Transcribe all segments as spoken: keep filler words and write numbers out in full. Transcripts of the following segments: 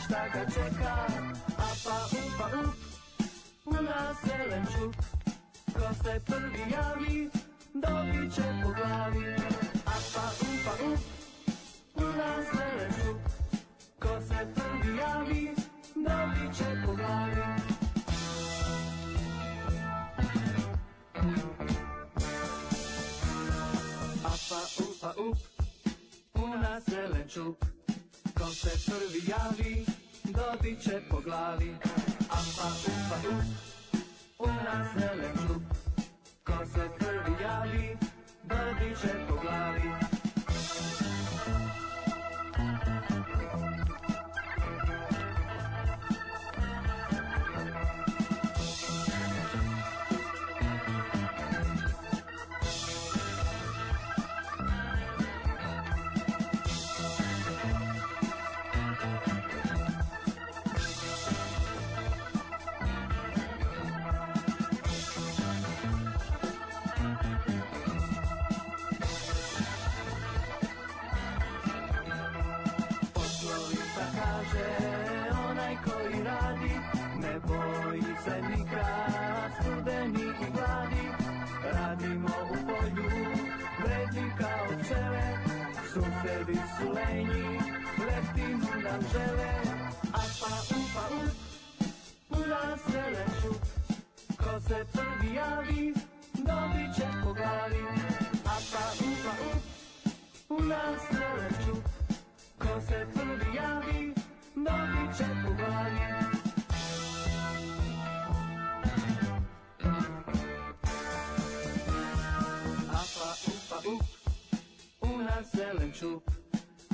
šta ga čeka, a pa upa up, u nas zelen čup. Ko se prvi javi, dobit će po glavi, a pa upa up, u nas zelen čup. Ko se prvi javi, dobit će po glavi. Apa, upa, up, u nas zelen čup. Ko se prvi javi, dobit će po glavi. Apa, upa, up, u nas zelen čup. Ko se prvi javi, dobit će po glavi.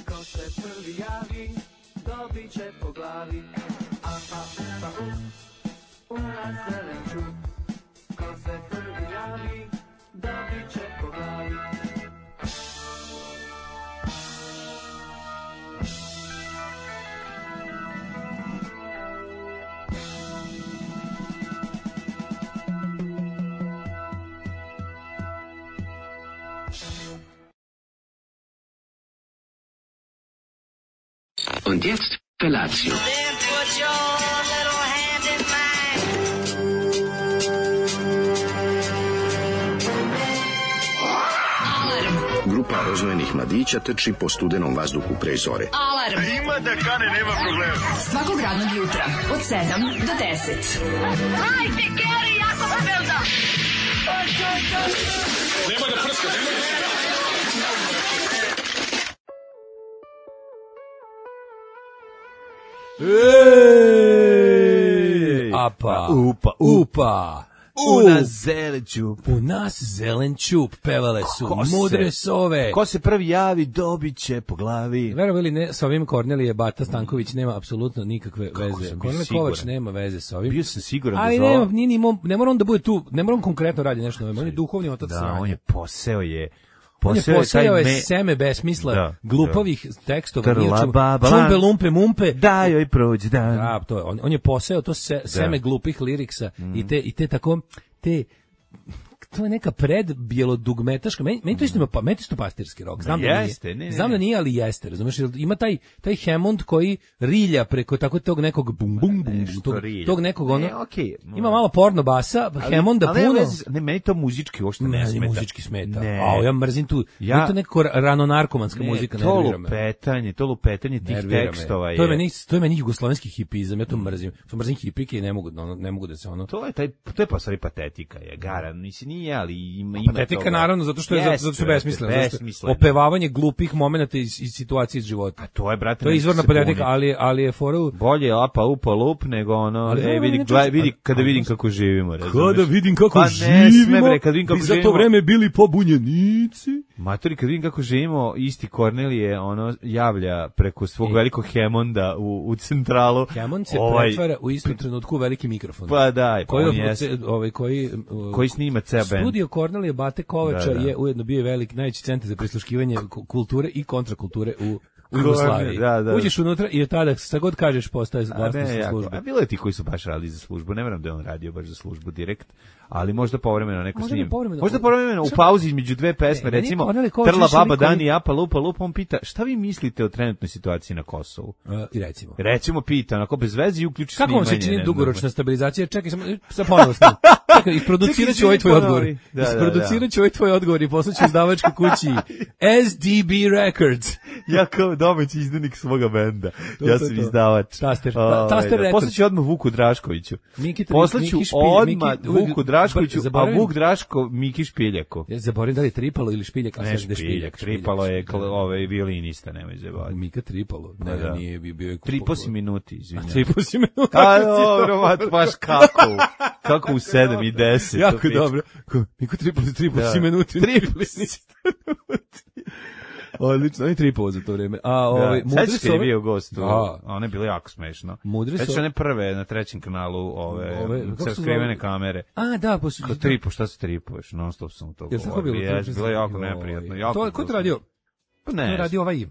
Ko se prvi javi, dobit će po glavi. Apa, upa, up, u nas zelen čup. Ko se prvi javi, dobit će po glavi. Und jetzt Felatio. Then put your little hand in mine. Grupa rozvojenih mladića trči po studenom vazduhu pre zore. Alarm. Ima da kane, nema problema. Svakog radnog jutra od sedam do deset. Hajde, Geri, jako se velda. Nema da prska, nema da prska. Ej! Apa, upa, upa, u nas zelen čup. U nas zelen čup, pevale su Ko mudre se- sove. Ko se prvi javi, dobit će po glavi. Verovali ne, sa ovim Kornelije Bata Stanković nema apsolutno nikakve Kako veze. sam bio Kornelije siguran. Kovač nema veze sa ovim. Bio sam siguran Ali da za nema, ovo- nije ni mo- ne mora on da bude tu, ne mora on konkretno radi nešto novo, on je duhovni otac Da, sranja. on je poseo je... On je Poseo posejao taj je me- seme besmisla, Da, glupavih tekstova, Trla, nije o čemu. baba, Čumbe, lumpe, mumpe. Da joj prođe dan. Da, to je. On, on je poseo to se, seme glupih liriksa Mhm. i te i te tako te to je neka pred bjelodugmetaška. Meni, meni to isto ima pa meni to isto pastirski rok. Znam da Jeste, nije. ne, ne, Znam da ne. nije, ali jeste, razumeš? Jer ima taj taj Hammond koji rilja preko tako tog nekog bum bum bum Nešto tog, rilja. tog nekog ono. Ne, okej. Ima malo porno basa, Hammonda ali nema puno. veze- Ne, meni to muzički uopšte ne Ne, smeta. muzički smeta. Ne. A ja mrzim tu. Ja- Ja, to nekako rano narkomanska Ne, muzika, to nervira me. lupetanje, to lupetanje tih Nervira me. tekstova je... To je meni, to je meni jugoslovenski hipizam, ja to mrzim. To mrzim hipike i ne mogu, ono, ne mogu da se ono... To je taj, to je pa stvari patetika je, gara, nisi nije, ali ima, ima Patetika toga. naravno zato što je Jeste, zato što je brate, besmisleno, zato što je besmisleno. opevavanje glupih momenata iz, iz situacije iz života. A to je, brate, To je nek izvorna se patetika, buni. ali ali je fora u- Bolje je lapa upa lup nego ono, Ali e, dobro, vidi, inače- gledaj, vidi, kada ali- vidim kako živimo, razumeš? Kada vidim kako Pa ne živimo, sme, bre, kad vidim kako i za živimo. to vreme bili pobunjenici. Matori, kad vidim kako živimo, isti Kornelije, ono, javlja preko svog I- velikog Hemonda u, u centralu. Hammond se ovaj, pretvara u istom trenutku u veliki mikrofon. Pa daj, koji, on je, jeste. ovaj, koji, Koji snima ceo band. Studio Kornelije Bate Kovača Da, da. je ujedno bio velik najveći centar za prisluškivanje ku- kulture i kontrakulture u u Jugoslaviji. Da, da. Uđeš unutra i od tada, šta god kažeš, postaje vlasnik za službu. A bilo je ti koji su baš radili za službu, ne verujem da je on radio baš za službu direkt, ali možda povremeno neko Možda snim. bi povremeno- Možda povremeno u pauzi između dve pesme, E, meni recimo, Kornelije Kovač Trla više baba lik koji- Dani Japa lupa lupa, on pita, šta vi mislite o trenutnoj situaciji na Kosovu? Uh, I recimo. Recimo pita, onako bez veze i uključi Kako vam se snimanje, čini ne, dugoročna stabilizacija? Čekaj, samo sa ponovo snimam. Čekaj, isproducirat ću ovaj tvoj Čekaj, odgovor. ponovi. Da, da, da. Isproducirat ću ovaj tvoj odgovor i poslaću izdavačkoj kući S D B Records. Ja kao domaći izdanik svoga benda. To, Ja to, sam to. izdavač. Taster, ta- Ovaj, Taster da. Records. Poslaću odmah Vuku Draškoviću. Miki Tri- Poslaću Miki Špilj- odmah Miki- uvek- Vuku Draškoviću, a zaboravim- Vuk Draško Miki Špiljaku. Ja zaboravim da li je Tripalo ili Špiljak, a Ne sad ide Špiljak, Tripalo je kl- ovaj violinista, nemoj zajebavati. Mika Tripalo. Ne, Da, da. nije bio bio je Tri po si minuti, izvinjam. Tri po si minuti. A dobro, mat, baš kako, u- kako u sedam i deset. Jako to pič- dobro. Ko- Miko Tripalo, tri po Da. si minuti. Tri Tri po po si Odlično, on je Tripalo za to vreme. A ovaj Da, mudri sećaš su kad je ove- bio gost, u- Da. a ono je bilo jako smešno. Mudri su Sećaš one prve na trećem kanalu, ove, Ove, kako se skrivene zove? kamere. A, da, posle. Kao tripo, šta se tripuješ, non stop sam to Jel tako govorio. bilo? Jes, bilo je jako Joj. neprijatno. Jako To, ko je to radio? Pa To ne. je radio ovaj...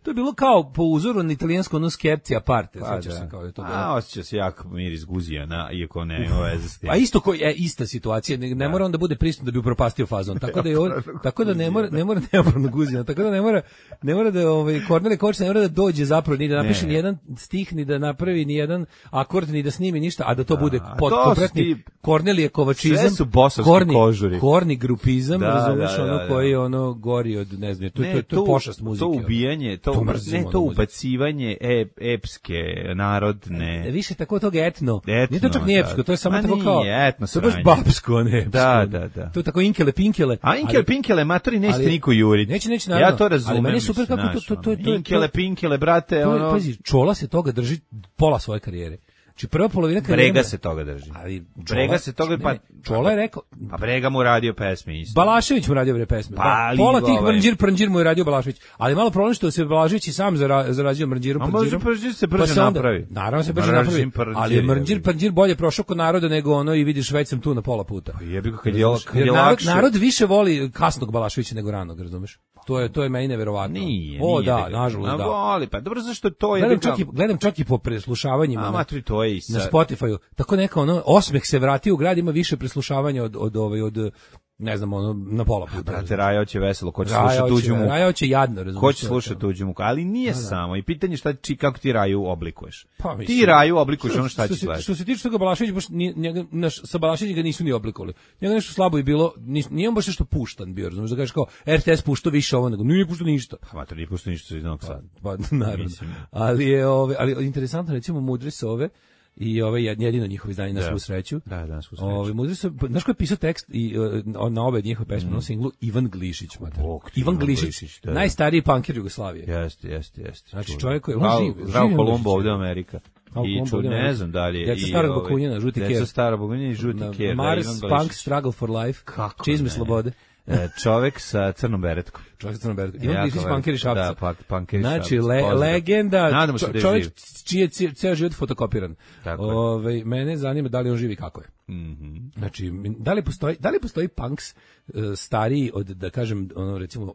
To je bilo kao po uzoru na italijansko ono skepci aparte, Pa sećaš da. se kao da je to bilo. A, osjeća se jak miris guzijana, iako ne ima veze s tim. A isto koji je ista situacija, ne, ne mora on da bude prisutan da bi upropastio fazon. Tako da je ovo- tako da ne mora ne mora neopravno guzina, tako da ne mora ne mora da ovaj Kornelije Kovač ne mora da dođe zapravo ni da napiše Ne. ni jedan stih, ni da napravi ni jedan akord, ni da snimi ništa, a da to bude a pod to su kompletni ti- Kornelije Kovačizam. sve su bosovski korni, kožuri. Korni grupizam, Da, razumeš, da, da, ono da. koji je ono gori od ne znam, to, Ne, to, to, to je pošast muzike. To ono. ubijanje, to, To mrzimo, ne, to ono, muziku. ubacivanje e, epske, narodne. E, više tako tog etno. Etno, Nije to čak nije da. epsko, to je samo Ma tako kao nije, etno to je baš sranje. babsko, a ne epsko. Da, da, da. To je tako inkele, pinkele. A Inkele, ali- Pinkele, matori, nećete ali- niko juriti. Neće, neće, naravno. Ja to razumem. Ali meni je super mislim, kako to- znaš, to- to- ono, to- Inkele, to- Pinkele, brate, To je, ono, pazi, Čola se toga drži pola svoje karijere. Znači prva polovina karijere... Brega se toga drži. Ali Brega se toga, ne, pa... ne, Čola je rekao... Pa Brega mu radio pesme isto. Balašević mu radio bre pesme. Pa, Da, ali pola tih ovaj- mrnđir prnđir mu je radio Balašević. Ali malo problem što se Balašević i sam zara, zarađio mrnđirom A prnđirom. može prnđir se brže pa se onda- napravi. Naravno se brže Mržim napravi. prnđir, Ali je mrnđir jebi. prnđir bolje prošao kod naroda nego ono i vidiš već sam tu na pola puta. Jebi ga kad je, kad Jer je narod, lakše. narod više voli kasnog Balaševića nego ranog, razumeš? To je to je meni neverovatno. Nije, O nije da, ga- nažalost A da. voli, pa dobro, zašto to je... Gledam čak, i, gledam čak i po preslušavanjima A, na, matri, to je i sa... na Spotify-u. Tako neka ono, osmeh se vratio u grad, ima više preslušavanja od, od, ovaj, od ne znam, ono, na pola puta. Brate, Raja će veselo, ko će Raja slušati hoće- tuđu muku. Raja hoće jadno, razumiješ. Ko će slušati tuđu muku, ali nije samo. I pitanje šta, či, kako ti Raju oblikuješ. Pa, mislim- Ti Raju oblikuješ ono šta što ćeš se, gledati. što se tiče toga Balašević, baš nije, njega, naš, sa Balaševićem ga nisu ni oblikovali. Njega nešto slabo je bilo, nis, nije on baš nešto puštan bio, razumiješ, da kažeš kao R T S puštao više ovo, nego nije puštao ništa. Pa, mater, nije pusto ništa iz Novog Sada. Pa, naravno. Mislim. Ali je, ove, ali interesantno, recimo, Mudri su ove, i ove jedino njihovo izdanje na Da. svu sreću. Da, da, svu sreću. Ove Mudri su, znaš ko je pisao tekst i uh, na obe njihove pesme, na singlu Ivan Glišić, mater. Bog ti, Ivan Ivan Glišić, Glišić, da, da. najstariji punker Jugoslavije. Jeste, jeste, jeste. Znači, Čudo. čovjek koji- on Zdravo- živ- Zdravo živ Kolumbo Glišić. ovde u Amerika. Zdravo I Kolumbo ču, ovde u ne Amerika. znam da li je. Djeca i starog ovaj, Bakunjina, žuti Djeca ker. starog Bakunjina i žuti Na- ker. da, Mars Ivan Punk Glišić. Struggle for Life. Kako Čizme ne? slobode. E, čovek sa crnom beretkom. Čovjek sa crnom beretkom. Ivan Jako Glišić, veliko. punker iz Šapca. Da, pa- punker iz Znači, Šapca. le, Pozdrav. legenda, Nadamo se čo- da je čovjek živ. čiji je cije- ceo život fotokopiran. Tako je. Ove, mene zanima da li on živi kako je. Mhm. Znači, da li postoji, da li postoji punks uh, stariji od, da kažem, ono, recimo,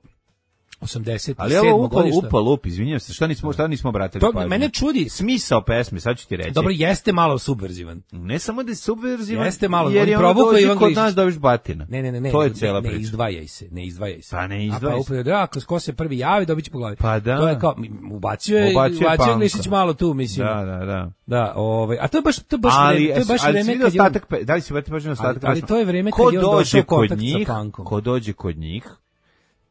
osamdeset Ali ovo upa, upa lup, izvinjam se, šta nismo, šta nismo obratili To pažnju? mene čudi. Smisao pesme, sad ću ti reći. Dobro, jeste malo subverzivan. Ne samo da je subverzivan, Jeste malo, jer on je ono provukao dođi Ivan kod Glišić. nas dobiš batina. Ne, ne, ne, ne. To je ne, cela ne, priča. Ne izdvajaj se, ne izdvajaj se. Pa ne A izdvajaj pa se. upravo, da, ako ko se prvi javi, dobit će po glavi. Pa da. To je kao, ubacio je, Ubacio je ubacio je punka. Glišić malo tu, mislim. Da, da, da. Da, ovaj, a to je baš, to je baš Ali, vreme, to je baš ali vreme si vidio kad je on- ostatak, pe- da li si vrati pažnju na ostatak? ali pesma? to je vreme Ko kad je on došao dođe u kontakt kod sa njih, punkom. Ko dođe kod njih,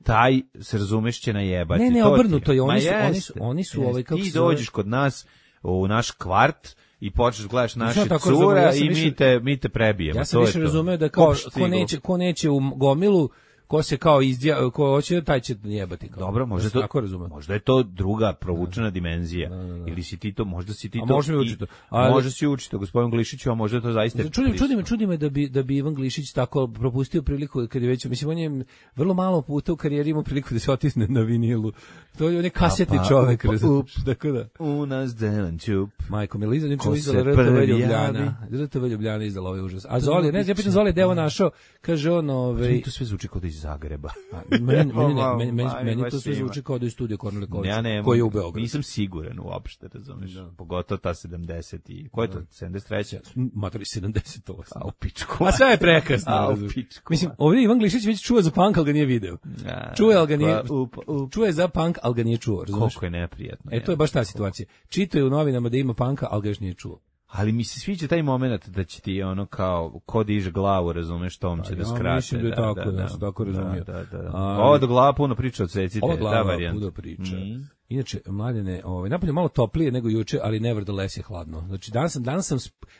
taj se razumeš će najebati. Ne, ne, To ti obrnuto je, oni Ma su- oni su- jeste, oni su, jeste. ovaj, kako Ti se zove- dođeš kod nas u naš kvart i počneš gledaš naše ja tako razumem, cure ja sam i više- mi te, mi te prebijemo. Ja sam to je više to. razumeo da kao, Kopš ko stiglo. neće, ko neće u gomilu, ko se kao izdja, ko hoće, taj će jebati. Kao. Dobro, možda Ja je sam to, tako razumem. možda je to druga provučena dimenzija. Ili si ti to, možda si ti A to. može mi i- učiti to. Ali- Možda si učito, gospodin Glišiću, a možda je to zaista. Čudi, čudi me, prisutno. čudi me da bi da bi Ivan Glišić tako propustio priliku kad je već, mislim, on je vrlo malo puta u karijeri imao priliku da se otisne na vinilu. To je on je kasetni Apa, čovek, upa, razumeš, tako da. U nas delan ćup. Majko Miliza, znači Ko izdala se R T V prvi Ljubljana. R T V Ljubljana izdala ovaj užas. A Zoli, ne znam, ja pitam Zoli, gde je on našao, kaže on, ovaj, To sve zvuči kao da iz Zagreba. Meni, meni, meni, Ma, meni, meni, ma, meni baš to sve ima. zvuči kao da je studio Kornelije Kovač, Ja ne, koji je u Beogradu. Nisam siguran uopšte, razumiješ. Pogotovo ta sedamdeset i ko je to? sedamdeset treća Matori sedamdeset osam. A u pičku. A sve je prekasno. A u razumiješ. pičku. Mislim, ovdje Ivan Glišić već čuo za punk, ali ga nije video. A, Čuje, ali ga nije, pa, up, up. čuje za punk, ali ga nije čuo. Razumiješ? Koliko je neprijatno. E, to je baš ta situacija. Čito je u novinama da ima punka, ali ga još nije čuo. Ali mi se sviđa taj moment da će ti ono kao ko diže glavu, razumeš, tom će Da, da ja skrate. mislim da je tako, da sam tako razumio. Da, da, da. A, Ovo do glava puno priča od secite, Ova ta glava varijanta. puno priča. Mm. Inače, mladene, ovaj, napolje malo toplije nego juče, ali nevertheless je hladno. Znači, danas sam, danas sam,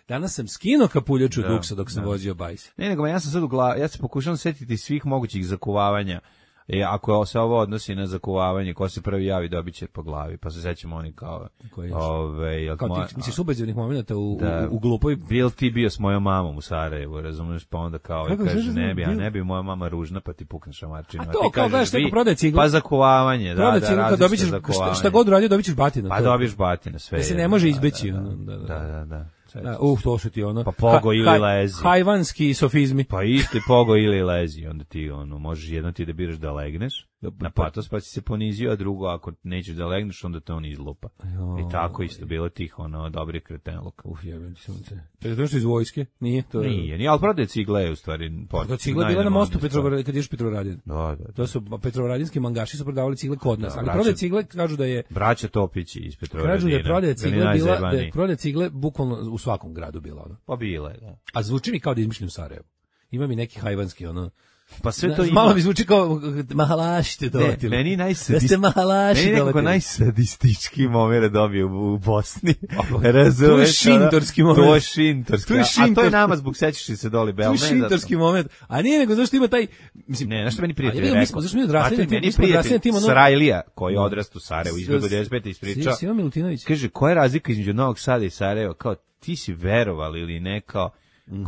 danas sam skinuo kapuljaču Da, duksa dok sam da. vozio bajs. Ne, nego ja sam sad u glavi, ja se pokušavam setiti svih mogućih zakuvavanja. E, ako se ovo odnosi na zakuvavanje, ko se prvi javi dobit će po glavi, pa se sećamo oni kao... Koji još? Ove, jel Kao moja- ti, misliš, ubeđenih momenta u, Da. u, u glupoj... Bil ti bio s mojom mamom u Sarajevu, razumiješ, pa onda kao Kako, i kaže, šta znam, ne bi, a bil- ne bi moja mama ružna, pa ti pukne šamarčinu. A ti to, kao kažeš, gledaš, neko vi- prodaje cigle. Pa zakuvavanje, da, Prodaje da, cigle, kad različite dobit ćeš, šta, zakuvavanje. šta god uradio, dobit ćeš batina. Pa to je. dobiješ batine, sve. Da se je, ne može da, izbeći, Da, ono, da, da, da. da. da, da. Da, uh, to su ti ono... Pa pogo Ha- ili ha- lezi. Hajvanski sofizmi. Pa isti pogo ili lezi, onda ti ono, možeš jedno ti da biraš da legneš na patos pa si se ponizio, a drugo ako nećeš da legneš onda te on izlupa. Jo. I tako isto bilo tih ono dobrih kretenluka. Uf, jebem ti sunce. Čekaj, to što iz vojske? Nije? To je... Nije, nije, ali prodaje cigle je u stvari... Da, cigle bila na mostu Petrovaradin, kad ješ Petrovaradin. Da, da, da. To su Petrovaradinski mangaši su prodavali cigle kod nas, Da, ali braća- prodaje cigle kažu da je Braća Topići iz Petrovaradina. kažu da je prodaje cigle Bili bila, da najzajebaniji. je prodaje cigle bukvalno u svakom gradu bila ono. Pa bile, da. A zvuči mi kao da izmišljam Sarajevo. Ima mi neki hajvanski ono. Pa sve to Znaš, ima... malo mi zvuči kao mahalaši te Ne, dovatili. meni Da najsadist... ste mahalaši Meni nekako dovatili. najsadistički moment dobio u, u Bosni. To je Razumeš? šintorski ono? moment. To je šintorski. To je A to je šintorski. nama zbog sećaš li se doli To Bel. je šintorski moment. A nije nego zašto ima taj... Mislim, Ne, znaš što meni prijatelj A ja, rekao? mi smo- zašto mi odrasli na Znate, tim- meni mi smo odrasli na prijatelj tim, ono- Sarajlija, koji je Da. odrastao u Sarajevu, izbjegao devedeset pete ispričao. Sima Milutinović. Kaže, koja je razlika između Novog Sada i Sarajeva? Kao, ti si verovali ili ne, kao,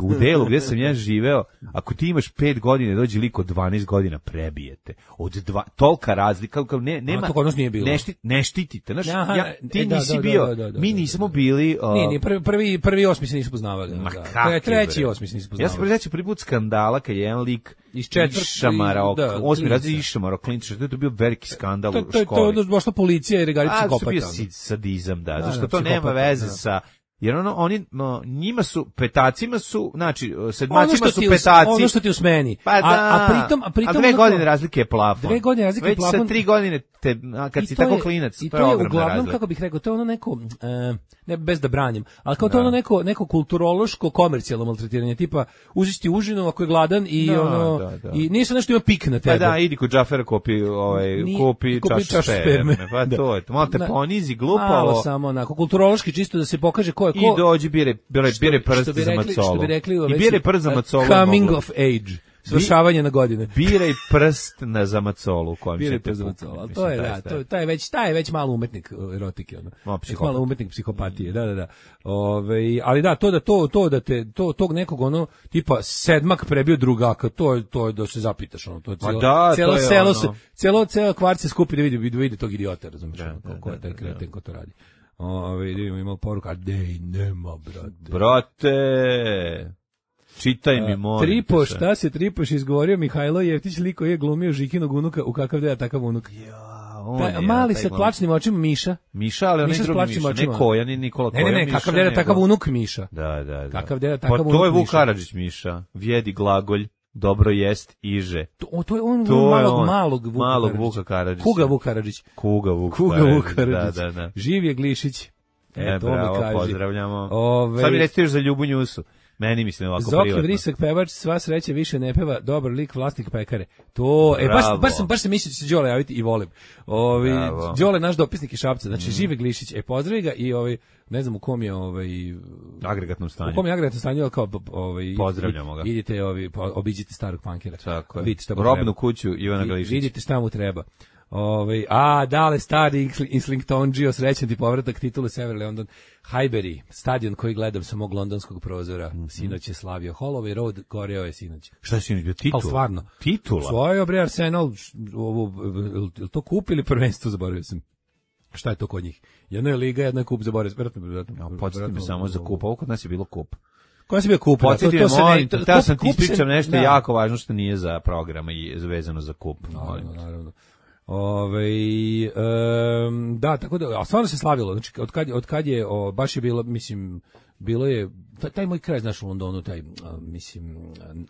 u delu gdje sam ja živeo, ako ti imaš pet godina, dođe liko dvanaest godina, prebijete. Od dva, tolika razlika, kao ne, nema, to kod nas nije bilo. ne, šti, ne štitite. Znaš, Aha, ja, ti e, da, nisi da, da, bio, da, da, da, mi da, nismo da. bili... Uh, Nije, nije, prvi, prvi, prvi osmi se nisu poznavali. Ma da. kakvi, Treći bre. osmi se nisu Ja poznavali. se prezeću prvi put skandala kad je jedan lik Iz četvrtog- išamarao, da, osmi klinca. razred išamarao klinca, što je to bio veliki skandal To, u to, to je školi. onda došla policija i regalica A, to kopata. su bio si- sadizam, da, Da, zašto da, to nema psihopata, veze da. sa... Jer ono, oni, no, njima su, petacima su, znači, Ono sedmacima što su ti u- petaci. ono što ti usmeni. Pa da, a, a pritom, a pritom a dve ono godine kao- razlike je plafon. Dve godine razlike je Već plafon. sa tri godine, te, a, kad I si to tako je- klinac, i to je ogromna uglavnom, razlika. kako bih rekao, to je ono neko, e, ne bez da branim, ali kao to Da. ono neko, neko kulturološko, komercijalno maltretiranje, tipa uziš ti užinu ako je gladan i Da, ono, da, da. i nešto nešto ima pik na tebe. Pa da, idi kod Džafera kupi, ovaj, Ni- kupi, kupi čašu čašu sperme. sperme. Pa Da. to je, to. Malo te Na- ponizi, Malo glupavo. samo onako, kulturološki čisto da se pokaže ko je ko. I dođi, bire, bire, Što- bire prst što bi za rekli- macolu. Što bi rekli u I Americi, bire prst za uh, macolu. Coming moglo. of age. Svršavanje na godine. Biraj prst na za macolu u kojem Biraj ćete prst za puknuti. macolu, ali Mislim, to je, taj da, stav. to, taj, je već, taj je već malo umetnik uh, erotike. Ono. Malo Već psihopat. malo umetnik psihopatije, da, da, da. Ove, ali da, to da, to, to da te, to, tog nekog ono, tipa sedmak prebio drugaka, to je, to je da se zapitaš, ono, to je Ma cijelo, da, cijelo to je selo ono. se, cijelo, cijelo kvart se skupi da vidi, da vidi tog idiota, razumiješ, Da, ono, da, ko je da, taj da, kreten ko to radi. Ove, da imamo, imamo poruka, dej, nema, brate. Brate, čitaj mi, molim te Tripo, se. šta se Tripoš izgovorio Mihajlo Jeftić, liko je glumio Žikinog unuka, u kakav deda takav unuk. Ja, on Taj, je, mali taj sa glavni- plačnim očima Miša. Miša, ali onaj Miša s drugi plačnim Miša, očima. ne Koja, ni Nikola Ne, Koja ne, ne, Miša, kakav deda nego- takav unuk Miša. Da, da, da. Kakav deda, Pa takav to je unuk Vuk Miša. Karadžić Miša. Vjedi glagolj, dobro jest, iže. To, o, to je on To je malog, on, malog Vuka malog Karadžića. Vuka Karadžića. Kuga Vuk Karadžić. Kuga Vuk Kuga Karadžić, Vuk Karadžić. Da, da, da. Živ je Glišić. E, E, to mi bravo, kaži. pozdravljamo. Ove- Sad mi recite još za Ljubu Njusu. Meni mislim ovako Zoki privatno. Vrisak pevač, sva sreća više ne peva, dobar lik, vlasnik pekare. To, e, baš, Bravo. baš sam, baš sam mislio da će se Đole javiti i volim. Ovi, Bravo. Đole naš dopisnik iz Šapca, znači Mm. žive Glišić, e, pozdravi ga i ovaj, ne znam u kom je, ovaj, Agregatnom stanju. u kom je agregatnom stanju, ali kao, ovaj, Pozdravljamo ga. Idite, ovi, po- obiđite starog pankera. Tako je. Vidite šta mu Robnu treba. kuću Ivana Vi- Glišića. Vidite šta mu treba. Ovaj a dale stari Islington srećan ti povratak titule Sever London. Highbury, stadion koji gledam sa mog londonskog prozora. Mhm. Sinoć je slavio Holloway Road, goreo je sinoć. Šta je sinoć bio? Titula? Ali stvarno. Titula? Svoje bre Arsenal, š- ovu, jel to kup ili prvenstvo, zaboravio sam. Šta je to kod njih? Jedna je liga, jedna je kup, zaboravio sam. Verovatno, verovatno, Ja, podsjeti me verovatno- samo za kup. Ovo kod nas je bilo kup. Koja si bio kup? Podsjeti me, molim, teo sam ti ispričam nešto da. jako važno što nije za program i vezano za kup. Naravno, naravno. Ove, um, da, tako da, a stvarno se slavilo, znači, od kad, od kad je, o, baš je bilo, mislim, bilo je, taj, taj moj kraj, znaš, u Londonu, taj, a, mislim,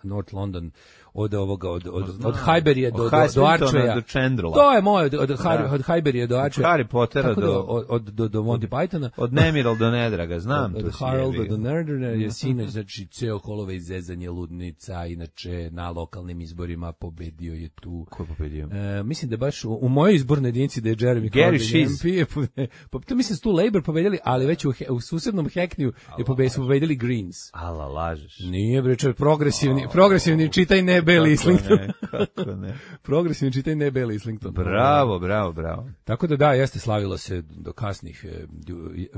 North London, od ovoga, od, od, od, od Highburyja do, do, do Archeja. Do Chandlera. To je moj, od, od, od Highburyja do Archeja. Od Harry Pottera do, do, od, do, do Monty Pythona. Od Nemiral do Nedraga, znam. Od, od Harolda do Nerdera je sinoć, znači, ceo Holove izezanje ludnica, inače, na lokalnim izborima pobedio je tu. Ko je pobedio? E, mislim da baš u, u mojoj izbornoj jedinici da je Jeremy Gary Corbyn Shiz. M P je pobe- po, to mislim da su tu Labour pobedili, ali već u, u susednom Hackneyu je pobe- su pobedili Greens. Ala, lažeš. Nije bre, čovjek, progresivni, progresivni čitaj ne Bill Islington. Ne, kako ne. Progresivni čitaj ne Bill Islington. Bravo, bravo, bravo. Tako da da, jeste, slavilo se do kasnih, e, do,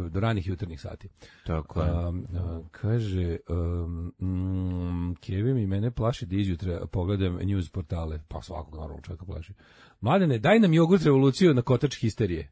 do ranih jutarnjih sati. Tako je. Um, uh, kaže, um, mm, Kevin i mene plaši da izjutra pogledam news portale, pa svakog naravno čovjeka plaši. Mladene, daj nam jogurt revoluciju na kotač histerije.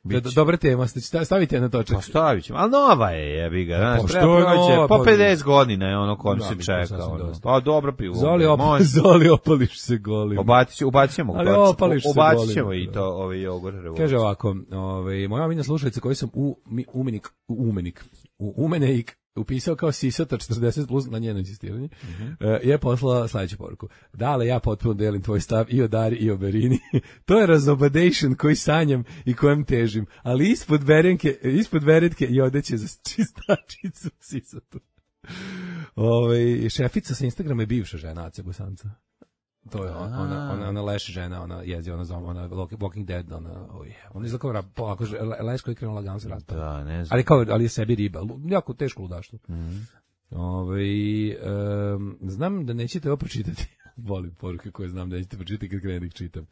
Do, dobra tema, stavite je na točak. Pa stavit ćemo, ali nova je, jebi ga. Znaš, Pa treba što je proći, nova, po pa- pedeset godina je ono kom Da, se mi to čeka. sasvim Ono. dosta. Pa dobro pivo. Zoli, op, može. Zoli opališ se golim. Ubacit, ubacit ćemo, Ali ubacit- opališ se ubacit ćemo golim. i to, ovaj jogurt revoluciju. Kaže ovako, ovaj, moja omiljena slušalica koju sam u mi, umenik, u umenik, u umenik upisao kao sisata četrdeset plus na njeno insistiranje, Mhm. e, je poslala sledeću poruku. Dale, ja potpuno delim tvoj stav i o Dari i o Berini. To je razobadation koji sanjam i kojem težim, ali ispod verenke, ispod veretke i odeće za čistačicu sisatu. Ovaj, šefica sa Instagrama je bivša žena Ace Bosanca. To je ona, ona, ona, ona leš žena, ona jezi, ona zove, ona Walking Dead, ona, oh yeah. Ona izgleda kao rab- polako, leš koji je krenuo lagano se raspada. Da, ne znam. Ali kao, ali je sebi riba, Lu- jako teško ludaštvo. Mhm. Ovaj, em, znam da nećete ovo pročitati. Volim poruke koje znam da nećete pročitati kad krenem da ih čitam.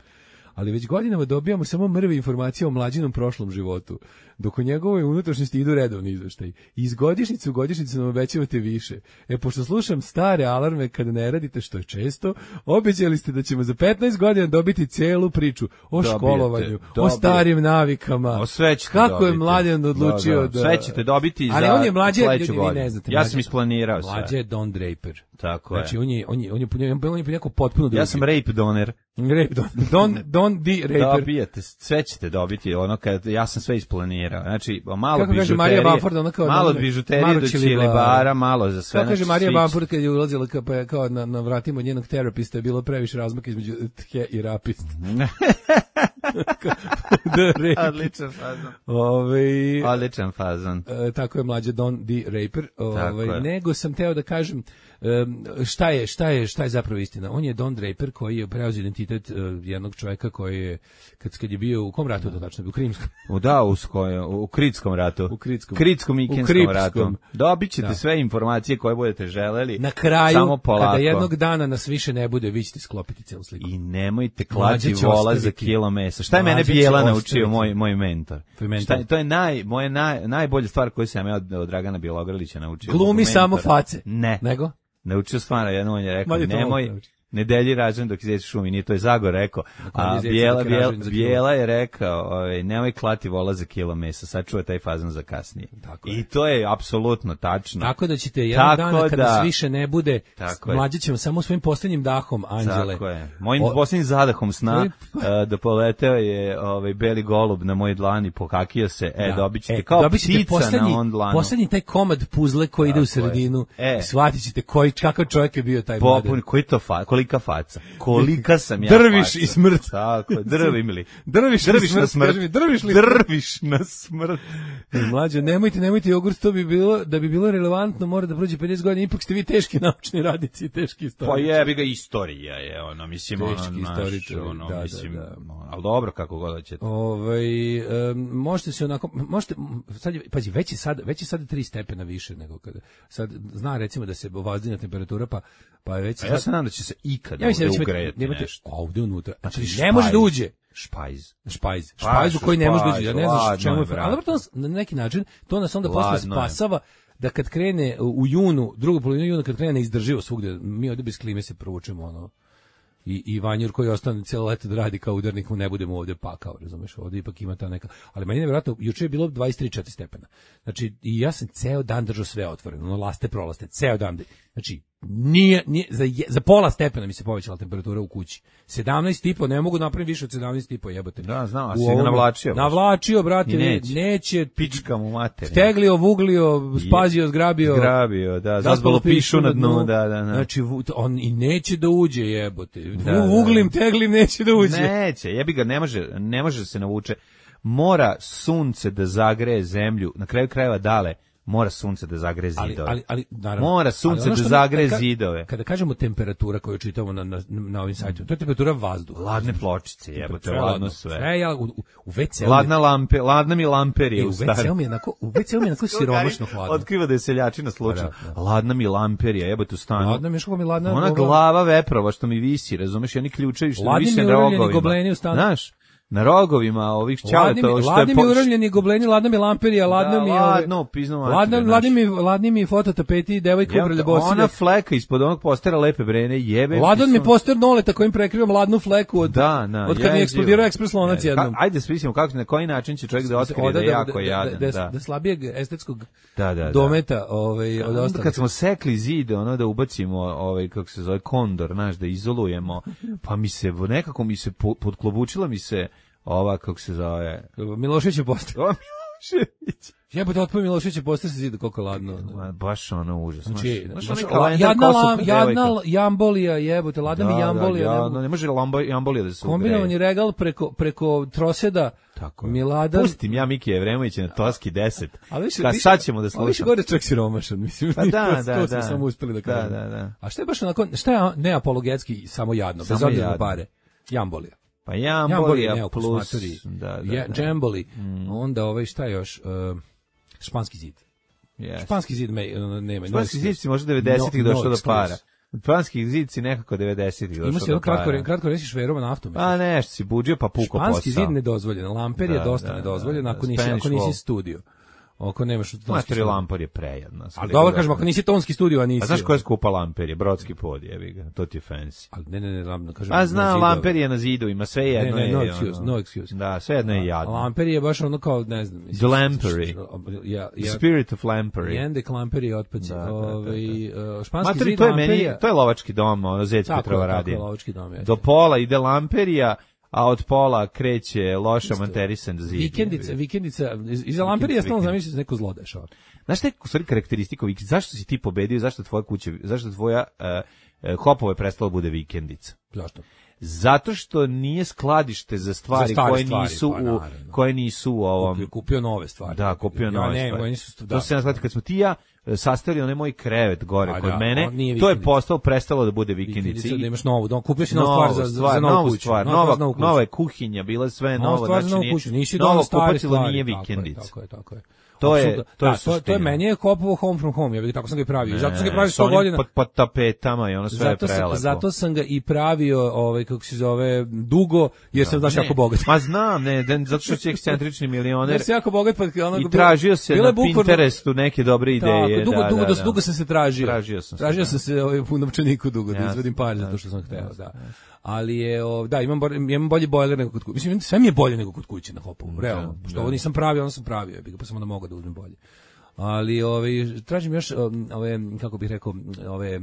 Ali već godinama dobijamo samo mrve informacije o mlađinom prošlom životu, dok u njegovoj unutrašnjosti idu redovni izveštaji. Iz godišnjice u godišnjicu nam obećavate više. E, pošto slušam stare alarme kada ne radite, što je često, obećali ste da ćemo za petnaest godina dobiti celu priču o Dobijete, školovanju, o dobijete. starim navikama. O, sve ćete Kako je dobiti. mladen odlučio da... Sve ćete dobiti Ali za on je mlađe, sledeću ljudi, vi godinu. ne znate. Ja mlađe- sam isplanirao sve. Mlađe je Don Draper. Tako Znači, je. on je, on je, on je, on je, on je neko potpuno drugi. Ja sam rape doner. Rape Don, Don, Don D. Raper. Dobijete, sve ćete dobiti, ono kad ja sam sve isplanirao. Znači, malo Kako kaže bižuterije, Marija Bamford, ona kao malo da- bižuterije malo do čilibara. čilibara, malo za sve. Kako kaže znači, Marija svi- Bamford kad je ulazila kao, pa je kao na, na vratima njenog terapista je bilo previše razmaka između tje i rapist. The Rape. Odličan fazon. Ove, Odličan fazon. e, tako je mlađe Don D. Raper. Ove, je. nego sam teo da kažem em, šta je, šta je, šta je zapravo istina. On je Don Draper koji je preuzeo identitet e, jednog čovjeka koji je, kad, kad je bio u kom ratu to tačno bio, u Krimskom. U da, u, skoju, u Kritskom ratu. U Kritskom. Kritskom i U Kenskom Kripskom. ratu. Dobit ćete Da. sve informacije koje budete želeli. Na kraju, samo polako. kada jednog dana nas više ne bude, vi ćete sklopiti celu sliku. I nemojte Mlađe klati će vola za ostaviti. kilo mesa. Šta je mene Mlađe će Bijela ostaviti. naučio, moj, moj mentor? Tvoj mentor. Šta, je- to je naj, moje naj, najbolja stvar koju sam ja od, od Dragana Bjelogrlića naučio. Glumi Mog mentora. samo face. Ne. Nego? Naučio stvarno, jedno on je rekao, Mlađe to nemoj, mogu naučiti. ne delji rađen dok izveć šumi, nije to je Zagor rekao. kon je A izveć Bijela, dok je Bijela, ražen za kilo. Bijela je rekao, ovaj, nemoj klati vola za kilo mesa, sačuva taj fazon za kasnije. Tako je. I to je apsolutno tačno. Tako da ćete jednog Tako dana kada da- nas više ne bude, Tako je. mlađe ćemo samo svojim posljednjim dahom, anđele. Tako je. Mojim O- posljednjim zadahom sna Tvoj- e, da poleteo je ovaj beli golub na moj dlani, pokakio se, e, Da. dobit ćete E, kao dobit ćete ptica poslednji, na on dlanu. poslednji taj komad puzle koji ide u Tako je. sredinu. E. Shvatit ćete koji, kakav čovjek je bio taj Popun, mladen. koji to fa, kolika faca? Kolika sam ja Drviš faca. i smrt. Tako je, drvim li? Drviš, Drviš na na smrt, smrt. kaži mi, drviš li? Drviš na smrt. Mlađe, nemojte, nemojte jogurt, to bi bilo, da bi bilo relevantno, mora da prođe pedeset godina, ipak ste vi teški naučni radnici i teški Pa istoričari. jebi ga, istorija je, ono, mislim, ono, Teški naš, istoričari, ono, da, da, mislim, da. ono, ali dobro, kako god ćete. Ovaj em, možete se onako možete sad je, pazi, već je sad već je sad tri stepena više nego kada sad zna recimo da se ovazdina temperatura pa pa je već A ja se nadam da će se ikada ja mislim da ovde će ugrejati imati nešto. ovde unutra znači Znači, ne može da špajz. uđe Špajz. špajz Pa, špajz u koji ne može da uđe špajz, ja ne znam ladno čemu je, je brate. ali dobro, to nas, na neki način to nas onda posle Ladno je. spasava da kad krene u junu drugu polovinu juna kad krene neizdrživo svugde mi ovde bez klime se provučemo ono i i Vanjur koji ostane cijelo leto da radi kao udarnik, mu ne budemo ovdje pakao, razumeš, ovdje ipak ima ta neka, ali meni je nevjerojatno, juče je bilo dvadeset tri četiri stepena, znači i ja sam ceo dan držao sve otvoreno, ono laste prolaste, ceo dan, znači nije, nije za, je, za pola stepena mi se povećala temperatura u kući, sedamnaest i po, ne mogu napraviti više od sedamnaest i po, jebote. Da, znam, a si ga navlačio. Navlačio, brate, neće. neće, pička mu mater. Steglio, vuglio, spazio, zgrabio. Zgrabio, da, zazbalo pišu na dnu, da, da, da. Znači, on i neće da uđe, jebote. Da, vuglim, teglim, neće da uđe. Neće, jebi ga, ne može, ne može se navuče. Mora sunce da zagreje zemlju, na kraju krajeva dale, mora sunce da zagreje zidove. Ali, ali, ali naravno, mora sunce da zagreje zidove. Kada kažemo temperatura koju čitamo na, na, na ovim sajtima, to je temperatura vazduha. Ladne pločice, jebote, ladno sve. Sve, ja, u, u ve ce-u Ladna lampe, ladna mi lamperija u stari. U ve ce-u mi je onako, u ve ce-u mi je onako siromašno hladno. Otkriva da je seljačina slučajno. Ladna mi lamperija, jebote, u stanu. Ladna mi, što mi ladna. Ona glava veprova što mi visi, razumeš, i oni ključevi što mi vise na rogovima. Znaš? Na rogovima ovih ćaletova što je ladni mi uravljeni gobleni, ladna mi lamperija, ladna mi ladno pizno ladna ladni mi ladni mi fototapeti, devojka ubrlje bosine. Ona fleka ispod onog postera lepe brene jebe. Ladan mi poster Noleta kojim prekrivam ladnu fleku od da, da, od kad mi eksplodirao ekspres lonac jednom. Ajde smislimo kako na koji način će čovjek da otkrije da je jako jadan, da da slabijeg estetskog da, da, dometa ovaj od ostalih. Kad smo sekli zid, ono da ubacimo ovaj kako se zove kondor, naš da izolujemo, pa mi se nekako mi se podklobučila mi se ova, kako se zove... Milošević je poster. O, Milošević. Jebote, otpoj Milošević je poster se zida koliko ladno. Ma, baš ono užasno. Znači, jadna, jadna jambolija, jebote, ladna mi jambolija. Da, da, ne može jambolija da se ugreje. Kombinovani regal preko, preko troseda. Tako. Miladan. Pustim ja Miki Evremovića na Toski deset. A više, Ka, sad ćemo da slušamo. A više gore čak siromašan, mislim. Pa da, da, to da. Samo uspeli da kažem. Da, da, da. A šta je baš onako, šta je neapologetski samo jadno, bez obzira na pare? Jambolija. Pa jambolija plus, da, da, da. Jamboli, mm. onda ovaj šta još, uh, španski zid. Yes. Španski zid me, uh, nema. Španski zid si možda devedesetih no, došao no do para. Španski zid si nekako devedesetih došao do para. Ima si jedno kratko, kratko reći šveroma naftom. A nešto si buđio pa puko posao. Španski zid nedozvoljen, lamper je dosta nedozvoljen ako nisi, ako nisi studio. Oko nemaš tonski lampar je prejedno. Ali dobro kažem, ako nisi tonski studio, a nisi. A znaš koja je skupa lamper je? Brodski pod, jebi ga. To ti je fancy. Ali ne, ne, ne, lam, kažem. A zna, lamper je na zidovima, sve jedno ne, ne, no je. Excuse, no excuse. Da, sve jedno je jadno. Lamper je baš ono kao, ne znam. The lampery. Ja, ja, Spirit of lampery. Jende lampery otpaci. Ovaj španski zid lamperija. To je lovački dom, ono Zec Petrova radi. Tako, lovački dom je. Do pola ide lamperija, a od pola kreće loša materisan zid. Vikendica, vikendica, iza lamperija stalno zamisliš neko zlodešava. Znaš te u stvari karakteristiko, zašto si ti pobedio, zašto tvoja kuća, zašto tvoja uh, uh, Hopova je prestala bude vikendica? Zašto? Zato što nije skladište za stvari za koje stvari, nisu pa, u koje nisu u ovom kupio, kupio nove stvari. Da, kupio ja, nove ne, stvari. Nisu, da, to se nazvati kad smo ti ja sastavili onaj moj krevet gore a kod da, mene, to je postalo prestalo da bude vikendica. Da imaš novu, da kupio si novu stvar za stvar, za novu kuću, stvar, nova, nova, nova je kuhinja, bila sve novo, znači nije, kuću, nisi novo kupatilo nije vikendica. Tako je, tako je. To je, to je, da, to je meni je Hopovo home from home, ja bih tako sam ga i pravio. Ne, zato sam ga pravio sto godina. Pod, pod tapetama i ono sve zato je prelepo. Sam, zato sam ga i pravio, ovaj kako se zove, dugo, jer da, sam daš jako bogat. Ma znam, ne, ne zato što si ekscentrični milioner. Jer sam jako bogat, pa ono i tražio se na Pinterestu neke dobre ideje. Tako, dugo, da, dugo, da, da. dugo sam se tražio. Tražio sam se. Tražio sam se ovaj u novčaniku dugo da izvadim pare zato što sam hteo, da. Ali je, da, imam imam bolji bojler nego kod kuće. Mislim, sve mi je bolje nego kod kuće na Hopovu, realno. Što ovo nisam pravio, onda sam pravio, pa sam onda mogao da uzmem bolje. Ali ovaj tražim još ove kako bih rekao ove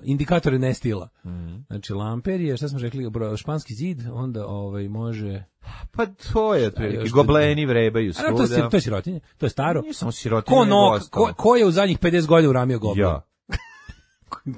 indikatore nestila. Mm. Znači lamper je, šta smo rekli, španski zid, onda ovaj može pa to je otprilike gobleni vrebaju svuda. A to je to je sirotinje, to je staro. Nije samo sirotinje. Ko, no, ko, ko je u zadnjih pedeset godina uramio goblin? Ja.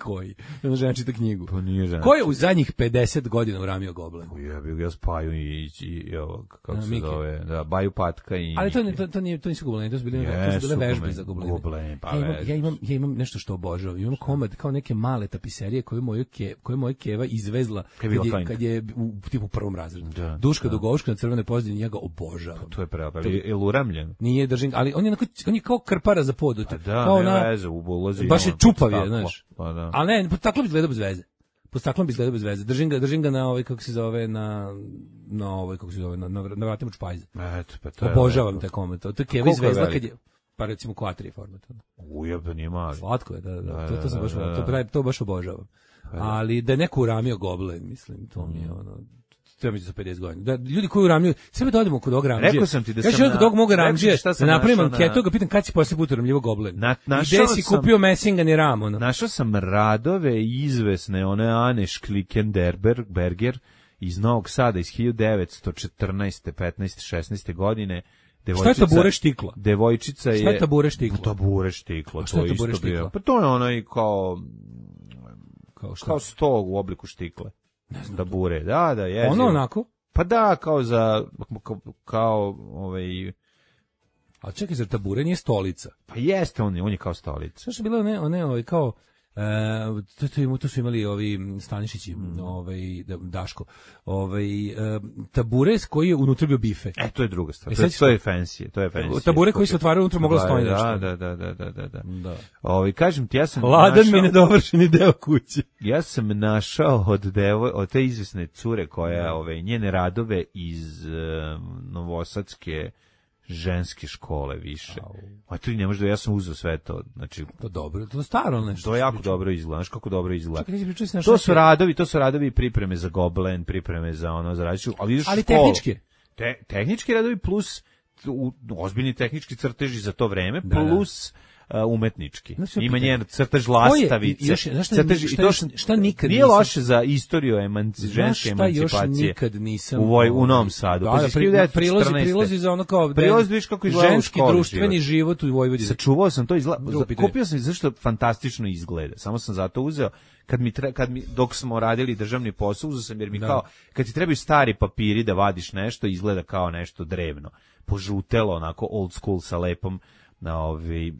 Koji? Jedna žena čita knjigu. Pa nije žena. Ko je u zadnjih pedeset godina uramio goblin? Ja bih ga spaju i, i, i ovo, kako se zove, da, Baju Patka i... Ali to, to, to, nije, to nisu goblini, to su bile, yes, to su bile vežbe za gobline. Goblin, pa ja, imam, ja, imam, ja imam nešto što obožavam. Imam komad kao neke male tapiserije koje moja ke, koje moja keva izvezla kad je, kad je u tipu prvom razredu. Da, Duška da. Dugovška na crvenoj pozadini, ja ga obožavam. Pa to je pravo, ali je uramljen. Nije držim, ali on je, onako, on je kao krpara za pod. Pa da, kao ne na, veze, ulazi. baš je čupav je, znaš. Pa da. Ali ne, pod staklom bi izgledao bez veze. Pod staklom bi izgledao bez veze. Držim ga, držim ga na ovaj, kako se zove, na, na ovaj, kako se zove, na, na vratima čpajza. Eto, pa to je... Obožavam te komad. To je keva izvezla kad je... pa recimo quattro format. Ujebe, nije mali. Slatko je, da, da, Da, to, to sam baš, da, da. to, pravi- to baš obožavam. Ali da je neko uramio Goblen, mislim, to mi je ono, treba mi za pedeset godina. Da, ljudi koji uramljuju, sve da odemo kod ovog Ramđija. Rekao sam ti da ja sam ću kod na- ovog moga rekao Ramđija, ti šta sam da napravim našao na- anketu, ga pitam kad si poslije put uramljivo Goblen. Na- I našao gde si sam- kupio Messingani ram, ono. Našao sam radove izvesne, one Ane Šklikenberger iz Novog Sada iz hiljadu devetsto četrnaeste, petnaeste, šesnaeste godine. Šta je tabure štikla? Devojčica je... Šta je tabure štikla? Tabure štikla, A šta to je je tabure isto bio. štikla? Pa to je onaj kao... Kao šta? Kao sto u obliku štikle. Ne znam. Tabure, da, da, je. Ono onako? Pa da, kao za... Kao, kao ovaj... A čekaj, zar tabure nije stolica? Pa jeste, on je, on je kao stolica. Sve što je bilo one, one ovaj, kao, e, to, to, im- to su imali ovi Stanišići, Mm. ovaj, da- Daško, ovaj, e, tabure s koji je unutra bio bife. E, to je druga stvar. E, To je, sad to je fancy, to je fancy. Tabure koji se otvaraju unutra moglo Da, stoji da, nešto. Da, da, da, da, da, da. Da. Ovi, kažem ti, ja sam Hladan mi našao, nedovršeni deo kuće. ja sam našao od devoj, od te izvesne cure koja, ove, njene radove iz um, novosadske ženske škole više. A to i ne može da, ja sam uzeo sve to, znači, To dobro, to je staro nešto. to je jako dobro izgleda, znaš kako dobro izgleda. Čekaj, ti si pričao si na To šta su je- radovi, to su radovi i pripreme za Goblen, pripreme za ono, za različitu, ali ideš u Ali školu. tehnički. Te, tehnički radovi plus u, ozbiljni tehnički crteži za to vreme, Da, da. plus uh, umetnički. Znači, Ima pitanje. njen crtež Ko je- lastavice. i još- znaš šta- crtež- i šta to još- što- šta nikad nije nisam- loše za istoriju emanci, Znaš ženske šta još emancipacije. nikad nisam... U, Voj, u ovaj, Novom Sadu. Da, Pa da, iz pri- hiljadu devetsto prilozi, četrnaeste. prilozi za ono kao... Prilozi, vidiš kako izgleda u ženski školi društveni život. život u Vojvodini. Sačuvao sam to izgleda. Drugo pitanje. Kupio sam zašto fantastično izgleda. Samo sam zato uzeo kad mi tre, kad mi dok smo radili državni posao, uzeo sam jer mi Da. kao kad ti trebaju stari papiri da vadiš nešto, izgleda kao nešto drevno. Požutelo, onako old school sa lepom na ovi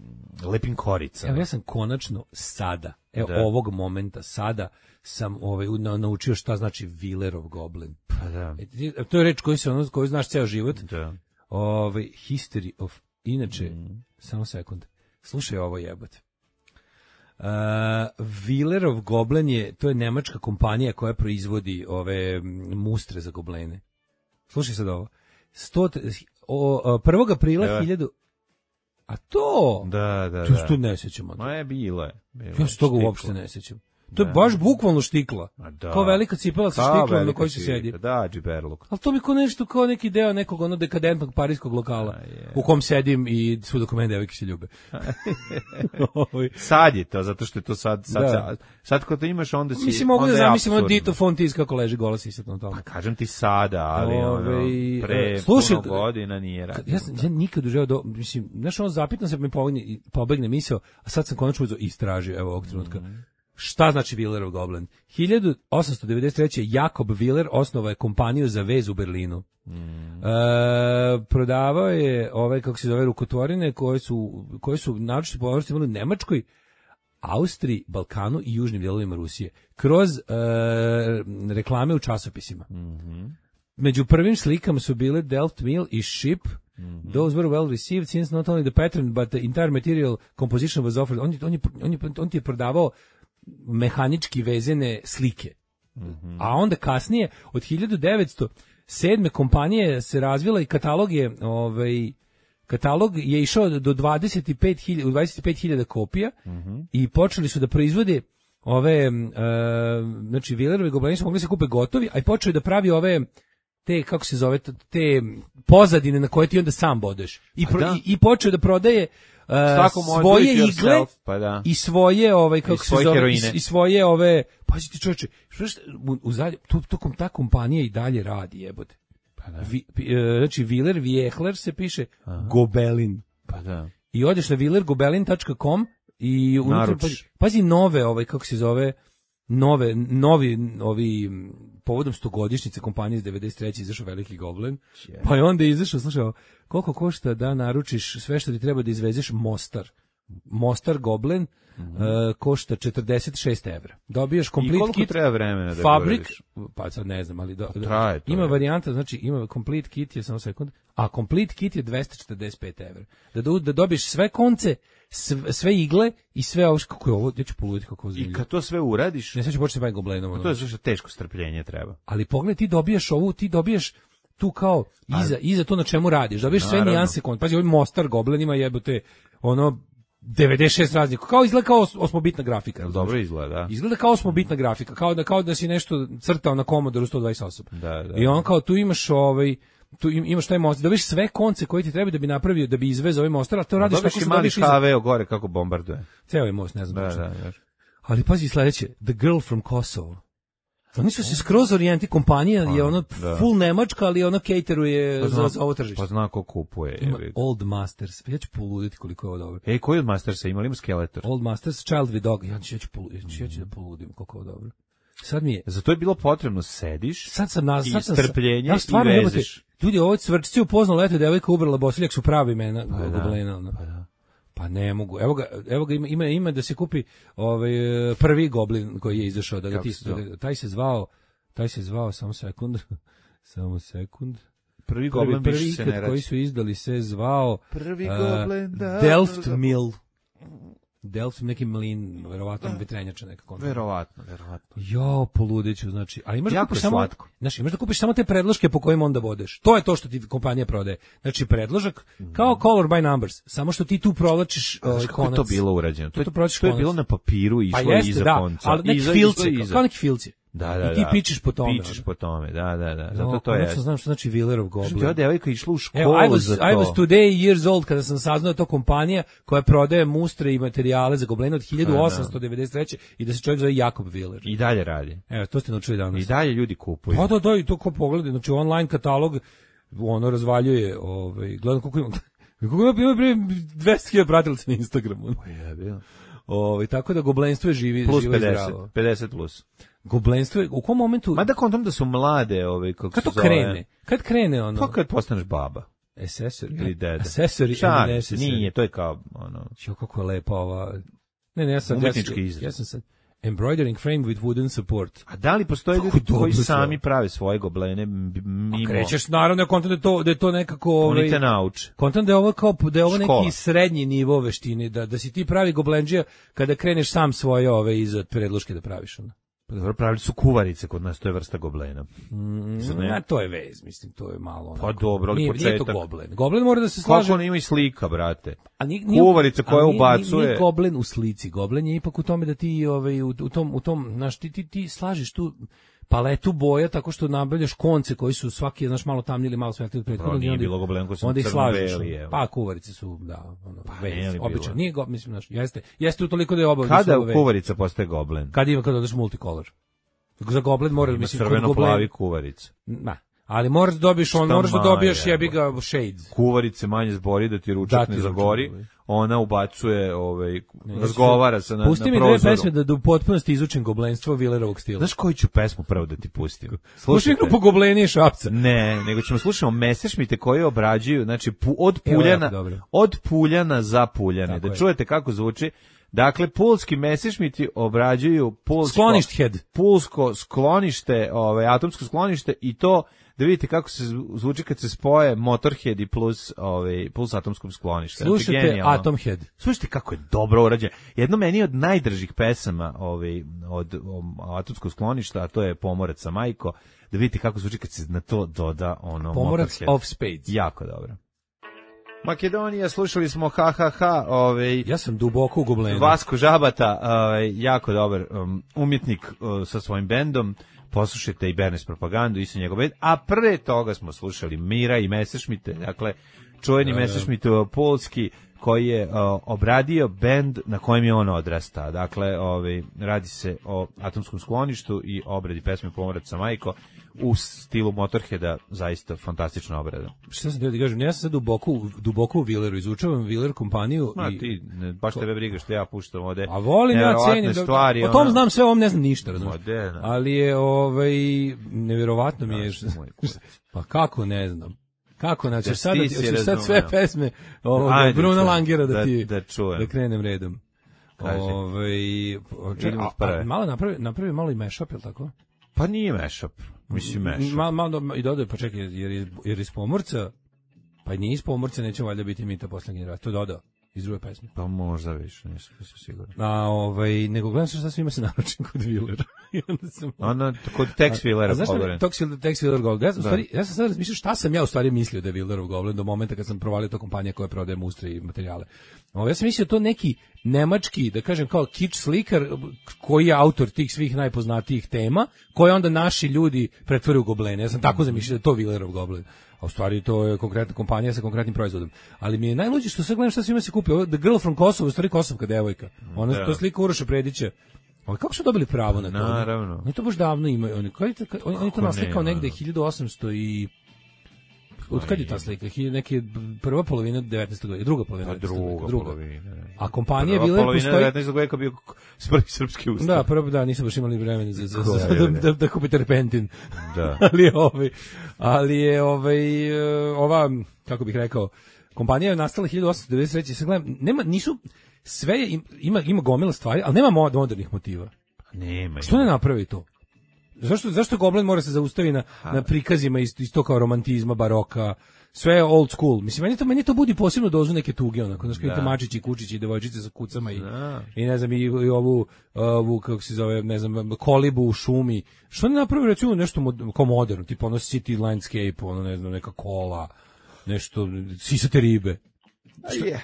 lepim koricama. Evo ja sam konačno sada, evo Da. ovog momenta sada sam ovaj na, naučio šta znači Villerov Goblin. Pa da. E, ti- to je reč koju se ono koju znaš ceo život. Da. Ovaj history of inače Mm. samo sekund. Slušaj ovo jebote. Uh, Villerov Goblin je to je nemačka kompanija koja proizvodi ove mm, mustre za goblene. Slušaj sad ovo. sto o, o, prvog aprila Evo. hiljadu A to? Da, da, To da. se to ne sećam. Ma je bilo je. Bilo Ja je se toga štiklo. uopšte ne sećam. To je Da. baš bukvalno štikla. Ma da. Kao velika cipela sa Kao štiklom na velika kojoj se cipela, sedi. Da, džiberluk. Ali to mi kao nešto, kao neki deo nekog ono dekadentnog parijskog lokala A, je. u kom sedim i svu dok mene devojke se ljube. Ovaj. Sad je to, zato što je to sad, sad, Da. sad, sad kad to imaš, onda si... Mislim, mogu da onda je zamislim ono apsurdno. Dito Fontis kako leži gola sisat na tome. Kažem ti sada, ali ono, Ovaj, pre e, slušaj, puno godina nije radio. Ja, sam, ja nikad u životu, do, mislim, znaš, ono zapitam se, mi pobegne, pobegne misao, a sad sam konačno uzeo i istražio, evo ovog trenutka. Šta znači Villerov Goblin? hiljadu osamsto devedeset treće. Jakob Willer osnovao je kompaniju za vez u Berlinu. E, prodavao je ove, kako se zove, rukotvorine koje su, koje su naročito popularnosti imali u Nemačkoj, Austriji, Balkanu i južnim dijelovima Rusije. Kroz e, reklame u časopisima. Među prvim slikama su bile Delft Mill i Ship. Those were well received since not only the pattern but the entire material composition was offered. On, je- on, je, on, je, on ti je prodavao mehanički vezene slike. A onda kasnije, od hiljadu devetsto sedme kompanije se razvila i katalog je, ovaj, katalog je išao do dvadeset pet hiljada, u dvadeset pet hiljada kopija i počeli su da proizvode ove, e, znači Villerove Goblini su mogli se kupe gotovi, a i počeli da pravi ove te, kako se zove, te pozadine na koje ti onda sam bodeš. I, pro, da. i, i počeo da prodaje uh, Svako može svoje do it igle yourself, pa da. i svoje, ovaj, kako I se svoje zove, i, heroine. i svoje ove, pazi ti čoveče, što što, u, u zadnje, tu, tokom ta kompanija i dalje radi, jebote. Pa da. Vi, pi- e, znači, Willer, Viehler se piše Gobelin. Pa da. I odeš na willer gobelin tačka com i unutra, Naručiš. pazi, pazi nove, ovaj, kako se zove, nove, novi, ovi, m, povodom stogodišnjice kompanije iz devedeset treće izašao Veliki Goblin, pa je onda izašao, slušaj, ovo, koliko košta da naručiš sve što ti treba da izvezeš Mostar. Mostar Goblin e, košta četrdeset šest evra. Dobiješ I complete koliko kit, treba vremena da fabrik, uradiš? pa sad ne znam, ali do, do- traje to, ima je. varijanta, znači ima complete kit je samo sekund, a complete kit je dvesta četrdeset pet evra. Da, do, da dobiješ sve konce, sve, sve igle i sve ovo, kako je ovo, ja ću poluditi kako je I zanimljivo. kad to sve uradiš, Ne, sad ću početi baviti Goblenom. ono. to je zašto teško strpljenje treba. Ali pogledaj, ti dobijaš ovu, ti dobijaš tu kao iza, iza to na čemu radiš, dobiješ sve Naravno. nijanse konca. Pazi, ovaj Mostar Goblin ima jebote ono devedeset šest raznih, kao izgleda kao os- osmobitna grafika. Jel dobro izgleda, da? Izgleda kao osmobitna grafika, kao da kao da si nešto crtao na Commodore sto dvadeset osam. Da, da. I on kao tu imaš ovaj tu im- imaš taj most, dobiš sve konce koji ti treba da bi napravio da bi izvezao ovaj most, a to radiš Dobiš tako i što mali dobiš iza- H V gore kako bombarduje. ceo je most, ne znam Da, tačno. da, da. Ali pazi sledeće, The Girl from Kosovo. Oni su se skroz orijenti, kompanija je ono da. full nemačka, ali ono cateruje Pa za, zna- za ovo tržište. Pa zna ko kupuje. Ima jebi ga. Old Masters, ja ću poluditi koliko je ovo dobro. Ej, koji od Mastersa imali? Ima Skeletor. Old Masters, Child with Dog, ja ću, ja ću, polu- ja ću, ja ću da poludim koliko je ovo dobro. Sad mi je, Za to je bilo potrebno sediš, sad sam na, i sad sam, strpljenje ja stvarno i jebote, vezeš. ljudi, ovo cvrčci u pozno leto, devojka ubrala bosiljak su pravi imena Pa da, goblena, ono. pa da. Pa ne mogu. Evo ga, evo ga ima, ima, ima da se kupi ovaj prvi goblin koji je izašao, da ga Kako ti, se zove? da ga- taj se zvao, taj se zvao samo sekund. Samo sekund. Prvi Prvi, goblin prvi više se ikad ne koji rađa. su izdali se zvao Prvi uh, goblin, da, Delft da, da. Mill. Delft, neki mlin, verovatno vetrenjača nekako. Verovatno, verovatno. Jo, poludeću, znači, ali imaš da Jako kupiš je samo, slatko. znači, imaš da kupiš samo te predloške po kojima onda bodeš. To je to što ti kompanija prodaje. Znači, predložak, kao color by numbers, samo što ti tu provlačiš Znaš ovaj kako je konac. to bilo urađeno? To, To je- provlačiš to je konac. bilo na papiru i Pa išlo jeste, iza da, konca. ali neki Iza, filci, iza, iza. kao neki filci. Da, da, I ti da. pičeš po tome. Pičeš ono. po tome, da, da, da. Zato Jo, to je. konačno znam što znači Wheelerov Kažem ti, Goblin. ova devojka išla u školu Evo, I was, za to. I was today years old kada sam saznao da je to kompanija koja prodaje mustre i materijale za goblene od hiljadu osamsto devedeset treće i da se čovjek zove Jakob Wheeler. I dalje radi. Evo, to ste naučili danas. I dalje ljudi kupuju. Pa da, da, i to ko pogledaj, znači online katalog ono razvaljuje, ovaj, gledam koliko ima, koliko ima, ima prije dvesta hiljada pratilaca na Instagramu. Jebio. Ovaj, tako da goblenstvo je živi, Plus živo i pedeset. zdravo. pedeset plus. Goblenstvo je, u kom momentu, Mada kontam da su mlade, ovaj, kako kad se to zove. krene, kad krene ono, Pa kad postaneš baba. accessory, Ili dede. accessory, Šalim and se, necessary. nije, to je kao, ono, Jo, kako je lepa ova, ne, ne, ja sam, Umetnički ja, izraz. sam- ja sam sad, embroidering frame with wooden support. a da li postoje Kako ljudi koji dobro sami sve. prave svoje goblene m- mimo? Krećeš, naravno, ja kontam da je to, da je to nekako, Oni ovaj, te nauče. kontam da je ovo kao da je ovo Škola. neki srednji nivo veštine, da da si ti pravi goblenđija kada kreneš sam svoje ove iza predloške da praviš ono. Pa dobro, pravili su kuvarice kod nas, to je vrsta goblena. Zar ne? Na to je vez, mislim, to je malo onako. Pa dobro, ali nije, nije to početak. goblen. Goblen mora da se slaže. Kako on ima i slika, brate? A nije, nije, Kuvarica koja a nije- ubacuje- Nije, nije goblen u slici, goblen je ipak u tome da ti ovaj u, u tom u tom znaš ti, ti ti slažeš tu paletu boja tako što nabavljaš konce koji su svaki znaš malo tamniji ili malo svetliji od prethodnog. nije i onda ih- bilo goblen koji su onda ih slažeš. crno-beli, evo. Pa kuvarice su da, ono, Pa vez, nije li bilo? obično. Nije go, mislim znaš, jeste. Jeste u toliko da je obavezno. Kada su u ove- kuvarica postaje goblen? Kad ima kad odeš multicolor. Za goblen mora Ima mislim kod crveno-plavi goblen- kuvarica. Ma, ali moraš da dobiješ on, Šta moraš da ma, dobiješ jebote. jebi ga shades. Kuvarice manje zbori da ti ručak Da ti ne ručak zagori. ne zagori. Ona ubacuje, ovaj, Ne, razgovara se na, Pusti na mi dve prozoru. pesme da, da u potpunosti izučim goblenstvo Willerovog stila. Znaš koju ću pesmu prvo da ti pustim? Slušaj grupu Gobleni i Šapca. Ne, nego ćemo slušamo Messerschmitte koji obrađuju, znači pu, od Evo, Puljana, jako dobro. od Puljana za Puljane. Tako Da je. čujete kako zvuči. Dakle, pulski Messerschmitti obrađuju pulsko, Skloništ head. pulsko sklonište, ovaj, atomsko sklonište i to da vidite kako se zvu- zvuči kad se spoje Motorhead i plus, ovaj, plus atomskom sklonište. Znači, Slušajte genijalno. Atomhead. Slušajte kako je dobro urađeno. Jedno meni od najdržih pesama ovaj, od um, atomskog skloništa, a to je Pomorac sa majko, da vidite kako zvuči kad se na to doda ono Pomorac Motorhead. of Spades. Jako dobro. Makedonija, slušali smo ha ha ha, ovaj, Ja sam duboko u Goblenu. Vasko Žabata, ovaj, jako dobar um, umjetnik uh, sa svojim bendom. Poslušajte i Bernes propagandu i sa njegov bend. A pre toga smo slušali Mira i Messerschmitte, dakle čuveni Messerschmitt uh, polski koji je uh, obradio bend na kojem je on odrasta. Dakle, ovaj, radi se o atomskom skloništu i obradi pesme Pomorac sa majko u stilu Motorheada, zaista fantastična obrada. Šta sam teo ti kažem, ja sam sad duboko, u- duboko u Willeru, izučavam Willer kompaniju Ma i... ti, ne, baš tebe briga što ja puštam ovde. A volim ja nevjerovatne cenim, da- stvari. o tom ono- znam sve, o ovom ne znam ništa, razumiješ. Ma, de, ne. Ali je, ovaj, nevjerovatno mi je... Znaš, moj kurac. Pa kako ne znam. Kako, znači, Da sad, ti da, si ti- hoćeš sad razumeo. sve pesme ovoga, Ajde, Bruna čujem. Langera da, Da- ti, da čujem. da krenem redom. Kaži. Ovaj, čekaj, Idemo a, od prve. a, malo napravi, napravi malo i mashup, je li tako? Pa nije mashup. Mislim mashup. Malo, malo i dodaju, pa čekaj, jer iz, jer iz Pomorca, pa i nije iz Pomorca, neće valjda biti Mita posle generacija, to je dodao. iz druge pesme. Pa možda više, nisam, nisam siguran. A ovaj nego gledam šta svima se naručim kod Willera. I onda sam Ona kod Tex Willera. A znaš šta je Tex Willer, Tex Willer Goblin? Ja sam, stvari, ja sam sad razmišljao šta sam ja u stvari mislio da je Willerov Goblin do momenta kad sam provalio to kompanija koja prodaje mustre i materijale. Ovo, ja sam mislio to neki nemački, da kažem kao kič slikar koji je autor tih svih najpoznatijih tema, koje onda naši ljudi pretvore u goblene. Ja sam tako zamišljao da je to Willerov Goblin. A u stvari to je konkretna kompanija sa konkretnim proizvodom. Ali mi je najluđe što sad gledam šta svima se kupi. Ovo, The Girl from Kosovo, u stvari kosovka devojka. Ona da. To slika Uroša Predića. Ali kako su dobili pravo na to? Naravno. Oni to baš davno imaju. Oni, oni, oni, oni to naslikao negde hiljadu osamsto i... Od kad je ta slika? Neke prva polovina devetnaestog veka, druga polovina devetnaestog veka. Druga polovina. A kompanija Willer postoji... Prva polovina devetnaestog veka bio prvi srpski ustav. Da, prvo da, nisam baš imali vremena za, za, za, da, da, da kupite repentin. Da. ali je ovaj, ali je ovaj, ova, kako bih rekao, kompanija je nastala hiljadu osamsto devedeset treće. Sad gledam, nema, nisu, sve je, ima, ima gomila stvari, ali nema modernih motiva. Nema. Što ne napravi to? Zašto, zašto Goblin mora se zaustavi na, na prikazima isto, isto kao romantizma, baroka, sve je old school. Mislim, meni to, meni to budi posebno dozu neke tuge, onako, znaš, kao mačići, kučići, devojčice sa kucama i, i ne znam, i, i ovu, ovu, kako se zove, ne znam, kolibu u šumi. Što ne napravi, recimo, nešto mod, kao moderno, tipa ono City Landscape, ono, ne znam, neka kola, nešto, sisate ribe.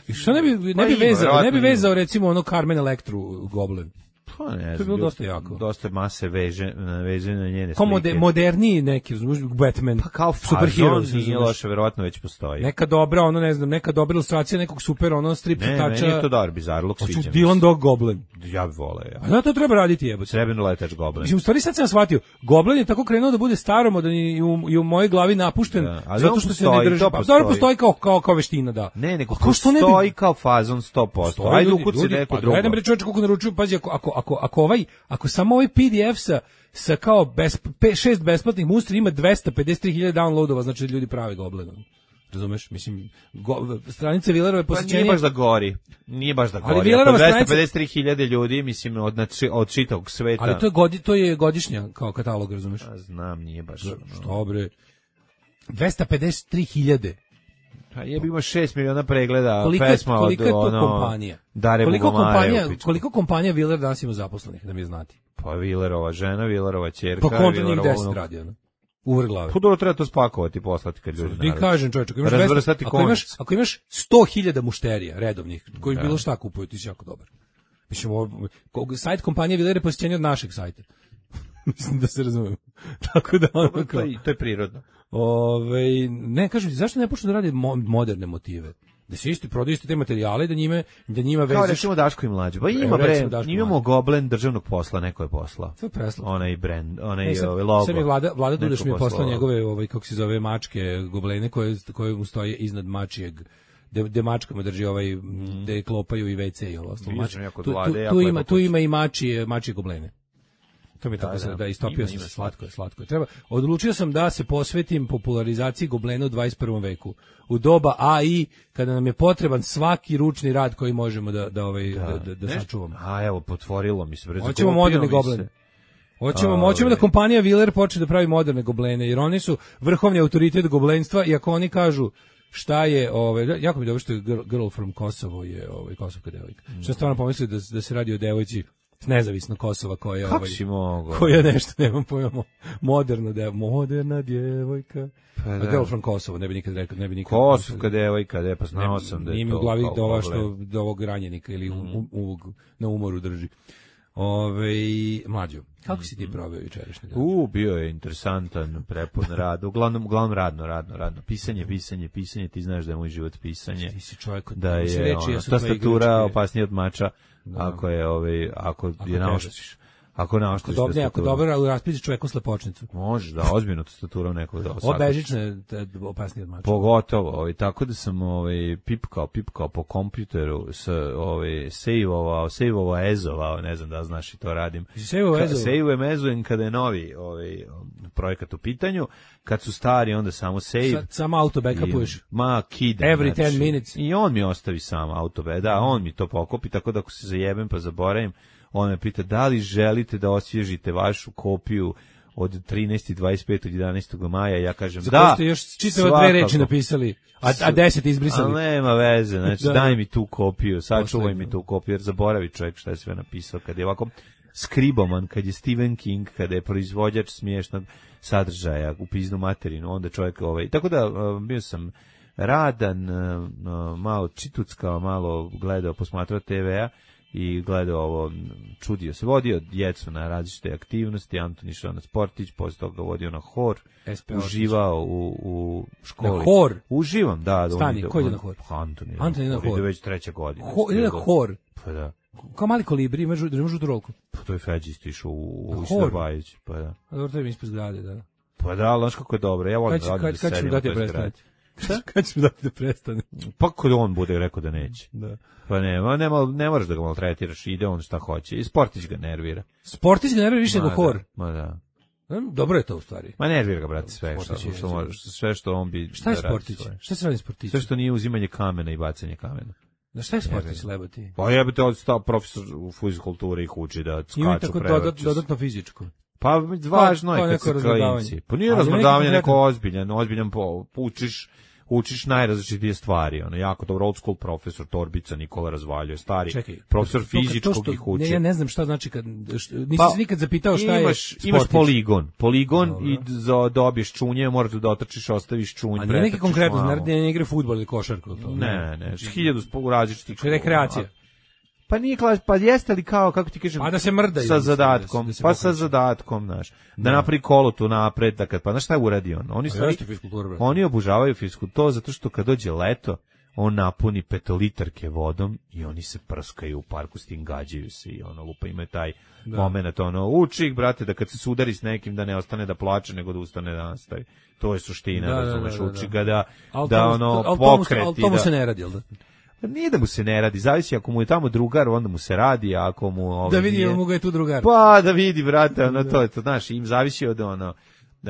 Što, što ne bi, ne bi vezao, ne bi vezao, recimo, ono Carmen Electru Goblin. Pa ne znam, to je bilo dosta jako. Dosta mase veže, veže na njene kao slike. Kao moderniji neki, Batman, pa kao superhero, nije loše, verovatno već postoji. Neka dobra, ono ne znam, neka dobra ilustracija nekog super, ono strip ne, crtača. Ne, meni je to dobar bizarluk, sviđa mi se. Dylan Dog Goblin. Ja bih voleo, ja. A da, to treba raditi, jebote. Srebrno letač Goblin. Mislim, u stvari sad sam shvatio, Goblin je tako krenuo da bude staromodan i u, i u mojoj glavi napušten, da, zato što se ne drži. Pa dobro postoji kao, kao, kao veština, da. Ne, nego postoji kao fazon sto posto. Ajde ukuci neko drugo. Ajde bre čovječe, kako naručuju, pazi, ako, ako, ako, ako ovaj, ako samo ovaj P D F sa, sa kao bez, pe, šest besplatnih mustri ima dvesta pedeset tri hiljade downloadova, znači da ljudi prave Goblinom. Razumeš? Mislim, go, stranice Willerove posjećenje... Pa nije baš da gori. Nije baš da gori. Ali Willerova dvesta pedeset tri hiljade ljudi, mislim, od, od čitavog sveta. Ali to je, godi, to je godišnja kao katalog, razumeš? A znam, nije baš... Što bre? dvesta pedeset tri hiljade. Pa jebi ima šest miliona pregleda koliko, pesma koliko od je to ono... kompanija? Dare koliko kompanija, Bugomare, koliko kompanija Willer danas ima zaposlenih, da mi znati? Pa Willerova žena, Willerova ćerka, pa kontra njih deset radi, ono. Uvrh glave. Pa dobro, treba to spakovati i poslati kad ljudi naruče. Ti kažem, čovječe, ako imaš, dvesta, ako imaš, ako imaš sto hiljada mušterija redovnih, koji da. Bilo šta kupuju, ti si jako dobar. Mislim, ovo, sajt kompanije Willer je posjećenje od našeg sajta. Mislim da se razumemo. Tako da ono kao... To je, to je prirodno. Ove, ne, kažem ti, zašto ne počnu da rade mo moderne motive? Da se isti prodaju isti te materijale, da njime, da njima veziš... Kao recimo Daško i Mlađe. Pa ima, bre, imamo Goblin državnog posla, neko je poslao. To je preslao. Onaj brand, onaj e, logo. Sve mi Vlada, Vlada Dudeš mi je poslao njegove, ovaj, kako se zove, mačke, goblene, koje, koje mu stoje iznad mačijeg, gde mačkama drži ovaj, mm. gde klopaju i ve ce i ovo. Tu, tu, tu, ima, tu ima i mačije, mačije goblene. To mi je tako da, da, da istopio sam se, slatko je, slatko je. Treba, odlučio sam da se posvetim popularizaciji goblena u dvadeset prvom veku. U doba A I, kada nam je potreban svaki ručni rad koji možemo da, da, ovaj, da, da, da sačuvamo. A evo, potvorilo mi se. Bre, hoćemo moderne goblene. Hoćemo, hoćemo da kompanija Willer počne da pravi moderne goblene, jer oni su vrhovni autoritet goblenstva i ako oni kažu šta je, ovaj, jako mi je dobro što je Girl, girl from Kosovo je ovaj, kosovka devojka. Mm. Što stvarno pomislio da, da se radi o devojci nezavisno Kosova koja Kako ovaj si mogo? koja nešto nemam pojma moderna de, moderna djevojka. Pa da. Girl from Kosovo, ne bi nikad rekao, ne bi nikad. Kosovka devojka, de pa znao sam da je to. Nije u glavi do ova što do ovog ranjenika ili mm. u, u, na umoru drži. Ove, mlađo, kako si ti proveo jučerašnji dan? U, bio je interesantan, prepun rad, uglavnom, uglavnom radno, radno, radno. Pisanje, pisanje, pisanje, ti znaš da je moj život pisanje. Ti si čovjek, da je reči, ono, ja tastatura opasnija od mača, da. ako je, ovaj, ako, ako je naoštriš. Ako naoštriš tastaturu. Ako dobro, ali raspiši čoveku slepočnicu. Može, da, ozbiljno tastatura nekog da osakaš. Obežične, opasnije od mača. Pogotovo, ovaj, tako da sam ovaj, pipkao, pipkao po kompjuteru, s, ovaj, sejvovao, sejvovao, ezovao, ne znam da znaš i to radim. Sejvovao, ezovao? Sejvujem, ezujem kada je novi ovaj, projekat u pitanju, kad su stari, onda samo save. Samo auto backupuješ. Ma, kidam. Every znači, ten minutes. I on mi ostavi sam auto back, da, on mi to pokopi, tako da ako se zajebem pa zaboravim, on me pita da li želite da osvježite vašu kopiju od trinaeste i dvadeset petog jedanaestog maja, ja kažem Za da. koje ste još čitave dve svakako. reči napisali, a, a deset izbrisali. Ali nema veze, znači Da, daj da. mi tu kopiju, sačuvaj mi tu kopiju, jer zaboravi čovjek šta je sve napisao, kad je ovako skriboman, kad je Stephen King, kada je proizvođač smiješnog sadržaja u piznu materinu, onda čovjek ovaj, tako da uh, bio sam radan, uh, uh, malo čituckao, malo gledao, posmatrao te ve a i gledao ovo, čudio se, vodio djecu na različite aktivnosti, Anton išao na sportić, posle toga vodio na hor, S P uživao u, u školi. Na hor? Uživam, da. da Stani, ide, ko ide na hor? Anton ide Anton ide na hor. Ide već treća godina. Ho, ide na hor. Pa da. Kao mali kolibri, imaš imaš rolku. Pa to je Feđi isto išao u, u Hor. Bajić, pa da. A dobro, to je mi ispred zgrade, da. Pa da, ali znaš kako je dobro, ja volim Kad, da radim kad, da kad ću sedim mu u dati da toj prestane? zgradi. Kad ću mu dati da prestane? Pa kod on bude rekao da neće. Da. Pa nema, nema, ne moraš da ga maltretiraš, ide on šta hoće. I Sportić ga nervira. Sportić ga nervira više Ma nego hor. da, Ma da. Hm, Dobro je to u stvari. Ma nervira ga, brate, sve što, Sportić je, što, može, sve što on bi Šta je da radi Sportić? svoje. Šta se radi Sportić? Sve što nije uzimanje kamena i bacanje kamena. Na šta je Sportić, lebati? Pa jebate, odstao profesor u fizikulturi ih uči da Ima skaču, tako prevrću dodat, se. dodatno fizičko. Pa važno kao je kad neko se razmrdavanje. klinci. Pa nije Ali razmrdavanje, neki neko konkretan- ozbiljan, ozbiljan po, učiš, učiš najrazličitije stvari, ono, jako dobro, old school profesor Torbica Nikola Razvaljuje, stari Čekaj, profesor to kad- to fizičkog što- ih uči. Ne, ja ne znam šta znači kad što, nisi Pa, se nikad zapitao šta imaš, je imaš Sportić. poligon, poligon Dobro. i za dobiješ čunje, moraš da dotrčiš, ostaviš čunj, A nije pretrčiš neki konkretno, malo. naravno ne igra fudbal ili košarku. To, Ne, ne, hiljadu spo- različitih. Znači, rekreacija. Pa nije klas, pa jeste li kao, kako ti kažem, Pa da se mrdaju, sa da se- zadatkom, da se pa sa pokreću. zadatkom, znaš, da napravi kolo tu napred, da kad, pa znaš šta je uradio on? Oni, A stvari, jeste fiskultura, brate. oni obužavaju fiskulturu, to zato što kad dođe leto, on napuni petolitarke vodom i oni se prskaju u parku, s tim gađaju se i ono, lupa imaju taj Da. moment, ono, uči ih, brate, da kad se sudari s nekim, da ne ostane da plače, nego da ustane da nastavi. To je suština, Da, da, razumeš, da, da, uči da. ga da, Al da to mu- ono, al to mu se- pokreti. al to mu da- se ne radi, jel da? Pa nije da mu se ne radi, zavisi ako mu je tamo drugar, onda mu se radi, a ako mu ovaj Da vidi nije- jel mu ga je tu drugar. Pa da vidi, brate, ono to je to, znaš, im zavisi od ono. Uh,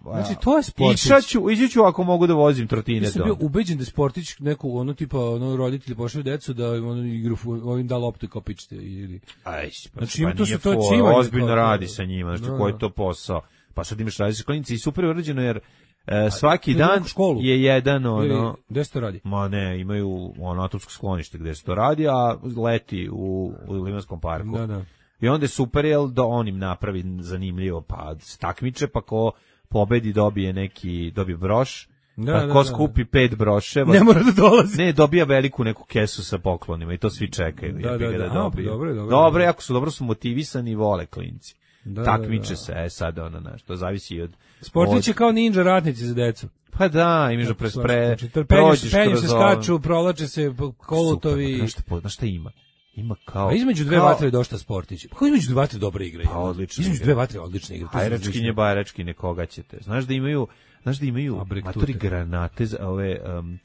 Znači, to je Sportić. Išaću, izaću ako mogu da vozim Ja trotine sam do. bio ubeđen da je Sportić neku ono tipa ono roditelji pošalju decu da im ono igru fu- ovim da loptu kao pičite ili Aj, pa, Znači, znači, ima pa to nije se- to je fora, cimanje ozbiljno kao to. radi sa njima, znači Da, koji je da. to posao. Pa sad imaš različite klinici i super je urađeno jer e, svaki ide dan neku školu? je jedan ili ono, gde se to radi? ma ne, imaju ono atomsko sklonište gde se to radi, a leti u, u Limanskom parku. Da, da. I onda je super, jel, da on im napravi zanimljivo, pa se takmiče, pa ko pobedi dobije neki, dobije broš, Da, pa da, ko da, skupi pet broševa, Ne mora da dolazi. ne, dobija veliku neku kesu sa poklonima i to svi čekaju. Da, jebi da, ga da. A, dobiju. pa dobro je, dobro je. Dobro je, ako su dobro su motivisani i vole klinci. Da, Takmiče da, da. se, e sad ono, znaš, to zavisi od... Sportić je od- kao ninja ratnici za decu. Pa da, imaš da pre, pre, Znači, penju, prođeš penju kroz se ovo. skaču, provlače se po kolutovi. Super, pa znaš šta, po- znaš šta ima? Ima kao... A između dve kao- vatre je došta Sportić. Pa kako između dve vatre dobra igra? Pa odlično Između igra. dve vatre odlična igra. to su Hajračkinje, odlične. bajračkinje, koga ćete. Znaš da imaju, znaš da imaju Abrek matori tute. granate, za ove, um,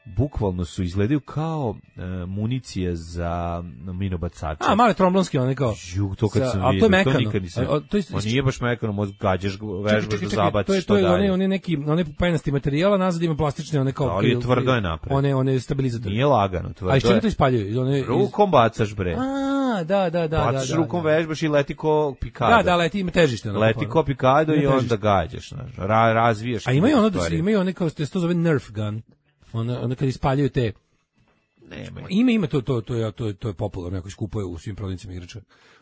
bukvalno su izgledaju kao uh, municije za minobacače. A, male tromblonski, one kao. Ju, to kad Sa- sam ali to vidio, je to mekano. nikad nisam. A, a, to je- Ma nije baš mekano, možda gađaš, vežbaš da zabaciš to je, što to je dalje. one, one neki, one penasti materijala, nazad ima plastične, one kao... Ali je kril- tvrdo je napred. One, one stabilizatori. Nije lagano, tvrdo A iz čega je. to ispaljuju? One, iz- Rukom bacaš, bre. A, da, da, da. da, Bacaš da, rukom, da. vežbaš i leti ko pikado. Da, da, leti, ima težište. onako, Leti ono. ko pikado Ima i onda težište. gađaš. Znaš, ra, razvijaš. A imaju ono da se, stvari. imaju one kao, se to zove Nerf gun. Ono, ono kad ispaljuju te... Nema. Ima, ima to, to, to, je, to, je, to je popularno, jako skupuje u svim prodavnicama igrača.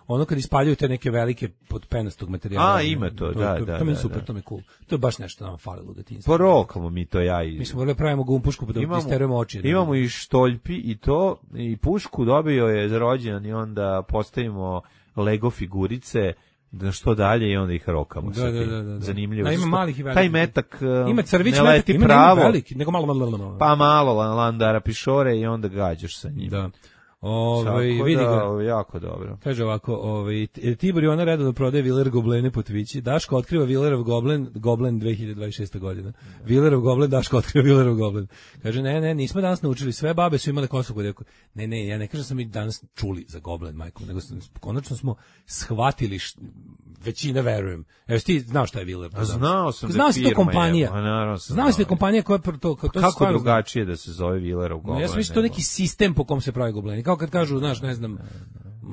Ono kad ispaljuju te neke velike pod penastog materijala. A, ima to, da, to, da, To mi je da, super, da. to mi je cool. To je baš nešto nam falilo u detinjstvu. Porokamo mi to ja i... Mi smo morali da pravimo gumpušku pa da isterujemo oči. Da. imamo i štoljpi i to, i pušku dobio je za rođendan i onda postavimo Lego figurice, da što dalje i onda ih rokamo. Da, sa da, tim. da, da. Zanimljivo. A ima Zato što malih i velikih. Taj metak uh, Ima crvić ne metak, leti ima pravo, nema veliki, nego malo, malo, malo, malo. pa malo la- landara pišore i onda gađaš sa njim. Da. Ove, Tako vidi da, ga. jako dobro. Kaže ovako, ovaj Tibor Jona redovno prodaje Viler goblene po Twitchi. Daško otkriva Vilerov goblen, goblen dve hiljade dvadeset šesta godina. Vilerov goblen, Daško otkriva Vilerov goblen. Kaže ne, ne, nismo danas naučili, sve babe su imale kosu kod devojku. Ne, ne, ja ne kažem da smo mi danas čuli za goblen, majko, nego sam, konačno smo shvatili š, većina verujem. Evo ti znao šta je Viler? A znao sam da Znao si da je firma kompanija. je, pa naravno sam Znao si da je znao. kompanija koja je to, kao to se Kako stvarno zna. drugačije da se zove Vilerov No, goblen? ja sam mislio to je neki sistem po kom se pravi gobleni. Kao kad kažu, znaš, ne znam,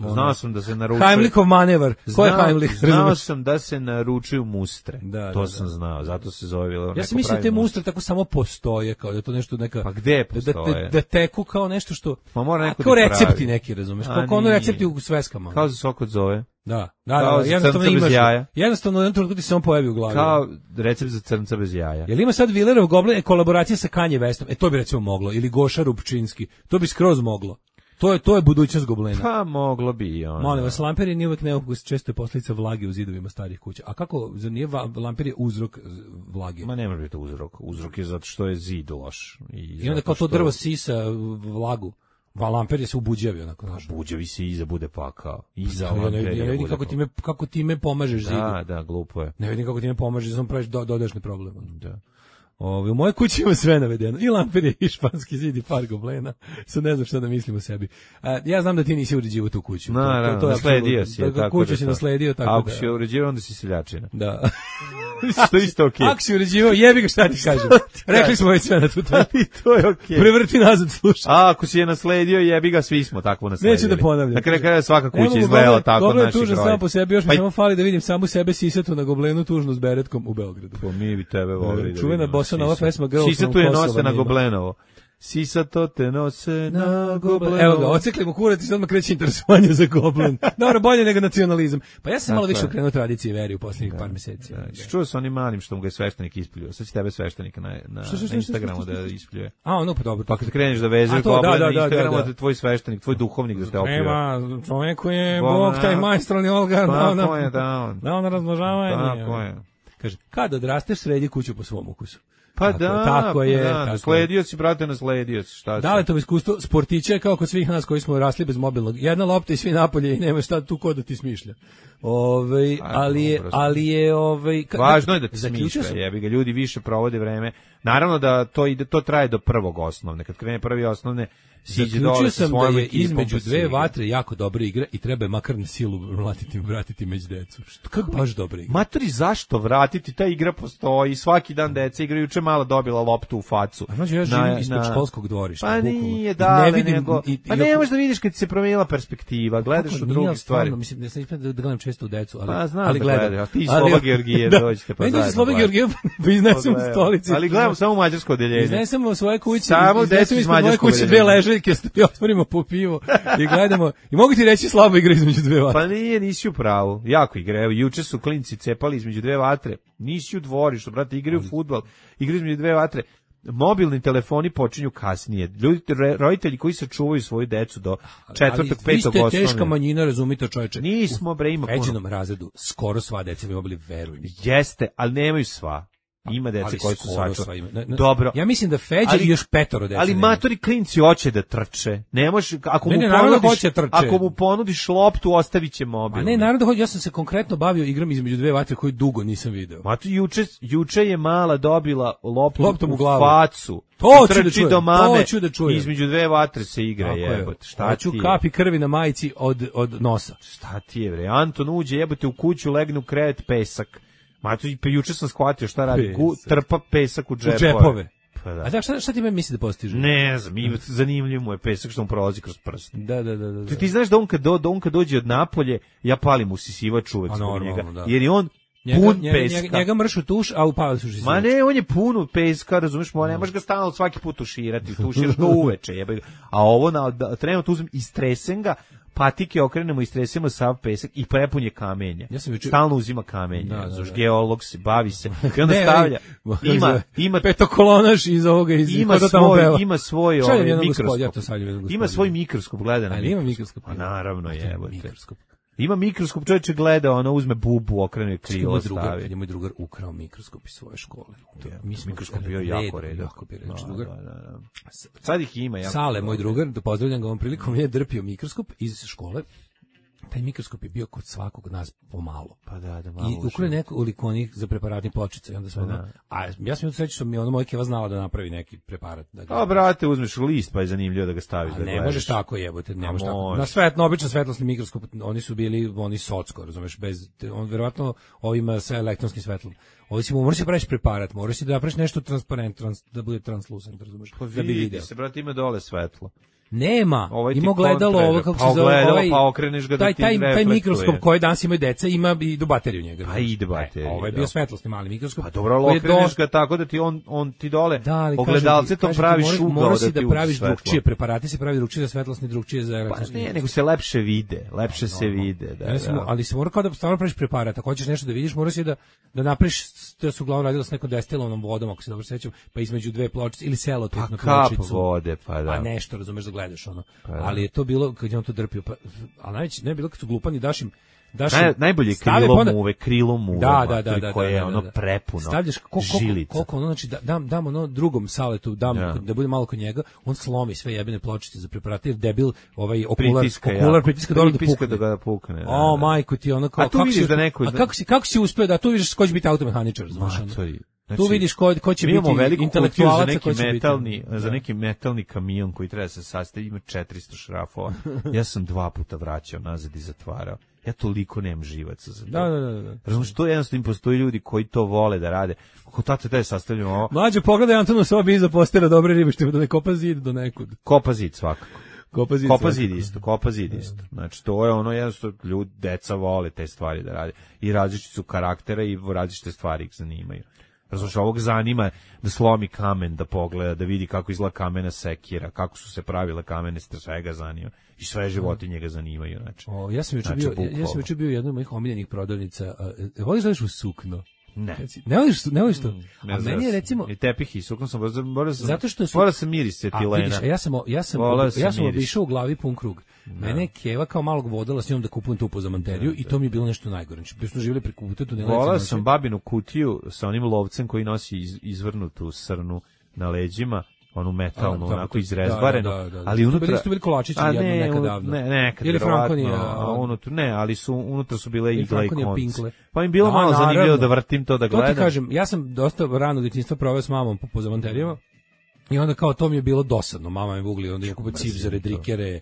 Znao sam da se naručuje... Heimlichov manevar. Ko je Znao, Heimlich? znao Razumeš? sam da se naručuju mustre. Da, to da, sam da. znao, zato se zove... Ja neko sam mislio da te pravi mustre tako samo postoje, kao da je to nešto neka... Pa gde da, postoje? da, da teku kao nešto što... Ma mora neko kao da recepti pravi. neki, razumeš? A, Kao, kao ono nije. recepti u sveskama. Kao za sok od zove. Da, da, Kao da, za jednostavno crnca bez imaš. jaja. Jednostavno, jedan trenutku ti se on pojavi u glavi. Kao recept za crnca bez jaja. Jel ima sad Villerov Goblin kolaboracija sa Kanye Westom? E, to bi recimo moglo. Ili Goša Rupčinski. To bi skroz moglo. To je, to je budućnost Goblina. Pa moglo bi i ono. Molim vas, lampir je nije uvek neukus, često je posljedica vlage u zidovima starih kuća. A kako, zar nije va- lampir je uzrok vlage? Ma ne može biti uzrok. Uzrok je zato što je zid loš. I, I onda zato kao to što- drvo sisa vlagu. Va lampir je se ubuđavi onako, znaš. Buđevi se iza bude pakao. Iza Ja ne, lampere ja ne vidim bude kako pakao. time, kako time pomažeš zidu. Da, da, glupo je. Ne vidim kako time pomažeš, samo praviš do, dodašni problem. Da. Ove, u mojoj kući ima sve navedeno. I lampir je, i španski zid, i par goblena. Sad ne znam šta da mislim o sebi. A, ja znam da ti nisi uređivo tu kuću. To- Naravno, to- to je nasledio apsolutno- si je, to- tako kuću da si to- nasledio, tako A ako da. si je uređivao, onda si seljačina. Da. Što je isto okej. Ako si uređivao, jebi ga šta ti kažem. Rekli smo već sve na tu temu. I to je okej. Prevrti nazad, slušaj. A ako si je nasledio, jebi ga, svi smo takvo nasledili. Neću da ponavljam. Na kraju kraja svaka Ne kuća mogu, izgledala Goblin- tako od Goblin je naših tužan roditelja. sam po sebi, još mi Pa i- samo fali da vidim samu sebe sisatu na Goblenu tužnu s beretkom u Beogradu. Pa mi bi tebe volili da Čuvena vidimo bossa nova Sisa. pesma Girl from Sisa tu je Kosova nose na nema. Goblenovo. Sisa to te nose na Goblenovo. Evo ga, ocekli mu kurac i sad odmah kreće interesovanje za Goblin. Dobro, bolje nego nacionalizam. Pa ja sam malo Tako više je. okrenuo tradicije i veri u posljednjih par meseci. Da, čuo sam onim malim što mu ga je sveštenik ispljuje. Sad će tebe sveštenik na, na, Što, što, što, na Instagramu što, što, da što? ispljuje. A, ono, pa dobro. Pa kad kreneš da vezuješ A to, Goblin da, da, na da, Instagramu, da, da da. tvoj sveštenik, tvoj duhovnik da te opljuje. Nema, čovjeku je Bog, Bog, taj da. majstralni Olga, da, Tako je, da on. da, ono razmnožavanje. Tako je. Kaže, kad odrasteš, sredi kuću po svom ukusu. Pa Tako- da, tako pa je, da, tako je. nasledio si, brate, nasledio si, šta si? Da li to iskustvo sportića je kao kod svih nas koji smo rasli bez mobilnog. Jedna lopta i svi napolje i nema šta tu ko da ti smišlja. Ovaj, ali je, dobro. ali je ovaj ka- Važno je da ti zaključio smišlja, sam- jebi ga, ljudi više provode vreme. Naravno da to ide, to traje do prvog osnovne. Kad krene prvi osnovne, siđe Zaključio dole sa sam da svojom je ekipom, između pa se dve igra. vatre jako dobra igra i treba je makar na silu mlatiti, vratiti među decu. Što, kako baš dobra igra. Matori, zašto vratiti? Ta igra postoji, svaki dan deca igraju, juče mala dobila loptu u facu. A znači ja živim ispod školskog dvorišta. Pa bukvalno. nije, I da, ne vidim, nego, i- pa i ne oko- možeš da vidiš kad se promijenila perspektiva, gledaš Kako u nije, druge ali stvari. stvarno, mislim, ne sam ispred da gledam često u decu, ali, Pa znam ali da gledam. gledaš, a ti i Ali- Sloba Georgijev Da. dođete pa Meni dođe zajedno Sloba gledate. Georgijev, pa iznesem u stolici. Ali gledamo samo mađarsko odeljenje. Iznesemo u svoje kuće, Samo iznesemo decu iz ispod moje mađarskog kuće dve odeljenja. ležaljke, i otvorimo po pivu i gledamo. I mogu ti reći slabo igra između dve vatre. Pa nije, nisi u pravu. Jako igre. Evo, juče su klinci cepali između dve vatre. Nisi u dvorištu, brate, igraju fudbal. Igraju između dve vatre. Mobilni telefoni počinju kasnije. Ljudi, re- roditelji koji se čuvaju svoju decu do četvrtog, Ali petog vi ste teška osnovne. manjina, razumite čoveče. Nismo, bre, ima U puno. Feđinom razredu skoro sva deca bi mogli, veruj mi. Jeste, ali nemaju sva. Ima dece Ali koji su skoro sačuvani. sva ima. Ne, ne, Dobro. Ja mislim da Feđa Ali- i još petoro dece Ali nema. matori klinci hoće da trče. Ne može, ako Ne, mu ne, naravno ponudiš, hoće trče. ako mu ponudiš loptu, ostavit će A mobil. ne, naravno, hoće- ja sam se konkretno bavio igram između dve vatre koju dugo nisam video. Mato, juče, juče je mala dobila loptu Loptom u u glavu. facu. To I ću da trči čujem, do mame. to ću da čujem. Između dve vatre se igra, Tako je. jebote. Šta Hoću ti je? kapi krvi na majici od, od nosa. Šta ti je, bre? Anton uđe, jebote, u kuću, legne u krevet, pesak. Mato, i pe- juče sam shvatio šta radi. Gu, Pesak. trpa pesak u U džepove. džepove. Pa da. A da, šta, šta ti me misli da postiže? Ne znam, ima, zanimljiv mu je pesak što mu prolazi kroz prst. Da, da, da, da. da. Ti, ti znaš da on kad, do, da on kad dođe od Napolje, ja palim usisivač uvek A zbog normalno, njega. da. Jer je on Njega, pun njega, peska. njega, njega mršu tuš, a upali su Ma ne, on je pun peska, razumiješ, mo, ne možeš ga stalno svaki put tuširati, tuširaš ga uveče, jebe ga. A ovo, na, da, trenutno uzmem, istresem ga, patike okrenemo, istresemo sav pesak i prepunje kamenja. Ja sam juče- Stalno uzima kamenje, Da, da, da, da. geolog se, bavi se. I onda Ne, stavlja, ali- ima, ima, petokolonaš iz ovoga, iz ima ko to tamo svoj, peva. ima svoj Šaljem ovaj, jednog gospodina, mikroskop. ja to šaljem jednog Ima gospodina. svoj mikroskop, gleda na Ali ima mikroskop. Pa naravno, jebote. Mikroskop. Ima mikroskop, čovječe gleda, ono uzme bubu, okrene Kad je krilo, moj drugar, stavi. kad je moj drugar ukrao mikroskop iz svoje škole. To, mi smo Mikroskop bio red- jako redak. Jako bio redak. Da, drugar. da, da, da. Sad ih ima. Jako Sale, moj dobro. drugar, da pozdravljam ga ovom prilikom, je drpio mikroskop iz škole. Taj mikroskop je bio kod svakog nas pomalo. Pa da, da malo I ukre nekoliko onih za preparatnih pločica i onda sve ono, a ja sam srećan što mi je ono moj keva znala da napravi neki preparat. Da ga, A brate, uzmeš list pa je zanimljivo da ga staviš a da ne gledaš. možeš tako jebote, ne A možeš tako. može. Na svetlo, običan svetlosni mikroskop, oni su bili oni socko, razumeš, bez te- on verovatno ovima sa elektronskim svetlom. Ovo si moraš da praviš preparat, moraš da napraviš nešto transparent, trans, da bude translucent, razumeš? Pa Da bi video. se, brate, ima dole svetlo. Nema, Ovaj ti ima gledalo kontra, ovo kako pa se zove, ogledalo, ovaj, pa okreneš ga da taj, ti taj, taj reflektuje. mikroskop koji danas imaju deca ima i do bateriju njega. Pa ide baterija, E, ovo je da. bio svetlosni mali mikroskop. Pa dobro, ali koji je okreneš dosta- ga tako da ti on, on ti dole Da, ali ogledalce to praviš moraš, ugao moraš da si ti da uđe praviš svetlo. drugčije, preparati se pravi drugčije za svetlosni, drugčije za Pa elektronski. ne, nego se lepše vide, lepše se vide. Da, Ja sam, da. ali se mora kao da stvarno praviš preparat, ako hoćeš nešto da vidiš, moraš i da da napraviš, to su uglavnom radilo s nekom destilovnom vodom, ako se dobro sećam, pa između dve pločice ili selotip Pa na kap pločicu. vode, pa da. A nešto, razumeš da gledaš ono. Pa da. Ali je to bilo kad je on to drpio, pa a najveće ne je bilo kad su glupani daš im daš im- Naj, najbolje je stave krilo pa onda- muve, krilo muve, Da, da, mater, da, da, koje je da, ono da, da. prepuno Stavljaš koliko, koliko, žilica. koliko ono, znači da, dam, dam ono drugom saletu, dam, Ja. da bude malo kod njega, on slomi sve jebene pločice za preparate, jer debil, ovaj okular, Pritiska, ja. okular pritiska dole da Pritiska pukne. da ga pukne, da, O, da. majko ti, ono kao, A tu kako vidiš si, da neko- a kako si, kako si uspeo da tu vidiš ko će biti automehaničar, znaš, ono. Matori. Tu vidiš ko, ko će mi imamo biti veliku kutiju za intelektualac, neki ko će biti. metalni, za Da. neki metalni kamion koji treba da se sastavi, ima četiristo šrafova. Ja sam dva puta vraćao nazad i zatvarao. Ja toliko nemam živaca za to. Da, da, da, da. Razumiješ, to jednostavno postoji ljudi koji to vole da rade. Kako tate taj sastavljamo ovo, Mlađe, pogledaj Antonu sobi iza postela dobre ribe, što da ne kopa zid do nekud. kopa zid svakako. Kopa zid. Kopa svakako. zid isto, kopa zid isto. Znači, to je ono, jednostavno, ljudi, deca vole te stvari da rade. I različiti su karaktera i različite stvari ih zanimaju. Razumiješ, ovog zanima da slomi kamen, da pogleda, da vidi kako izgleda kamena sekira, kako su se pravile kamene, svega zanima. I sve životinje ga zanimaju, znači. O, ja sam juče Znači, bio, ja, ja bukvalno. sam juče bio u jednoj od mojih omiljenih prodavnica. A, e, voliš da ideš u sukno? Ne. Reci, Ne voliš, ne voliš to? Ne A znam, meni je recimo i tepih i sukno sam, morao sam, zato što su morao sam miris A cetilena. vidiš, a ja sam ja sam Volao ja sam sam miris. obišao u glavi pun krug. Mene je Keva kao malog vodala s njom da kupujem tu pozamanteriju i to mi je bilo nešto najgore. Znači, bio smo živjeli preko puta tunela. Volao sam babinu kutiju sa onim lovcem koji nosi iz, izvrnutu srnu na leđima, onu metalnu, A, da, onako to- izrezbarenu, da, da, da, da. ali To unutra... bili su bili kolačići A jedno ne, nekad unu- davno. Ne, nekad, Ili verovatno, Frankonija, a unutra, ne, ali su, unutra su bile Ili igle i Frankonija konci. pinkle. Pa im bilo A, malo zanimljivo naravno. da vrtim to da To gledam. ti kažem, ja sam dosta rano djetinjstva proveo s mamom po pozamanterijama. I onda kao to mi je bilo dosadno, mama me vugli, onda je kupio cipzare, drikere,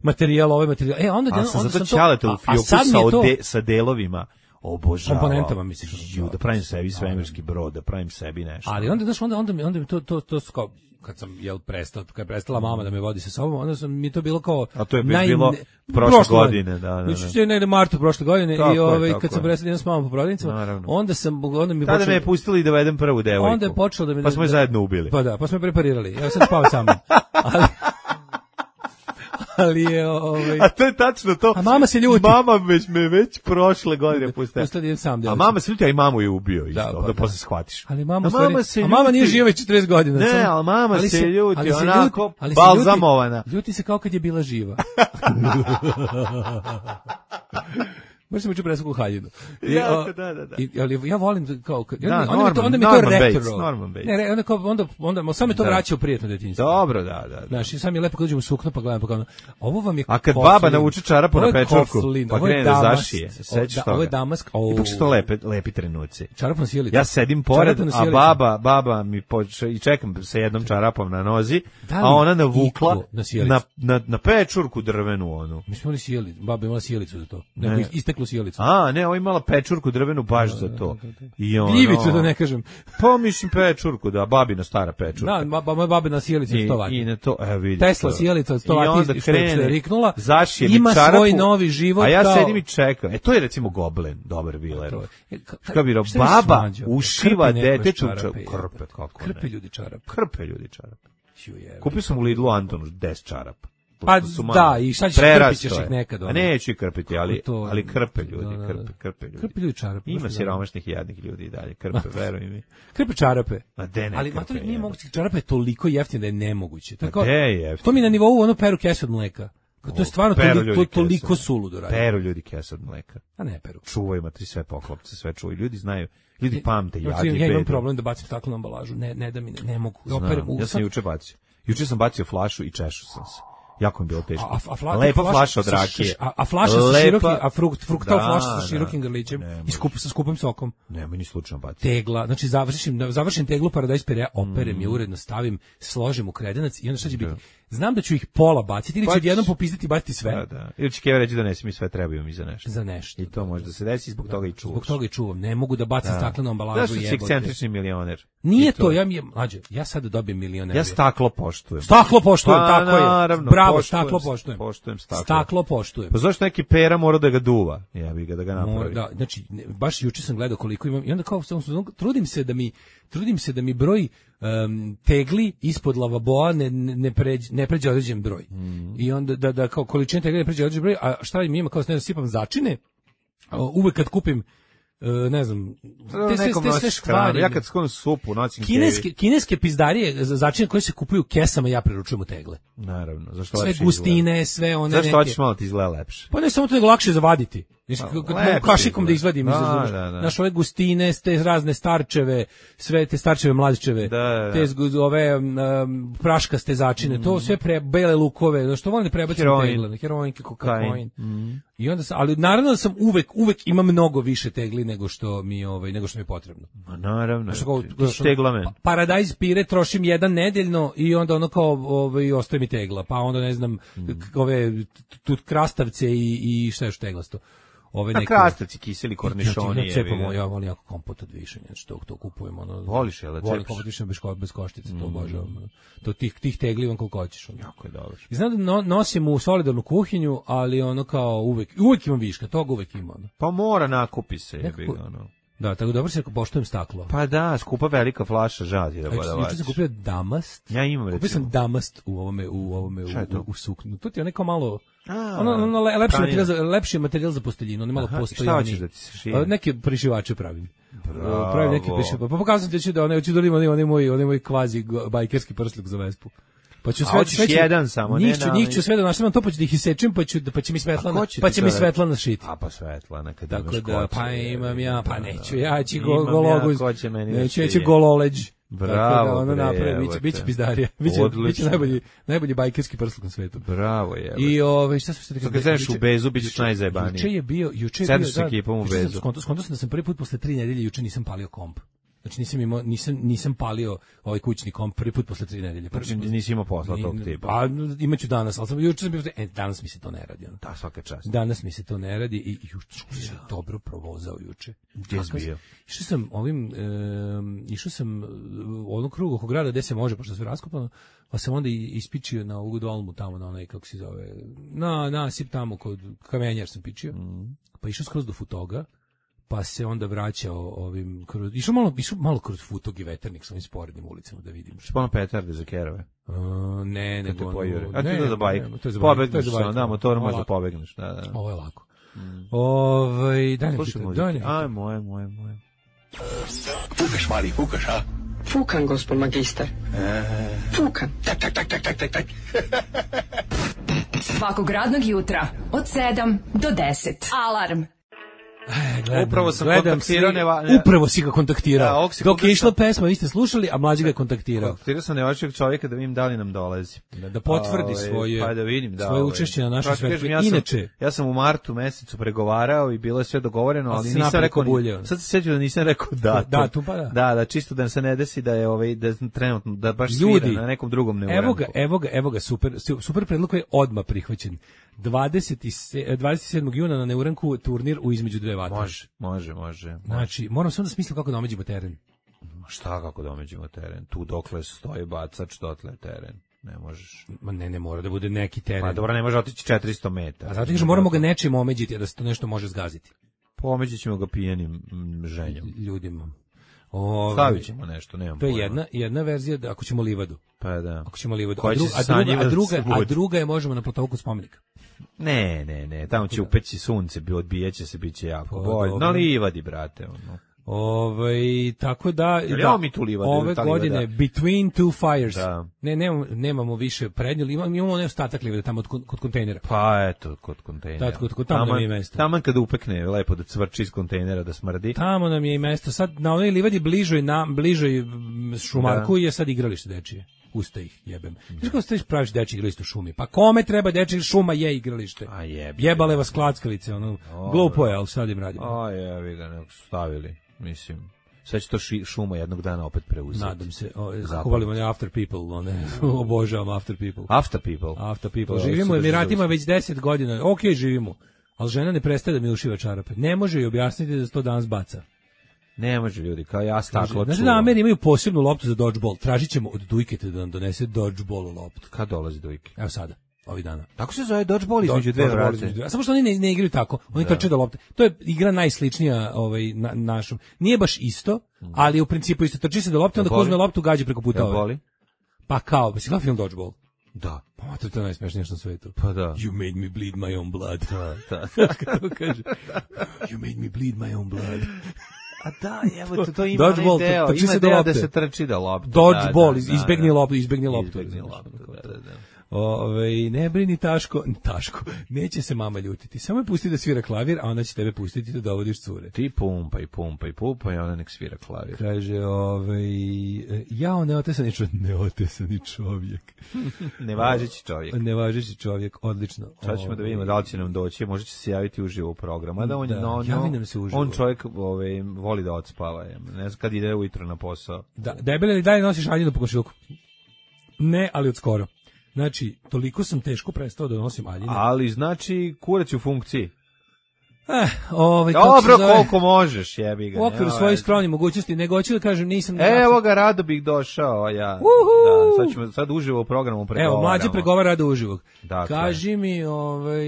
materijal, ovaj materijal. E, onda, A onda sam zato to- ćalete a- u a fioku sad mi sa, je to- ode, sa delovima obožavao. Komponentama, misliš? Ju, da pravim sebi svemirski brod, da pravim sebi nešto. Ali onda, znaš, onda, onda, mi, onda mi to, to, to su kao, kad sam, jel, prestao, kad je prestala mama da me vodi sa sobom, onda sam, mi je to bilo kao... A to je već bilo prošle godine, da, da, da. Znači, je negde martu prošle godine Tako i je, ovaj, tako kad sam je. prestao da idem s mamom po prodavnicama, Naravno. onda sam, onda mi Tada počelo- me je pustili da vedem prvu devojku. onda je počelo da me... Pa smo je da- zajedno ubili. Pa da, pa smo je preparirali. Ja sam spao sa mnom. Ali, ali je, ovaj... A to je tačno to. A mama se ljuti. Mama već me već prošle godine pustila. Pustila da idem sam A djelicu. mama se ljuti, a i mamu je ubio isto, Da, da, pa da da. posle shvatiš. Ali mama, a stvari, mama se a mama ljuti. nije živa već četrdeset godina. Ne, samo- ali mama ali se ljuti, ali se onako, ljuti- ali se balzamovana. Ljuti, ljuti se kao kad je bila živa. Baš sam učio presku haljinu. I, Jako, o, da, da, da. I, ali ja volim da, kao... kad- Da, onda, onda, mi to, Norman- onda mi to Norman retro. Bates, Norman Bates. Ne, re, onda, kao, onda, onda, sam mi to Da. vraća u prijetno detinjstvo. Dobro, da, da. da. Znaš, i sam je lepo kad uđem u sukno pa gledam, pa gledam, ovo vam je A kad koflin. baba nauči čarapu Ovo na je pečurku, koflin, pa ovo je krene da damast, zašije, se o, sećaš da, toga? Ovo je damask. Ipak su to lepe, lepi trenuci. Čarapna sjelica. Ja sedim pored, Čarapna a sjelica. baba, baba mi poče, i čekam sa jednom čarapom na nozi, Da li a ona navukla iko na sjelicu? na, na, na pečurku drvenu onu. Mi smo imali sjelicu, baba je imala sjelicu za to. Ne. Neko isteklu sjelicu. A, ne, ovo imala pečurku drvenu baš za to. I ono, Gljivicu, da ne kažem. Pa mislim pečurku, da, babina stara pečurka. Da, ba, moja babina sjelica od I, sto vati. i na to, evo vidi. Tesla to. sjelica od sto I vati onda što je- što je krene, riknula, zašije mi ima čarapu, svoj novi život a ja kao- sedim i čekam. E, to je recimo Goblen, dobar Viler. To je- ka- Šta bi rekao, šta misliš, baba mlađo? ušiva Krpe nekoje detetu čarape, čarape. jebote. Krpe, kako Krpe ne. ljudi čarape. Krpe ljudi čarape. Ću jebe. Kupio sam u Lidlu Antonu deset čarapa. Pa Pošto su da, mali. i šta ćeš, Prerasto krpit ćeš je. ih nekad, A ono. neću ih krpiti, ali, Kako to? ali krpe ljudi, Da, da, da. krpe, krpe ljudi. Krpe ljudi čarape. Ima baš mi siromašnih i jadnih ljudi i dalje, krpe, veruj mi. Krpe čarape. Ma de ne Ali krpe, matori nije jebote. moguće, čarape je toliko jeftine da je nemoguće. To je Ma kao- de je jeftino? To mi je na nivou ono peru kese od mleka. Kao To je stvarno Peru toliko, ljudi to, toliko kesu. suludo radi. Peru ljudi kesa od mleka. A ne peru. Čuvaju matri sve poklopce, sve čuvaju. Ljudi znaju, ljudi pamte Ja, jad i ja imam bedu. problem da bacim staklu na ambalažu. Ne, ne da mi ne, ne mogu. Da Znam, operem u- ja sam sad- juče bacio. Juče sam bacio flašu i češao sam se. Jako mi je bilo teško. A, a, fla, Lepa flaša flaša od sa- rakije. A, a flaša sa Lepa- širokim, a frukt, fruktal Da, flaša sa da. širokim grlićem Ne, i može. skup, sa skupim sokom. Nemoj ni slučajno baciti. Tegla, znači završim, završim teglu Paradise Perea, operem je uredno, stavim, složim u kredenac i onda šta će biti? znam da ću ih pola baciti ili ću Pa odjednom ćeš- popizditi i baciti sve. Da, da. Ili će Keva reći da ne mi sve trebaju mi za nešto. Za nešto. I to može da se desi, zbog toga i čuvaš. Zbog toga i čuvam. Ne mogu da bacim Da. staklenu ambalažu Zašto si jebote. ekscentrični milioner? Nije I to, ja mi je, mlađe, ja sad dobijem milioner. Ja staklo poštujem. Staklo poštujem, Pa, tako je. naravno, Bravo, poštujem, staklo poštujem. poštujem staklo. Staklo poštujem. Pa zašto neki pera mora da ga duva? Ja bih ga da ga Moj, napravi. da, znači ne, baš juče sam gledao koliko imam i onda kao sam, sam- trudim se da mi trudim se da mi broj em, tegli ispod lavaboa ne ne pređe ne pređe određen broj. Mm. I onda da da kao količina tegli ne pređe određen broj, a šta mi ima kao ne znam, sipam začine. a, Uvek kad kupim e, ne znam, te sve, Nekom te sve nosiš stvari. hranu. Ja kad skonu supu, nosim Kineske, Kevi. kineske pizdarije za začine koje se kupuju u kesama ja preručujem u tegle. Naravno, zašto Sve lakše gustine, sve one izgleda? Zašto neke. hoćeš malo ti izgleda lepše? Pa ne samo to nego lakše zavaditi. Znači, Pa, kad mogu lepše kašikom da izgleda. izvadim, Da, iz- da, da. znaš, ove gustine, te razne starčeve, sve te starčeve mlađčeve, Da, da, da. te zgu- ove um, praškaste začine, to sve pre, bele lukove, znaš, to volim da prebacim Heroin. tegle, heroinke, kokain. Kain. Mm. I onda sam, ali naravno da sam uvek, uvek imam mnogo više tegli nego što mi, ovaj, nego što mi je potrebno. Ma naravno, Znaš, kao- ti si teglamen. Pa- Paradajz pire trošim jedan nedeljno i onda ono kao ovaj ostaje mi tegla, pa onda ne znam Mm. k- ove t- tu krastavce i i šta je još teglasto. Ove Na neke krastavci, kiseli kornišoni. Ja, jebi cepamo, ga. ja volim jako kompot od višanja, što to kupujemo ono. Voliš, jel da Volim cepaš? kompot od višanja bez ko, bez koštice, to obožavam. ono. To tih tih tegli vam koliko hoćeš. ono. Jako je dobro. I znam da no, nosim u solidarnu kuhinju, ali ono kao uvek, uvek imam viška, toga uvek ima. Ono. Pa mora nakupi se, jebi Nekako- ga, ono. Da, tako dobro se poštujem staklo. Pa da, skupa velika flaša žazi da A juče- voda juče sam vaći. kupio damast. Ja imam, Kupio recimo. sam damast u ovome u ovome u, Šta je to? u, u suknu. To ti je neko malo A, ono, ono le- lepši pranina. materijal za lepši materijal za posteljinu, on je malo Aha, i šta postojaniji. hoćeš da ti se šije? A, Neke prišivače pravim. Bravo. Pravim neke prišivače. Pa pokazam ti ću da one hoću da imam onaj onaj moj onaj moj kvazi go- bajkerski prsluk za Vespu. Pa ću A sve hoćeš sve ću- jedan samo, ne njih ću, na- njih ću sve da naštamam to pa ću da ih isečem pa ću da pa će mi Svetlana ko će pa ti će to mi da- Svetlana šiti. A pa Svetlana, kad Tako imaš da, kocu, pa jebi imam ga, ja, pa da, neću, da. ja ću Imam go, gologuz, ja, ko će meni da neću, ja ću šije. gololeđ. Bravo, Tako da ono bre, napravi, biće, jebote. biće pizdarija, biće, Odlično. biće najbolji, najbolji bajkerski prsluk na svetu. Bravo je. I ove šta sam se rekao? Sad kad kreneš u juče- Bezu, bit ćeš juče- najzajebaniji. Juče je bio, juče je Sedneš bio, s ekipom u juče sam Bezu. Skonto, skonto sam da sam prvi put posle tri nedelje juče nisam palio komp. Znači nisam imao, nisam, nisam palio ovaj kućni komp prvi put posle tri nedelje. Prvi Znači put- nisi imao posla Ni- tog tipa. Pa imaću danas, ali sam juče sam bio, e, danas mi se to ne radi. Ono. Da, svaka čast. Danas mi se to ne radi i juče sam dobro provozao juče. Gdje si Kakav- bio? Išao sam ovim, um, išao sam u onom krugu oko grada gde se može, pošto je sve raskopano, pa sam onda i ispičio na ovu dolmu tamo, na onaj, kako se zove, na nasip tamo kod kamenjar sam pičio, pa išao skroz do Futoga, pa se onda vraćao ovim, kroz, išao malo, išao malo kroz Futog i Veternik sa ovim sporednim ulicama da vidim. Špano petarde za kerove. Uh, ne, Kad te nego... ono- pojure. A ti ne, to za bajk. ne, to je za bajk, to je Pobegneš za se, bajk. da, motorom Ovo možda lako. pobegneš. Da, da. Ovo je lako. Ovaj, daj mi Slušaj pitaj, muziku. daj mi pitaj. Ajmo, ajmo, ajmo, ajmo. Fukaš, mali, fukaš, a? Fukan, gospod magister. Fukan. Tak, tak, tak, tak, tak, tak, tak. Svakog radnog jutra od sedam do deset. Alarm. Gledam, Upravo sam gledam kontaktirao sli- Neva- ne- Upravo si ga kontaktirao. Da, ovog si Dok je kontaktirao- išla pesma, vi ste slušali, a mlađi ga je kontaktirao. Kontaktirao sam nevačeg čovjeka da vidim da li nam dolazi. Da, da potvrdi Ovaj, svoje, pa da vidim, da, svoje ovaj. učešće na našem Kako kažem, svetu. ja sam- Inače, ja sam u martu mesecu pregovarao i bilo je sve dogovoreno, Ali ali si nisam napred rekao, kobuljio. ni- sad se sjećam da nisam rekao datum. Datum, pa da. Da, da, čisto da se ne desi da je ovaj, da trenutno, da baš Ljudi, svira na nekom drugom neuranku. evo ga, evo ga, evo ga, super, super predlog koji je odmah prihvaćen. dvadeset sedmog juna na Neuranku turnir u između dve vatre. Može, može, može. Znači, moram samo da smislim kako da omeđemo teren. Ma šta kako domeđemo teren? Tu dokle stoji bacač, dotle je teren. Ne možeš. Ma ne, ne mora da bude neki teren. Pa dobro, ne može otići četiristo metara. A zato kažem, moramo ga nečim omeđiti, a da se to nešto može zgaziti. Pomeđit ćemo ga pijenim mm, ženjom. Ljudima. Ove, Stavit ćemo nešto, nemam To je pojma. jedna, jedna verzija, da, ako ćemo livadu. Pa da. Ako ćemo livadu. Koja A, će dru, se a, druga, a, sanjivati druga, a svud. druga je možemo na platovku spomenika. Ne, ne, ne, tamo će upeći sunce, bi odbijeće se, bit će jako Pa, bolje. dobro. Na livadi, brate, ono. Ovaj tako da Jel da, imamo mi tu livadu, ove ta livada? godine Between Two Fires. Da. Ne, nemamo, nemamo više prednju, imamo imamo onaj ostatak livade tamo kod, kod kontejnera. Pa eto, kod kontejnera. Da, kod- kod tamo nam je mesto. Taman kad upekne, lepo da cvrči iz kontejnera, da smrdi. Tamo nam je i mesto. Sad na onoj livadi bližoj na bližoj mm, Šumarku je sad igralište dečije. Usta ih jebem. Znaš kako ste praviš dečje igralište u šumi? Pa kome treba dečje, šuma je igralište. A jebe. Jebale vas klackalice, ono. Glupo je, ali sad im radimo. A jebi ga, nek su stavili, mislim. Sad će to ši, šuma jednog dana opet preuzeti. Nadam se. O, kako volim one After People, one, obožavam After People. After People. After People. Živimo u Emiratima već deset godina. Ok, živimo. Ali žena ne prestaje da mi ušiva čarape. Ne može joj objasniti da se to danas baca. Ne može ljudi, kao ja staklo. Znači da Ameri imaju posebnu loptu za dodgeball. Tražit ćemo od Dujkete da nam donese dodgeball loptu. Kad dolazi Dujke? Evo sada. Ovih dana. Tako se zove dodgeball između dve vrate. A samo što oni ne, ne igraju tako, oni trče do lopte. To je igra najsličnija ovaj, na, našom. Nije baš isto, ali u principu isto. Trči se do lopte, onda ko uzme loptu, gađa preko puta. Boli? Pa kao, si gledao film Dodgeball? Da. Pa to je to najsmešnije što na svetu. Pa da. You made me bleed my own blood. Da, da. Kako kaže? You made me bleed my own blood. A da, evo to, to ima Dodgeball, onaj deo, trči ima se do deo lopte. da se trči do lopte. Dodgeball, da, da, da, izbegni da. loptu, izbegni loptu. Izbegni loptu, da, da, da. Ove, ne brini Taško, Taško, neće se mama ljutiti. Samo je pusti da svira klavir, a ona će tebe pustiti da dovodiš cure. Ti pumpaj, pumpaj, pumpaj, ona nek svira klavir. Kaže, ove, jao, neotesani čovjek, neotesani čovjek. Nevažeći čovjek. Nevažeći čovjek, odlično. Sad ćemo da vidimo da li će nam doći, možda će se javiti uživo u programu. Da, on, Da, no, javi no, nam se uživo. on čovjek ove, voli da odspava, ne znam kad ide ujutro na posao. Da, debele li dalje nosiš haljinu po komšiluku? Ne, ali od skoro. Znači, toliko sam teško prestao da nosim haljine. Ali znači kurac u funkciji. Eh, ovaj, kako Dobro, se zove? koliko možeš, jebi ga. U okviru nema svojih veze. skromnih mogućnosti, nego hoću da kažem, nisam... Evo ga, rado bih došao, ja. Uhu! Da, sad ćemo sad uživo u programu pregovaramo. Evo, mlađe pregovara rado uživog. Dakle. Kaži mi, ovaj...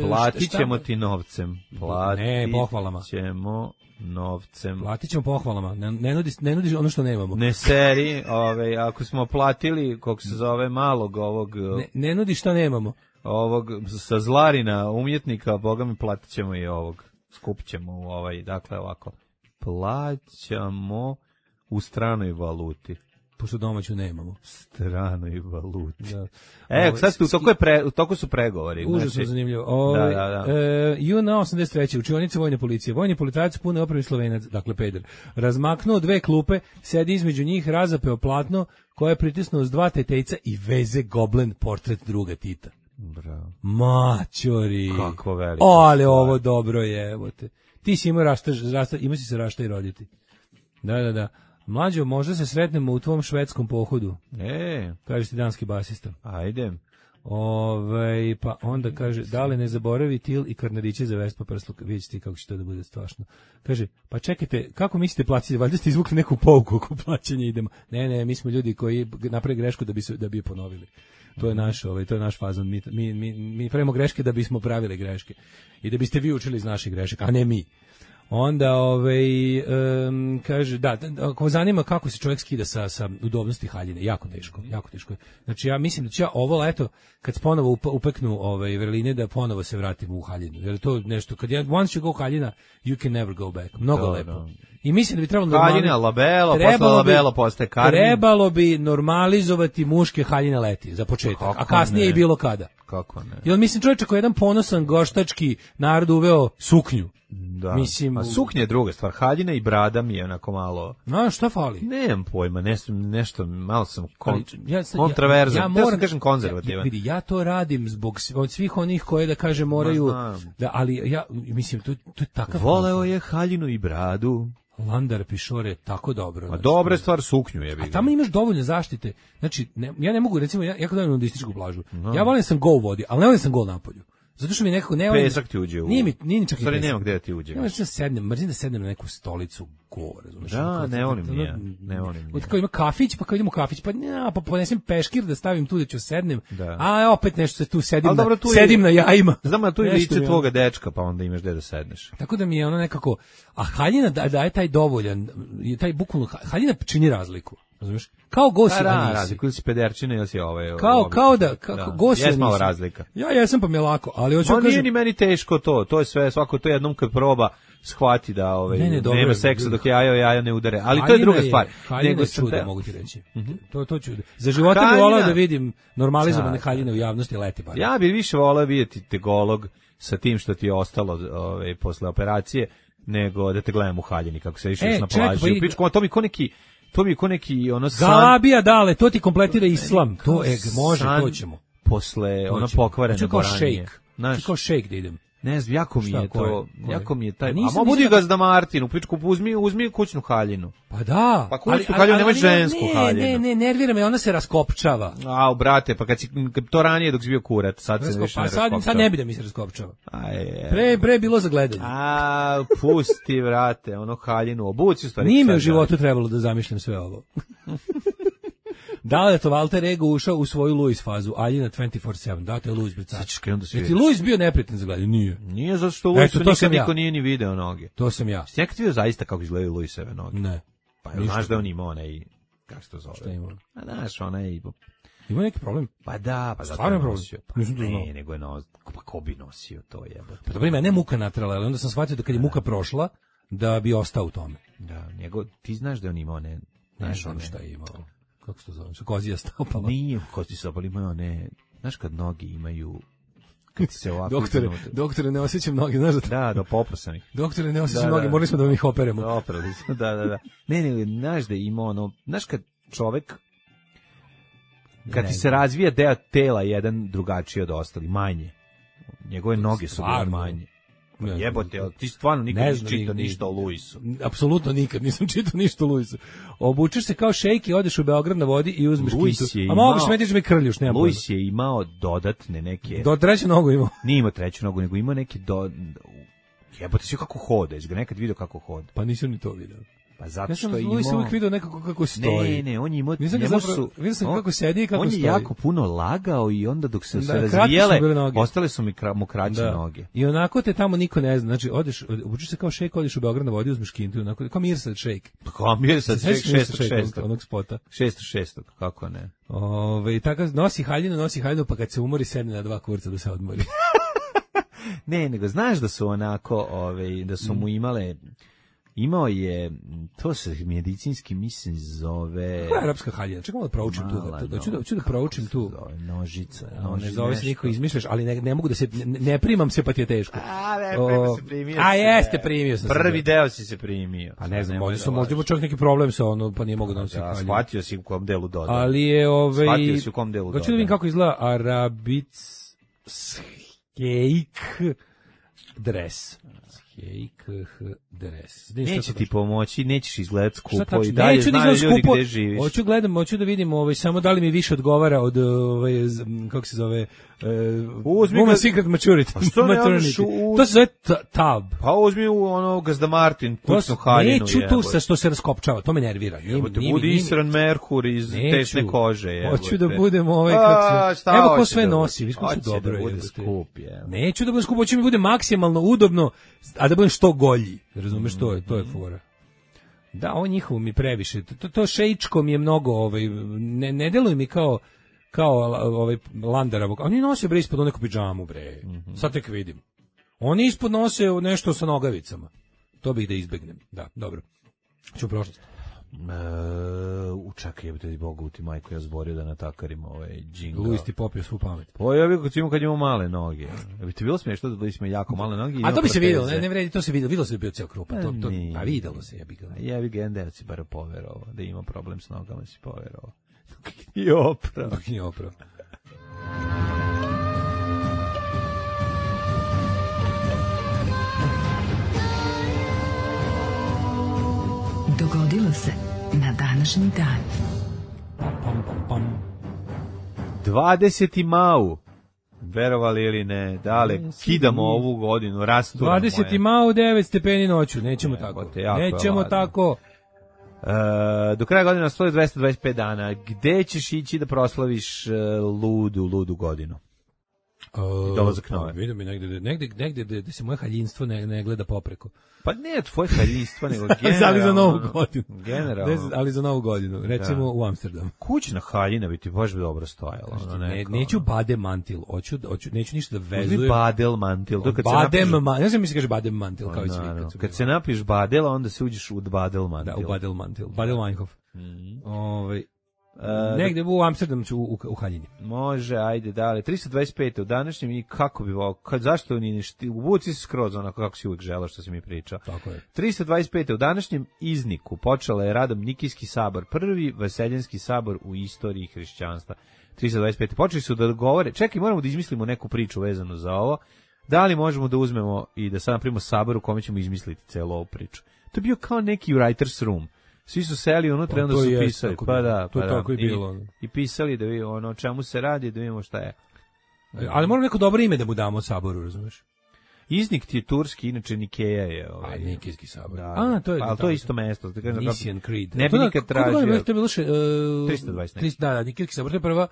Platit šta- ćemo ti novcem. Platit Ne, pohvalama. ćemo novcem. Platit ćemo pohvalama. Ne, ne, nudiš, ne nudiš ono što nemamo. Ne seri, ove, ako smo platili, kako se zove, malog ovog, Ne, ne nudiš što nemamo. ovog sa Zlarina umjetnika, boga mi platit ćemo i ovog. Skupit ćemo u ovaj, dakle ovako. Plaćamo u stranoj valuti. Pošto domaću nemamo. Stranoj valuti. Da. E, Ovo, sad ste, u toku, je pre, u toku su pregovori. Užasno znači, zanimljivo. Ovaj, Da, da, da. E, juna osamdeset treće učionica vojne policije. Vojni policajac pune opremi Slovenac, dakle peder. Razmaknuo dve klupe, sedi između njih, razapeo platno koje je pritisnuo s dva tetejca i veze goblen portret druga Tita. Bravo. Maćori. Kakvo veliko O, ali stvar. ovo dobro je, evo te. Ti si imao rašta, rašta, ima si se rašta i roditi. Da, da, da. Mlađo, možda se sretnemo u tvom švedskom pohodu, E, kaže ti danski basista. ajde. Ove, pa onda kaže, da li ne zaboravi til i karnadiće za Vespa prsluk, vidite ti kako će to da bude strašno. Kaže, pa čekajte, kako mislite platiti, valjda ste izvukli neku pouku oko plaćanja idemo. Ne, ne, mi smo ljudi koji naprave grešku da bi, se, da bi je ponovili. To je naš, ovaj, to je naš fazon. Mi, mi, mi, mi pravimo greške da bismo pravili greške. I da biste vi učili iz naših grešaka, a ne mi. Onda, ovaj, um, kaže, da, ako vas zanima kako se čovjek skida sa, sa udobnosti haljine, jako teško, jako teško je. Znači, ja mislim da ću ja ovo leto, kad se ponovo up, upeknu ovaj, vrline, da ponovo se vratim u haljinu. Jer to nešto, kad ja, once you go haljina, you can never go back. Mnogo Da, lepo. da. I mislim da bi trebalo normali- Haljina, labelo, posle trebalo bi- labelo postaje karmin. Trebalo bi normalizovati muške haljine leti, za početak, Kako a kasnije ne? i bilo kada. Kako ne? Jel mislim čovječe koji je jedan ponosan goštački narod uveo suknju. Da. Mislim, A suknja je druga stvar. Haljina i brada mi je onako malo... A šta fali? Nemam pojma, nešto, nešto malo sam kon, Ali, ja, sad- kontraverzan. ja, Ja, ja moram sam kažem konzervativan. Ja, vidi, ja to radim zbog sv- od svih onih koje da kaže moraju Ma, znam. da, ali ja mislim to to je takav Voleo je haljinu i bradu. Landar Pišore je tako dobro. A znači, dobra je stvar suknju je. A tamo imaš dovoljno zaštite. Znači, ne, ja ne mogu, recimo, ja, ja kad dođem na nudističku plažu, ja volim da sam go u vodi, ali ne volim da sam go napolju. Zato što mi nekako ne volim... Pesak ti uđe u... Nije mi, nije ni čak i Stvari, pesak. nema gde da ti uđe. Ja mrzim da sednem, mrzim da sednem na neku stolicu go, razumeš? Da, Ono, ne kao- volim ono, ni ja, ne volim ni Od ja. kao ima kafić, pa kao idemo u kafić, pa ja, pa ponesem peškir da stavim tu da ću sednem, Da. a opet nešto se tu sedim, Ali na, dobro, tu je- sedim na jajima. Znam, a tu je Nešto lice mi je tvoga dečka, pa onda imaš gde da sedneš. Tako da mi je ono nekako, a haljina da, daje taj dovoljan, je taj bukvalno, haljina čini razliku, razumiješ? Kao gosi, Da, da, a nisi. razliku, ili si pederčina, ili si ovaj... Kao, ovaj- kao da, kao gosi, a Jes malo nisi. razlika. Ja jesam pa mi je lako, ali hoću Ma da nije kažem, ni meni teško to, to je sve, svako to jednom kad proba shvati da ovaj, Ne, ne, dobro nema je. seksa dok jajo jaja ne udare, ali to je haljina druga stvar. Haljina Nego je sam čudo, te- mogu ti reći. To, to čudo. Za života bih Haljina- volao da vidim normalizovane Da, haljine u javnosti leti bar. Ja bih više voleo vidjeti tegolog sa tim što ti je ostalo ovaj, posle operacije, nego da te gledam u haljini kako se išeš E, na čekaj, plaži. pa U i- pičku, a to mi ko neki, to mi ko neki ono san, Galabija dale, to ti kompletira islam. To je, može, san to ćemo. posle To ono ćemo. pokvarene Hoću kao boranije. šejk. Znaš, Hoću kao šejk da idem. Ne znam, jako mi Šta, je ko je? to, Ko je? jako mi je taj, Pa nisam- a ma budi nisam- gazda Martin, u pičku, uzmi, uzmi kućnu haljinu. Pa da. Pa kućnu ali- haljinu, ali- nemoj ali- žensku ne, haljinu. Ne, ne, nervira me, ona se raskopčava. A, brate, pa kad si, kad to ranije dok si bio kurat, sad se Raskop- više pa ne sad, raskopčava. sad ne bi da mi se raskopčava. Aj, Pre, pre je bilo za gledanje. A, pusti, vrate, ono haljinu, obuci u stvari. Nije mi sad u životu trebalo da zamišljam sve ovo. Da li je to Walter Ego ušao u svoju Louis fazu, Aljina dvanaest četiri sedam, da to je Louis Bricač. Sad ćeš krenuti da Je sviraš. ti Louis bio neprijatan za gledanje? Nije. Nije zato što Eto, Luisu to nikad sam ja. niko nije ni video noge. To sam ja. Jesi nekad vidio zaista kako izgledaju Luisove noge? Ne. Pa Ništa. znaš da on ima onaj, kako se to zove? Šta ima? A znaš, onaj, Ima neki problem? pa da, pa zato Stvarno je problem? nosio. Pa Nisam to znao. ne, nego je nosio, pa ko bi nosio to jebote. Pa dobro, mene je muka natrala, ali onda sam shvatio da kad je muka prošla, da bi ostao u tome. Da, njegov, ti znaš da on ima one, Ne znaš znam one, šta je imao. Kako se to zove? Što kozija stopala. nije kosti se, ali ima one, znaš kad noge imaju, kad ti se ovako... Doktore, iznutra- doktore, ne osjećam noge, znaš da... Da, do poprosanih. Doktore, ne osjećam Da, noge, da. morali smo da vam ih operemo. Oprali smo, da, da, da. Ne, ne, znaš da ima ono, znaš kad čovek, kad Ne ti se znam. razvija deo tela jedan drugačiji od ostali, manje. Njegove noge su bile Stvarno? manje. Ne znam. Jebote, ali ti stvarno nikad Ne nisi znam, čitao ni- ništa o Luisu. Apsolutno nikad, nisam čitao ništa o Luisu. Obučeš se kao šejk i odeš u Beograd na vodi i uzmeš Luis kitu. je A mogu imao- me tiš me krljuš, nema Luis je imao dodatne neke, pojma. Do treću nogu imao. nije imao treću nogu, nego imao neki do... Jebote, si kako hoda, jesi ga nekad vidio kako hoda. Pa nisam ni to video. Pa zato Ja sam što je Luisa imao... uvijek video nekako kako stoji. Ne, ne, on je imao... Nisam ga njemu zapravo- su- vidio sam on- kako sedi i kako On je stoji. jako puno lagao i onda dok se Da, se kratke su razvijele, bile noge. ostale su mi kra, mu kraće Da. noge. I onako te tamo niko ne zna. Znači, odeš, obučeš se kao šejk, odeš u Beograd na vodi, uzmeš kintu, onako, kao Mirsad šejk. Pa kao mi je sad Sećaš se šestog Mirsad šejka, šestog. onog spota. Šestog šestog, kako ne. Ove, i tako nosi haljinu, nosi haljinu, pa kad se umori, sedne na dva kurca da se odmori. Ne, nego znaš da su onako, ovaj, da su Mm. mu imale, imao je, to se medicinski mislim zove... Koja je arapska haljina? Čekaj malo da proučim tu. Mala Da, da, ću da, nož, ću da kako proučim se tu. zove, nožica, A, noži, ne zove se nešto. niko izmišljaš, ali ne, ne mogu da se, ne, ne primam se pa ti je teško. A, ne, O, prema se primio. a si jeste, se. primio sam se, Prvi da. deo si se primio. Pa ne znam, Nemoj možda da sam, možda ima lažeš. čak neki problem sa ono, pa nije mogu da nosi Da, haljinu. shvatio si u kom delu dodao. Ali je ovaj Shvatio si u kom delu hoću da vidim dodaje. kako izgleda Arabic Skeik dres. Skeik dres. Vidim šta Neće to ti kaže. pomoći, nećeš izgledati Šta skupo tačno? i dalje Neću da znaju izgledam ljudi skupo. gde živiš. Hoću gledam, hoću da vidim ovaj samo da li mi više odgovara od ovaj z- m, kako se zove uh, Uzmi Woman ga- Secret Maturity. A što ne Maternity. odeš u- To se zove ta- tab. Pa uzmi u ono Gazda Martin, To kućnu s- haljinu. Neću tu jebote. sa što se raskopčava, to me nervira. Nije- Jebote, nije mi- budi nije mi- Isran Merkur iz Neću. tesne kože. Jebote. Hoću da budem ovaj A, kako se. šta Evo ko hoće sve da bude? nosi, viš kako Hoće su dobro da bude jebote. skup, je. Neću da budem skup, hoću mi bude maksimalno udobno, a da budem što golji. Razumeš, to je, to je fora. Da, ovo njihovo mi previše. To, to šejčko mi je mnogo, ovaj, ne, ne deluje mi kao kao ovaj Landaravog. Oni nose bre ispod neku pidžamu bre. Sad tek vidim. Oni ispod nose nešto sa nogavicama. To bih da izbegnem. Da, dobro. Ću u prošlost. E, učakaj, jebote ti Bogu, ti majko, ja zborio da natakarim ovaj džinga. Luis ti popio svu pamet. Pa ja bih kad imao kad imao male noge. Ja bi ti bilo smiješno da Luis ima jako male noge. i A ima to bi se proteze. videlo, ne, ne vredi, to se videlo, videlo se da je bio ceo krupa. To, to, Nije. a videlo se, ja bih ga. Ja bih ga jedan deo si bar poverovao, da ima problem s nogama si poverovao. I opravo. Dok nije opravo. Dogodilo se na današnji dan. Pam, pam, pam, pam. dvadeseti mau. Verovali ili ne, dale, kidamo ovu godinu, rasturamo dvadeseti je. mao, devet stepeni noću, nećemo Jebote, tako. jako je Nećemo ladno. tako. E, do kraja godine nastoji dvesta dvadeset pet dana. Gde ćeš ići da proslaviš e, ludu, ludu godinu? dolazak nove. Pa, vidim mi negde, da- negde, negde da, da se moje haljinstvo ne, ne gleda popreko. Pa ne tvoje haljinstvo, nego generalno. Ali za novu godinu. Generalno. Ne, ali za novu godinu. Recimo Da. u Amsterdamu. Kućna haljina bi ti baš dobro stojala. Ono Ne, neko, neću ono. badem mantil, hoću, hoću, neću ništa da Uzmi vezujem. badel mantil. To kad se Badem, napiš- ma, ne znam mi se kaže badem mantil, kao i svi. Naravno. Kad, su Kad bili. se napiš badela, onda se uđeš u badel mantil. Da, u badel mantil. Badel Weinhof. Mhm. Ovaj, E, negde u Amsterdamu ću u, u, u haljini. Može, ajde, dale. tristo dvadeset pet u današnjem i kako bi volao, kad, zašto ni ništa, u buci si skroz onako kako si uvijek želao što si mi pričao. Tako je. tristo dvadeset pet u današnjem izniku počela je radom Nikijski sabor, prvi vaseljenski sabor u istoriji hrišćanstva. tristo dvadeset pet. Počeli su da govore, čekaj, moramo da izmislimo neku priču vezanu za ovo. Da li možemo da uzmemo i da sad napravimo sabor u kome ćemo izmisliti celu ovu priču? To je bio kao neki writer's room. Svi su seli unutra i onda su pisali. Pa da, to pa tako da. i bilo. I, I pisali da vi ono čemu se radi, da vidimo šta je. Ali moramo neko dobro ime da mu damo saboru, razumeš? Iznik ti je turski, inače Nikeja je. Ovaj, A, Nikejski sabor. Da, A, to je, ali to je isto mesto. Da kažem, Nicene Creed. Ne bi nikad tražio. To je bilo še, uh, trista dvadeset. Da, da, Nikejski sabor, to je prva,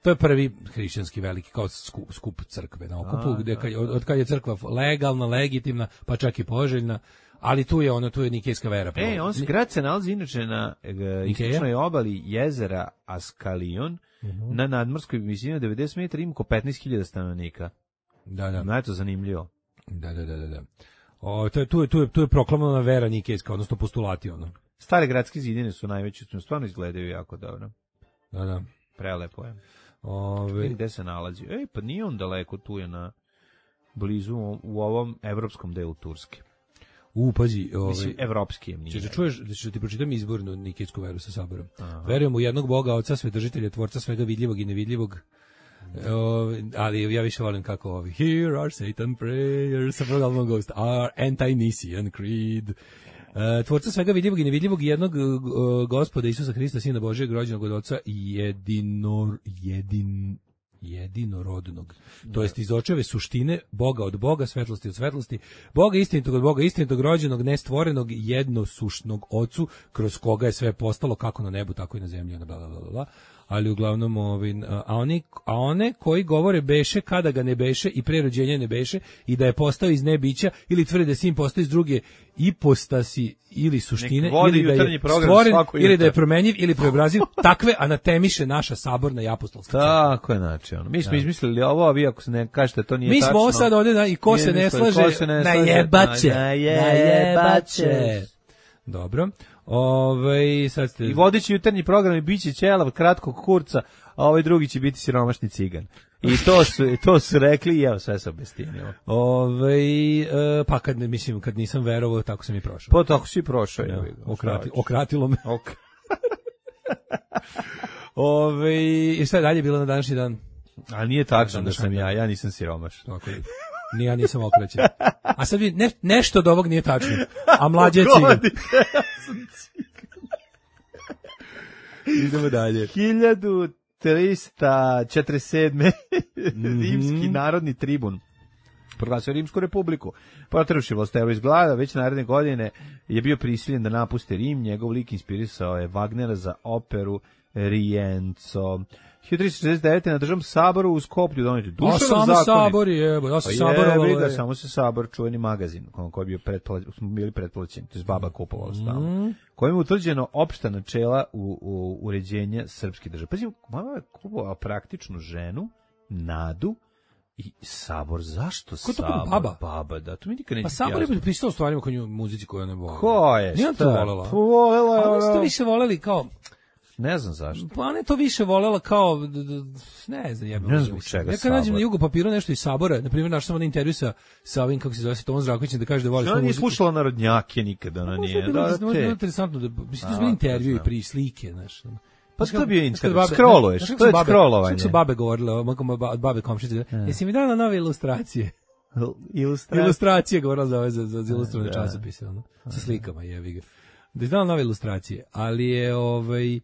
to je prvi hrišćanski veliki, kao skup, skup crkve na okupu, A, gde da, kad, da. od, od kad je crkva legalna, legitimna, pa čak i poželjna, ali tu je ono, tu je nikejska vera. E, on se grad se nalazi inače na e, istočnoj obali jezera Askalion, uh-huh. na nadmorskoj visini od devedeset metara, ima oko petnaest hiljada stanovnika. Da, da. No, je to zanimljivo. Da, da, da, da. da. O, to je, tu je, tu je, tu je proklamovana vera nikejska, odnosno postulati, ono. Stare gradske zidine su najveće, stvarno izgledaju jako dobro. Da, da. Prelepo je. Ove... Gde se nalazi? Ej, pa nije on daleko, tu je na blizu u ovom evropskom delu Turske. U, pazi, ovaj, mislim, evropski je. Češ, čuješ, da ću ti pročitam izbornu nikejsku veru sa saborom. Verujem u jednog Boga, Oca, Svedržitelja, Tvorca svega vidljivog i nevidljivog. Uh, ali ja više volim kako ovi Here are Satan prayers sa programom Ghost are Anti-Nicene Creed. Uh, tvorca svega vidljivog i nevidljivog i jednog uh, Gospoda Isusa Hrista, Sina Božijeg, rođenog od Oca i jedinor, jedin, jedinorodnog. To jest iz očeve suštine, Boga od Boga, svetlosti od svetlosti, Boga istinitog od Boga, istinitog, rođenog, nestvorenog, jednosušnog Ocu, kroz koga je sve postalo, kako na nebu, tako i na zemlji, bla, bla, bla, bla. Ali uglavnom, ovin, a, oni, a one koji govore beše kada ga ne beše i pre rođenja ne beše i da je postao iz nebića ili tvrde da sin postao iz druge ipostasi ili suštine ili da je stvoren ili da je promenjiv ili preobraziv, takve anatemiše naša saborna i apostolska crkva. Tako je, znači ono. Mi smo izmislili ovo, a vi ako se ne kažete to nije Mi tačno. Mi smo sad ovdje da, i ko se ne slaže, najebaće, najebaće. Dobro. Ove, sad ste... I vodeći jutarnji program i biće ćelav kratkog kurca, a ovaj drugi će biti siromašni cigan. I to su, to su rekli i evo sve se obestinilo. Ove, e, pa kad, mislim, kad nisam verovao, tako sam i prošao. Pa tako si prošao. Ja, okrati, okratilo me. Ok. Ove, i šta je dalje bilo na današnji dan? A nije tačno da sam ja, ja nisam siromaš. Tako je. Ni ja nisam okrećen. A sad vi, ne, nešto od ovog nije tačno. A mlađe je cigan. Idemo dalje. hiljadu trista četrdeset sedme. Rimski narodni tribun proglasio Rimsku republiku. Proteruši vlasteru iz glada, već naredne godine je bio prisiljen da napusti Rim. Njegov lik inspirisao je Wagnera za operu Rienzo. hiljadu trista šezdeset devete. na državnom saboru u Skoplju doneti Dušanov zakon. A samo sabor je, ja sam saborovalo je. Da, samo se sabor, čuveni magazin, koji je bio pretplaćen, smo bili pretplaćeni, to je baba kupovala stalno, mm. kojim je utvrđeno opšta načela u, u uređenja srpske države. Pazi, mama je kupovala praktičnu ženu, Nadu, i sabor, zašto ko sabor? To baba? Baba, da, to mi nikad neće. Pa sabor je pristao stvarima kod nju muzici koju ona volela. Ko je? Nije to volela. Volela je. Ali ste više voleli kao... Ne znam zašto. Pa ne to više volela kao, ne znam, jebim. Ne znam čega ja kad nađem na jugu papiru nešto iz sabora, na primjer, našao sam na intervju sa, sa ovim, kako se zove, sa Tomom Zdravkovićem, da kaže da voli svoju muziku. Ona nije slušala narodnjake nikada, ona nije. Da, da, da, je interesantno, da, mislim, to je bilo intervju i pri slike, znaš. Pa to bio intervju, scrolluješ, to je scrollovanje. Što su babe govorile, od babe komšice, jesi mi dala nove ilustracije? Ilustracije? Ilustracije govorila za ove, za, za, za ilustrovane časopise, ono, sa slikama, jevi ga. Da je dala nove ilustracije, ali je, ovaj,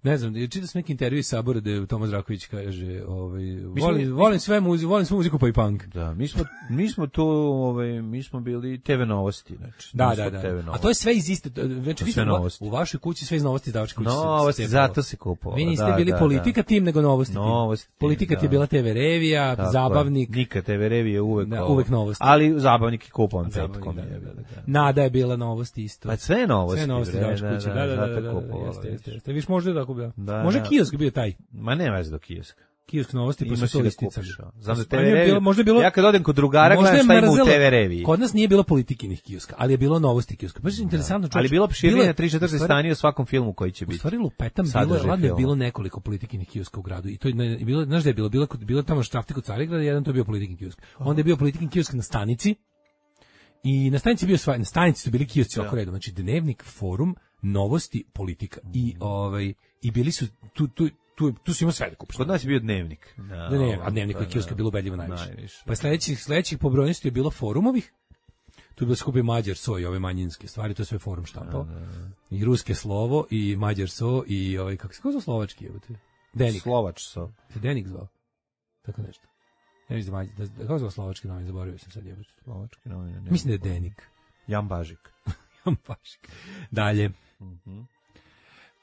ne znam, čitao sam neki intervju iz sabora da je Tomas Zdravković kaže, ovaj, volim, volim sve muziku, volim svu muziku pa i punk. Da, mi smo mi smo tu, ovaj, mi smo bili te ve Novosti, znači. Da, da, da. A to je sve iz iste, znači vi ste u vašoj kući sve iz Novosti izdavačke kuće. Novosti, zato se kupovalo. Vi niste bili politika tim nego Novosti. Novosti. Politika ti je bila te ve Revija, Zabavnik. Nikad te ve Revija uvek. Uvek Novosti. Ali Zabavnik i kupovan petkom. Nada je bila Novosti isto. Pa sve Novosti. Sve Novosti izdavačke kuće. Da, da, da. Jeste, viš možda tako bilo. Može kiosk bio taj. Ma ne veze do kioska. Kiosk Novosti, pa su to isticali. Znam da te ve Revija, možda bilo, ja kad odem kod drugara gledam šta ima u te ve Reviji. Kod nas nije bilo politikinih kioska, ali je bilo Novosti kioska. Baš interesantno čovječ. Ali bilo opširnije na tri četiri stanje u svakom filmu koji će biti. U stvari lupetam bilo, ladno je bilo nekoliko politikinih kioska u gradu. I to je bilo, znaš da je bilo, bilo, bilo tamo Štrafti kod Carigrada, jedan to je bio politikin kiosk. Onda je bio politikin kiosk na stanici. I na stanici bio svaj, na stanici su bili kiosci oko redom, znači Dnevnik, Forum, Novosti, Politika. I ovaj i bili su tu tu tu, tu si imao sve da kupiš. Kod nas je bio dnevnik. No, Da ne, a dnevnik kod kioska je bilo ubedljivo najviše. najviše. Pa sledećih, sledećih po brojnosti je bilo forumovih, tu je bilo skupi Mađar so i ove manjinske stvari, to je sve forum štampao. I ruske slovo, i Mađar so, i ovaj, kako se kako zove slovački, evo te? Denik. Slovač so. Se Denik zvao? Tako nešto. Ne mislim da, Mađar, da kako zove slovački novin, zaboravio sam sad jebote. Slovački novine. ne Mislim da je znam. Denik. Jan Bažik. Jan Bažik. Dalje.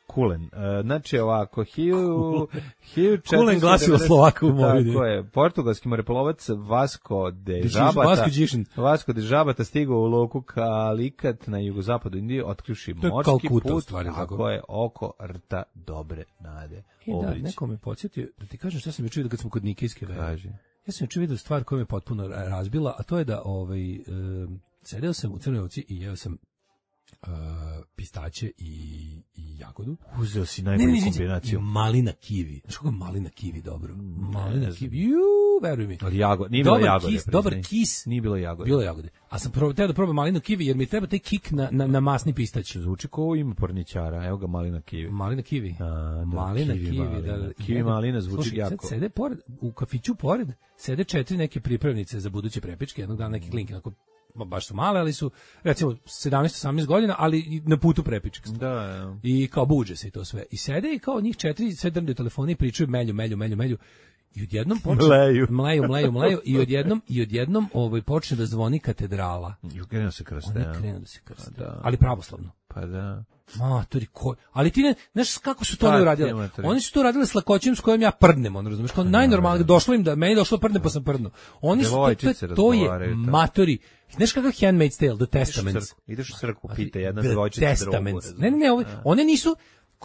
Kulen. E, znači ovako, hiljadu četiristo Kulen glasilo Slovaka u Moravini. Tako je. Portugalski moreplovac Vasco de Dežiš- Žabata. Vasco Đišin. Vasco de Žabata stigao u luku Kalikat na jugozapadu Indije, otključi To je morski Kalkuta, u put, stvari, tako tako. je, oko rta dobre nade. E da, Obrić. neko me podsjetio, da ti kažem šta sam juče vidio kad smo kod Nikejske vere. Kaže. Ja sam juče vidio stvar koja me potpuno ra- razbila, a to je da ovaj, e, sedeo sam u Crnoj Ovci i jeo sam e, pistaće i, i jagodu. Uzeo si Ne, najbolju ne, ne, ne, kombinaciju. malina kivi. Znaš kako je malina kivi dobro? Malina znam. kivi, ju, veruj mi. Ali jago, nije bilo Dobar jagode. kis, priznaj. dobar kis. Nije bilo jagode. Bilo je jagode. A sam probao, teo da probam malinu kivi jer mi treba taj kik na, na, na masni pistać. Zvuči ko ima porničara, evo ga malina kivi. Malina kivi. A, da, malina kivi, kivi. malina. Da, Kivi malina zvuči Slušaj, jako. Sad sede pored, u kafiću pored, sede četiri neke pripravnice za buduće prepičke, jednog dana neki klinke, onako, ma, baš su male, ali su, recimo, sedamnaest osamnaest godina, ali i na putu prepičke. Da, da. I kao buđe se i to sve. I sede i kao njih četiri, sve drndaju telefone i pričaju melju, melju, melju, melju. I odjednom počne... Mleju. Mleju, mleju, mleju. I odjednom, i odjednom ovaj, počne da zvoni katedrala. I krenuo se krste. Oni a? krenu da se krste. Pa da. Ali pravoslavno. Pa da. Matori, ko... Ali ti ne, znaš kako su to Šta oni ti, uradili? matori? Oni su to uradili s lakoćem s kojom ja prdnem, on razumeš, kao najnormalnije, došlo im da, meni došlo prdne pa sam prdno. Oni su, to, to, Devojčice je- to je razgovaraju, tako. matori. Znaš kakav Handmaid's Tale, The Ideš u Testaments? crkvu, ideš u crkvu, pita jedna The devojčica drugu. Testaments. razumeš? Ne, ne, ne, ove, one nisu,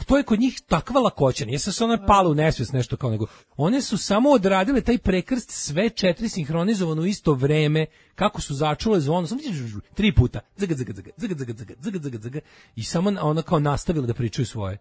to je kod njih takva lakoća, nije se one pale u nesvijest nešto kao nego, one su samo odradile taj prekrst sve četiri sinhronizovano u isto vreme, kako su začule zvono, samo tri puta, zaga, zaga, zaga, zaga, zaga, zaga, zaga, zaga, zaga, i samo ona kao nastavila da pričaju svoje.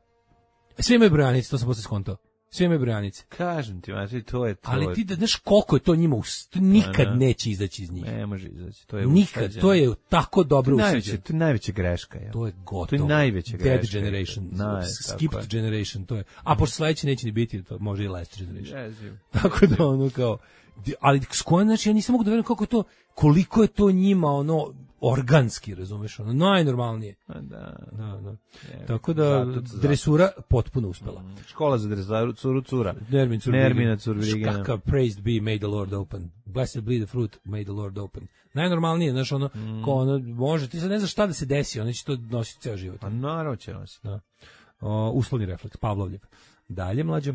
Sve imaju brojanice, to sam posle skontao. Sve imaju brojanice. Kažem ti, znači, to je to. Ali ti da znaš koliko je to njima, ust- nikad da. neće izaći iz njih. Ne može izaći, to je Nikad, usađeno. to je tako dobro najveća, usađeno. to je najveća greška. Ja. To je gotovo. To je najveća Dead greška. generation. Naj, Skipped tako je. generation, to je. A pošto sledeći neće ni biti, to može i last generation. Jezivo. Tako da ono kao, di- ali s kojom, znači ja nisam mogu da verujem kako je to, koliko je to njima ono organski, razumeš, ono najnormalnije. Pa da. Da, da. Je, Tako da zato- zato- dresura potpuno uspela. Škola za dresaru, curu, cura. Nermin Curvirgin. Nermina Curvirgina. Kakav praised be, may the Lord open. Blessed be the fruit, may the Lord open. Najnormalnije, znaš, ono, Mm. ko ono, može, ti sad ne znaš šta da se desi, ono će to nositi ceo život. Pa naravno će nositi. Da. O, uslovni refleks, Pavlovljev. Dalje, mlađe.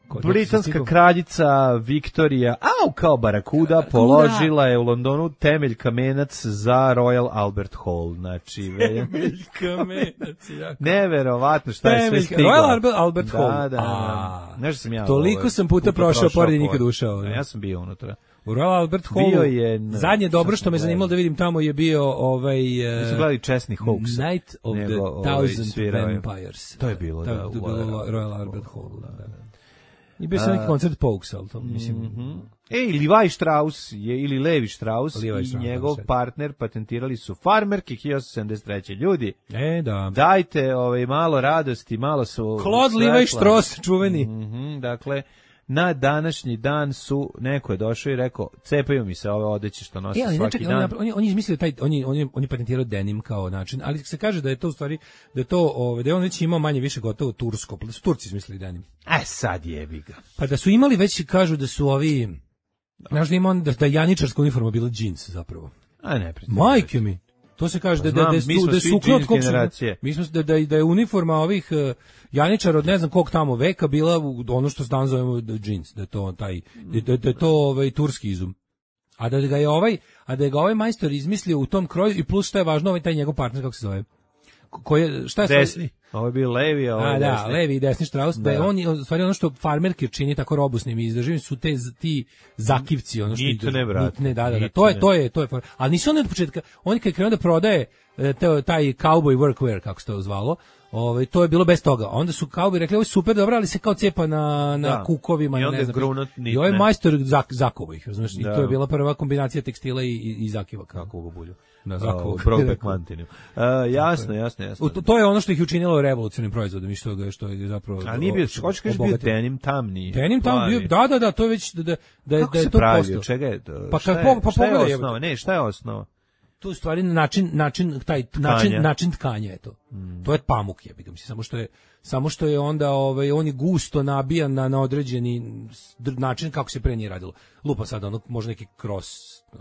Ko- Britanska stigao? kraljica Viktorija, au kao barakuda, položila je u Londonu temelj kamenac za Royal Albert Hall. Znači, ve- Kamenac, jako. neverovatno šta je sve Temelj- stiglo. Royal Albert- Albert da, Hall. Da, da, A, da. Znaš da sam ja toliko ovaj, sam puta prošao pored i nikad pored. ušao, da. Ja sam bio unutra. U Royal Albert Hallu, Bio je na- zadnje dobro sad što me sam zanimalo da vidim tamo je bio ovaj... Mi smo Uh, gledali česni hoax. Night of nego, the ovaj, Thousand svirao je. Vampires. To je bilo, da, To je u bilo Royal Royal Albert Hall, da, da. I bio sam neki koncert Pokes, ali to, mislim... Ej, Levi Strauss je, ili Levi Strauss Levi i Strauss, njegov da, sad. partner patentirali su farmerke hiljadu osamsto sedamdeset treće. Ljudi, E, da. dajte ovaj, malo radosti, malo su... Claude svetla. Levi Strauss, čuveni. Mhm, dakle, na današnji dan su, neko je došao i rekao, cepaju mi se ove odeće što nose E, ali ne svaki čekaj, dan. on, je- on, je- on je izmislio taj, on je, on je, on je patentirao denim kao način, ali se kaže da je to u stvari, da je to, ovaj, da je on već imao manje više gotovo tursko, pa da su Turci izmislili denim. E, sad jebi ga. Pa da su imali već, kažu da su ovi, znaš da ima on, da, da je janičarska uniforma bila džins zapravo. A ne, priznam. Majke mi. To se kaže da da Znam, da mi su smo da svi su džins od kog su generacije. mi smo da da da je uniforma ovih uh, janičara od ne znam kog tamo veka bila u- ono što danas zovemo da džins, da je to taj da, da, da je to ovaj turski izum. A da ga je ovaj, a da je ga ovaj majstor izmislio u tom kroju i plus što je važno ovaj taj njegov partner kako se zove. Ko- Koji je šta je stvari- Desni. Ovo je bio Levi, a ovo A je da, desni. levi i desni Strauss, da je Da. on, u stvari ono što farmerke čini tako robusnim i izdrživim su te z- ti zakivci, ono što Nitne, izdrže- brate, nitne, da, da, da, nitne. to je, to je, to je, for- ali nisu oni od početka, on kad je krenuo da prodaje te, taj cowboy workwear, kako se to zvalo, ovaj, to je bilo bez toga. Onda su cowboy rekli, ovo je super dobro, ali se kao cepa na, na da. kukovima. I onda ne znam, grunut, i ovaj majstor zak, zakuva ih, razumiješ? Da. I to je bila prva kombinacija tekstila i, i, i zakiva. Kako u bulju. Da, zakuva. Brokeback Mountainu. Uh, jasno, jasno, jasno. To, to je ono što ih učinilo revolucionarnim proizvodom i što, što je zapravo... A nije bio, hoćeš kažeš bio denim tamni. Denim tam bio, da, da, da, to je već, da, da, da, Kako da je se to pravi, postao. čega je to? Pa, šta kad, je, pa, šta je pogledaj, osnova? Ne, šta je osnova? To je u stvari način način taj način način tkanja je to. Mm. To je pamuk, jebi ga, mislim, samo što je samo što je onda ovaj on je gusto nabijan na, na određeni način kako se pre nije radilo. Lupa sad ono može neki cross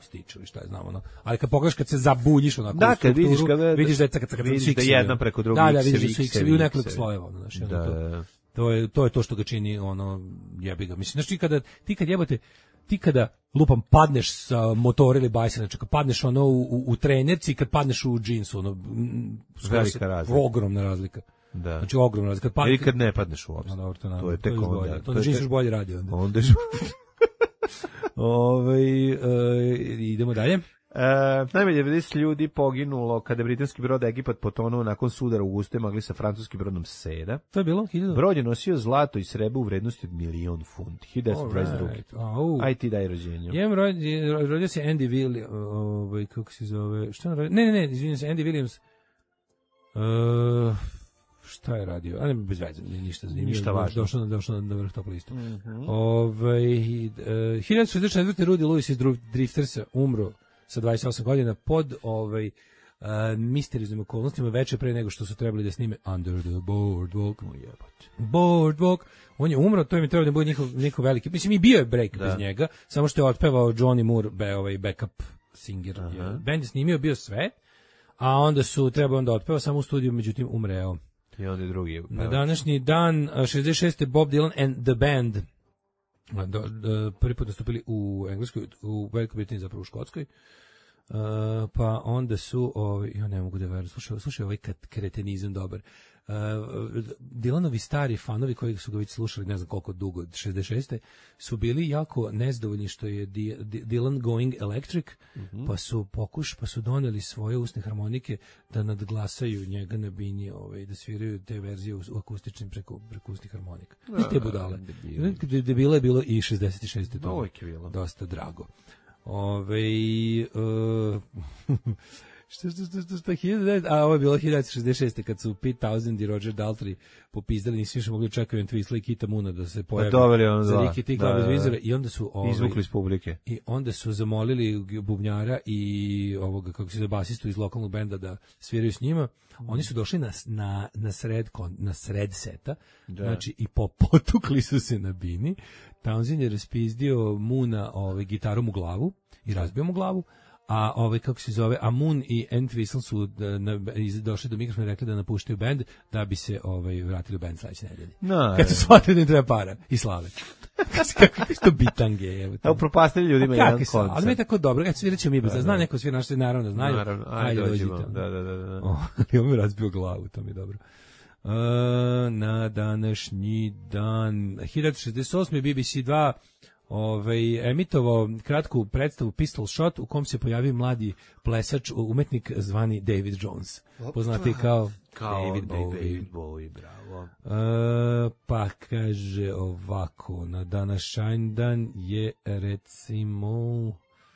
stič ili šta je znamo, no. Ali kad pogledaš kad se zabuljiš onako da, kad vidiš kada vidiš da je kad kad vidiš da jedna preko druge da, da, vidiš da su x u nekoliko slojeva, znači da, to, to je to je to što ga čini ono jebi ga. Mislim znači kada ti kad jebote ti kada lupam padneš sa motora ili bajsa, znači kad padneš ono u, u, u trenerci, kad padneš u džinsu, ono velika razlika. Ogromna razlika. Da. Znači ogromna razlika. Kad, ili kad ne padneš uopšte. No, to, to je tek to onda. To, to džins još bolje radi onda. Onda je... Ove, e, idemo dalje. E, najmanje devedeset ljudi poginulo kada je britanski brod Egipat potonuo nakon sudara u gustoj magli sa francuskim brodom Seda. To je bilo hiljadu. Brod je nosio zlato i srebro u vrednosti od milion funti. hiljadu devetsto dvadeset drugi. Right. Oh. Aj ti daj rođenje. Jem rodio, rodio se Andy Williams, ovaj kako se zove? Šta on radio? Ne, ne, ne, izvinite se, Andy Williams. Uh, šta je radio? A ne, bez veze, ništa zanimljivo. Ništa važno. Došao na, došao na vrh tog lista. Mm -hmm. Ovaj uh, hiljadu šezdeset četvrte. Rudy Lewis iz Driftersa umro sa dvadeset osam godina pod ovaj uh, misterioznim okolnostima veče pre nego što su trebali da snime Under the Boardwalk. Oh, jebote. Boardwalk. On je umro, to je mi trebalo da bude njihov, njihov veliki. Mislim, i bio je break da. bez njega, samo što je otpevao Johnny Moore, be, ovaj backup singer. Uh-huh. Band je snimio, bio sve, a onda su trebao onda otpevao samo u studiju, međutim umreo. I onda drugi. Na današnji dan, šezdeset šeste. Bob Dylan and the Band do, do, prvi put nastupili u Engleskoj, u Velikoj Britaniji, zapravo u Škotskoj. Uh, pa onda su, ovaj, ja ne mogu da verujem, slušaj, slušaj ovaj kretenizam dobar. Uh, Dylanovi stari fanovi koji su ga već slušali ne znam koliko dugo, od šezdeset šeste. su bili jako nezadovoljni što je Dylan going electric, mm-hmm. pa su pokuš, pa su doneli svoje usne harmonike da nadglasaju njega na bini, ovaj, da sviraju te verzije u, u akustičnim preko, preko usnih harmonika. Iz te budale. Debila je bilo i šezdeset šeste. To je dosta drago. Ove, uh, što, što, što, što, što, hiljadu, a ovo je bilo hiljadu devetsto šezdeset šeste. kad su Pete Townshend i Roger Daltrey popizdali, nisi više mogli čekati Twistla i Kita Moona da se pojavi pa za Riki Tik Love Vizora i onda su ovaj, izvukli iz publike. I onda su zamolili bubnjara i ovoga, kako se zove, basistu iz lokalnog benda da sviraju s njima. Oni su došli na, na, na, sred, na sred seta, da. Znači i po, potukli su se na bini. Townsend je raspizdio Moona ovaj, gitarom u glavu i razbio mu glavu, a ovaj kako se zove, a Moon i Entwistle su da, na, došli do mikrofona i rekli da napuštaju bend da bi se ovaj vratili u bend sledeće nedelje. No, kad su shvatili da im treba para i slave. Kako je to bitange, evo. Evo propastili ljudima jedan koncert. Ali mi je tako dobro, kad sviraćemo mi, da, zna neko svira, naši naravno znaju. Naravno, ajde, ajde dođimo. Da, da, da, da. Oh, i on mi razbio glavu, to mi je dobro. Uh, na današnji dan hiljadu šezdeset osme. B B C dva ovaj, emitovao kratku predstavu Pistol Shot u kom se pojavio mladi plesač, umetnik zvani David Jones. Poznati kao, kao David Bowie. David Bowie, bravo. Uh, pa kaže ovako, na današnji dan je recimo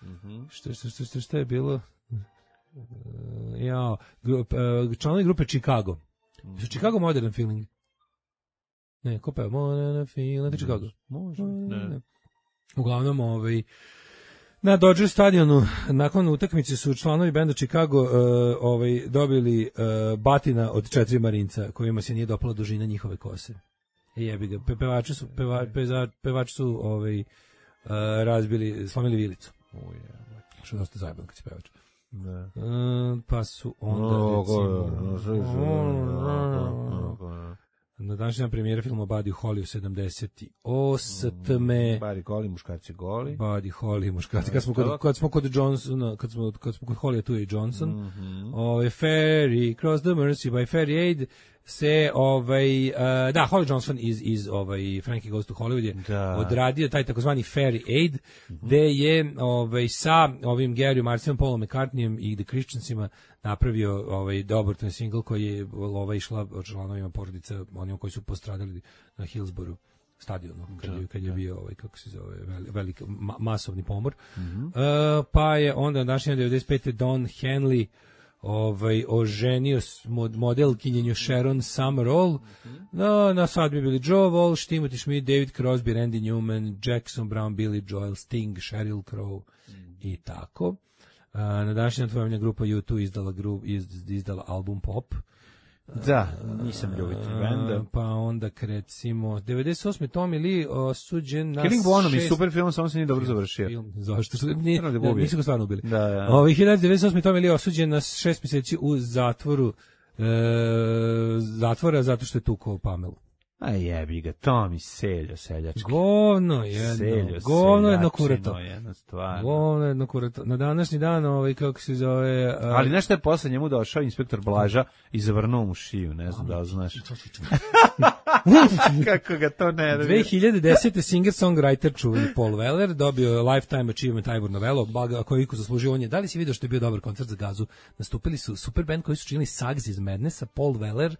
mm-hmm. što, što, što, što, što je bilo? Uh, ja, grup, uh, članovi grupe Chicago. Mm-hmm. Su Chicago Modern Feeling? Ne, ko peva? Modern Feeling, to Chicago. Može, ne. ne. Uglavnom, ovaj, na Dodger stadionu nakon utakmice su članovi benda Chicago uh, ovaj, dobili uh, batina od četiri marinca kojima se nije dopala dužina njihove kose. I jebi ga, Pe, pevači su, peva, peza, pevači su ovaj, uh, razbili, slomili vilicu. Oh, yeah. Što je dosta zajebano kad si pevač. Ne. Uh, pa su onda no, recimo... Na današnji premijera filma Buddy Holly u sedamdeset osme. Buddy Holly, muškarci goli. Buddy Holly, muškarci. Kad smo kod, kad smo kod Johnsona, kad smo, kad smo kod Holly, tu je Johnson. Mm-hmm. Ove, Ferry, Cross the Mersey by Ferry Aid, se ovaj uh, da Holly Johnson iz iz ovaj Frankie Goes to Hollywood je Da. odradio taj takozvani Fairy Aid, mm-hmm. gde je ovaj sa ovim Garyom Marcijem, Paulom McCartneyem i The Christiansima napravio ovaj dobrotvorni singl koji je ova išla članovima porodica, onima koji su postradali na Hillsborough stadionu kad je, kad je bio ovaj kako se zove veliki ma, masovni pomor. Mm-hmm. Uh, pa je onda današnje devedeset pete Don Henley ovaj oženio modelkinjenju Sharon Summerall. Mm-hmm. No, na svadbi bili Joe Walsh, Timothy Schmidt, David Crosby, Randy Newman, Jackson Brown, Billy Joel, Sting, Sheryl Crow mm-hmm. i tako. Uh, na današnji dan grupa U dva izdala, grup, izdala album Pop. Da, nisam ljubitelj benda. Pa onda recimo devedeset osme Tommy Lee osuđen na Killing Bonham je super film, samo se nije dobro završio. Film, zašto? Nije, da nisu ga stvarno ubili. Da, da. Ovi hiljadu devetsto osme Tommy Lee osuđen na šest mjeseci u zatvoru e, zatvora zato što je tukao Pamelu. A jebi ga, Tommy seljo seljački. Govno jedno, seljo, govno jedno kurato. Jedno stvarno. Govno jedno kurato. Na današnji dan, ovaj, kako se zove... Uh, Ali nešto je posle njemu došao inspektor Blaža i zavrnuo mu šiju, ne znam da li znaš. Kako ga to ne... dve hiljade desete singer-songwriter čuveni Paul Weller dobio Lifetime Achievement Ivor Novello, koji iko zaslužio. On je, da li si vidio što je bio dobar koncert za Gazu? Nastupili su super band koji su činili Suggs iz Madnessa, Paul Weller,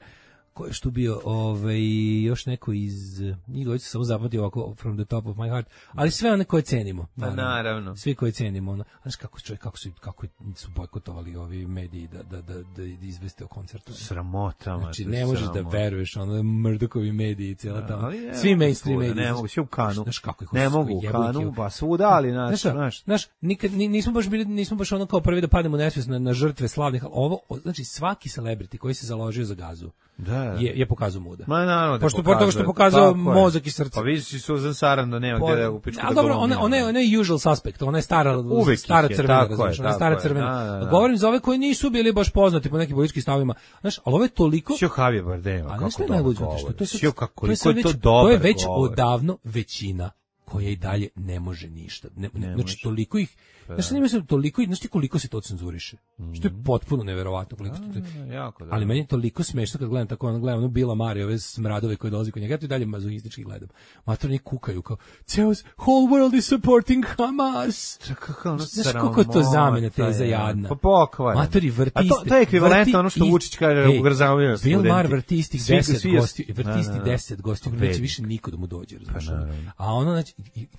ko je što bio ovaj, još neko iz, njih dvojica samo zapamtio ovako From the Top of My Heart, ali sve one koje cenimo. Naravno. naravno. Svi koje cenimo. Ono. Znaš kako, čovjek, kako, su, kako su bojkotovali ovi mediji da, da, da, da izveste o koncertu. Sramota. Znači, ne možeš sramota. da veruješ, ono, Murdochovi mediji i cijela da, tamo. Je, svi mainstream mediji. Ne mogu, svi u Kanu. Znaš kako ih ne mogu u Kanu, pa svuda, ali naš, znaš. Znaš, znaš nikad, nismo baš bili, nismo baš ono kao prvi da pademo nesvjesno na, na žrtve slavnih, ali ovo, znači svaki celebrity koji se založio za Gazu, da, je, je pokazao muda. Ma naravno, pošto pošto toga što je pokazao mozak i srce. Pa vidi si Susan Sarandon, nema gde da u pičku. A dobro, ona ona ona je usual suspect, ona je stara uvek stara je, crvena, znači ona je stara crvena. Da, da, da. Govorim za ove koji nisu bili baš poznati po nekim političkim stavovima. Znaš, al ovo je toliko Sio Javier Bardem, kako to najluđe, što to je kako to je to dobro. To je već odavno većina koja i dalje ne može ništa. Ne, ne, znači toliko ih Znaš, nema se toliko, znaš ti koliko se to cenzuriše? Mm. Što je potpuno neverovatno koliko to. A, jako, da. Ali meni je toliko smešno kad gledam tako, ono gledam ono Bila Mari, ove smradove koje dolazi kod njega, ja to i dalje mazohistički gledam. Matorni kukaju kao, ceo whole world is supporting Hamas. Kako, znaš kako je to zamena teza jadna? Pa pokvarno. Matori vrti iste. A to, to je ekvivalentno ono što Vučić kaže u Grzavljaju studenti. Bill Maher vrti istih deset gostiju, vrti istih deset gostiju, neće više niko da mu dođe, razumiješ? A ono, znači...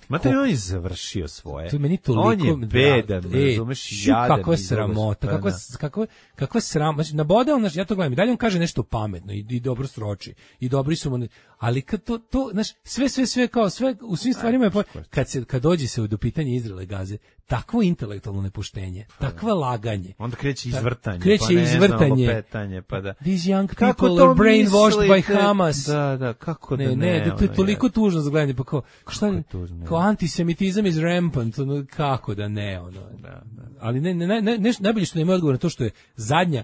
Matori, on je završio svoje. To je meni toliko... On je bedan, razumeš, jadan. Kakva sramota, kakva, kakva, kakva sram, znači, nabode on, ja to gledam, i dalje on kaže nešto pametno i, i dobro sroči, i dobri su mu, ali kad to, to, znaš, sve, sve, sve, kao sve, u svim stvarima je, kad se, kad dođe se do pitanja Izraela i Gaze, takvo intelektualno nepuštenje, takva laganje. Onda kreće izvrtanje, kreće pa ne izvrtanje, znam, petanje, pa da. These young people are brainwashed by Hamas. Da, da, kako da ne, ne. Ne, to je toliko je. tužno za gledanje, pa kao, šta je, tužno, kao antisemitizam is rampant, ono, kako da ne, ono. Da, da. Ali ne, ne, ne, ne, najbolje što nema odgovor na to što je zadnja,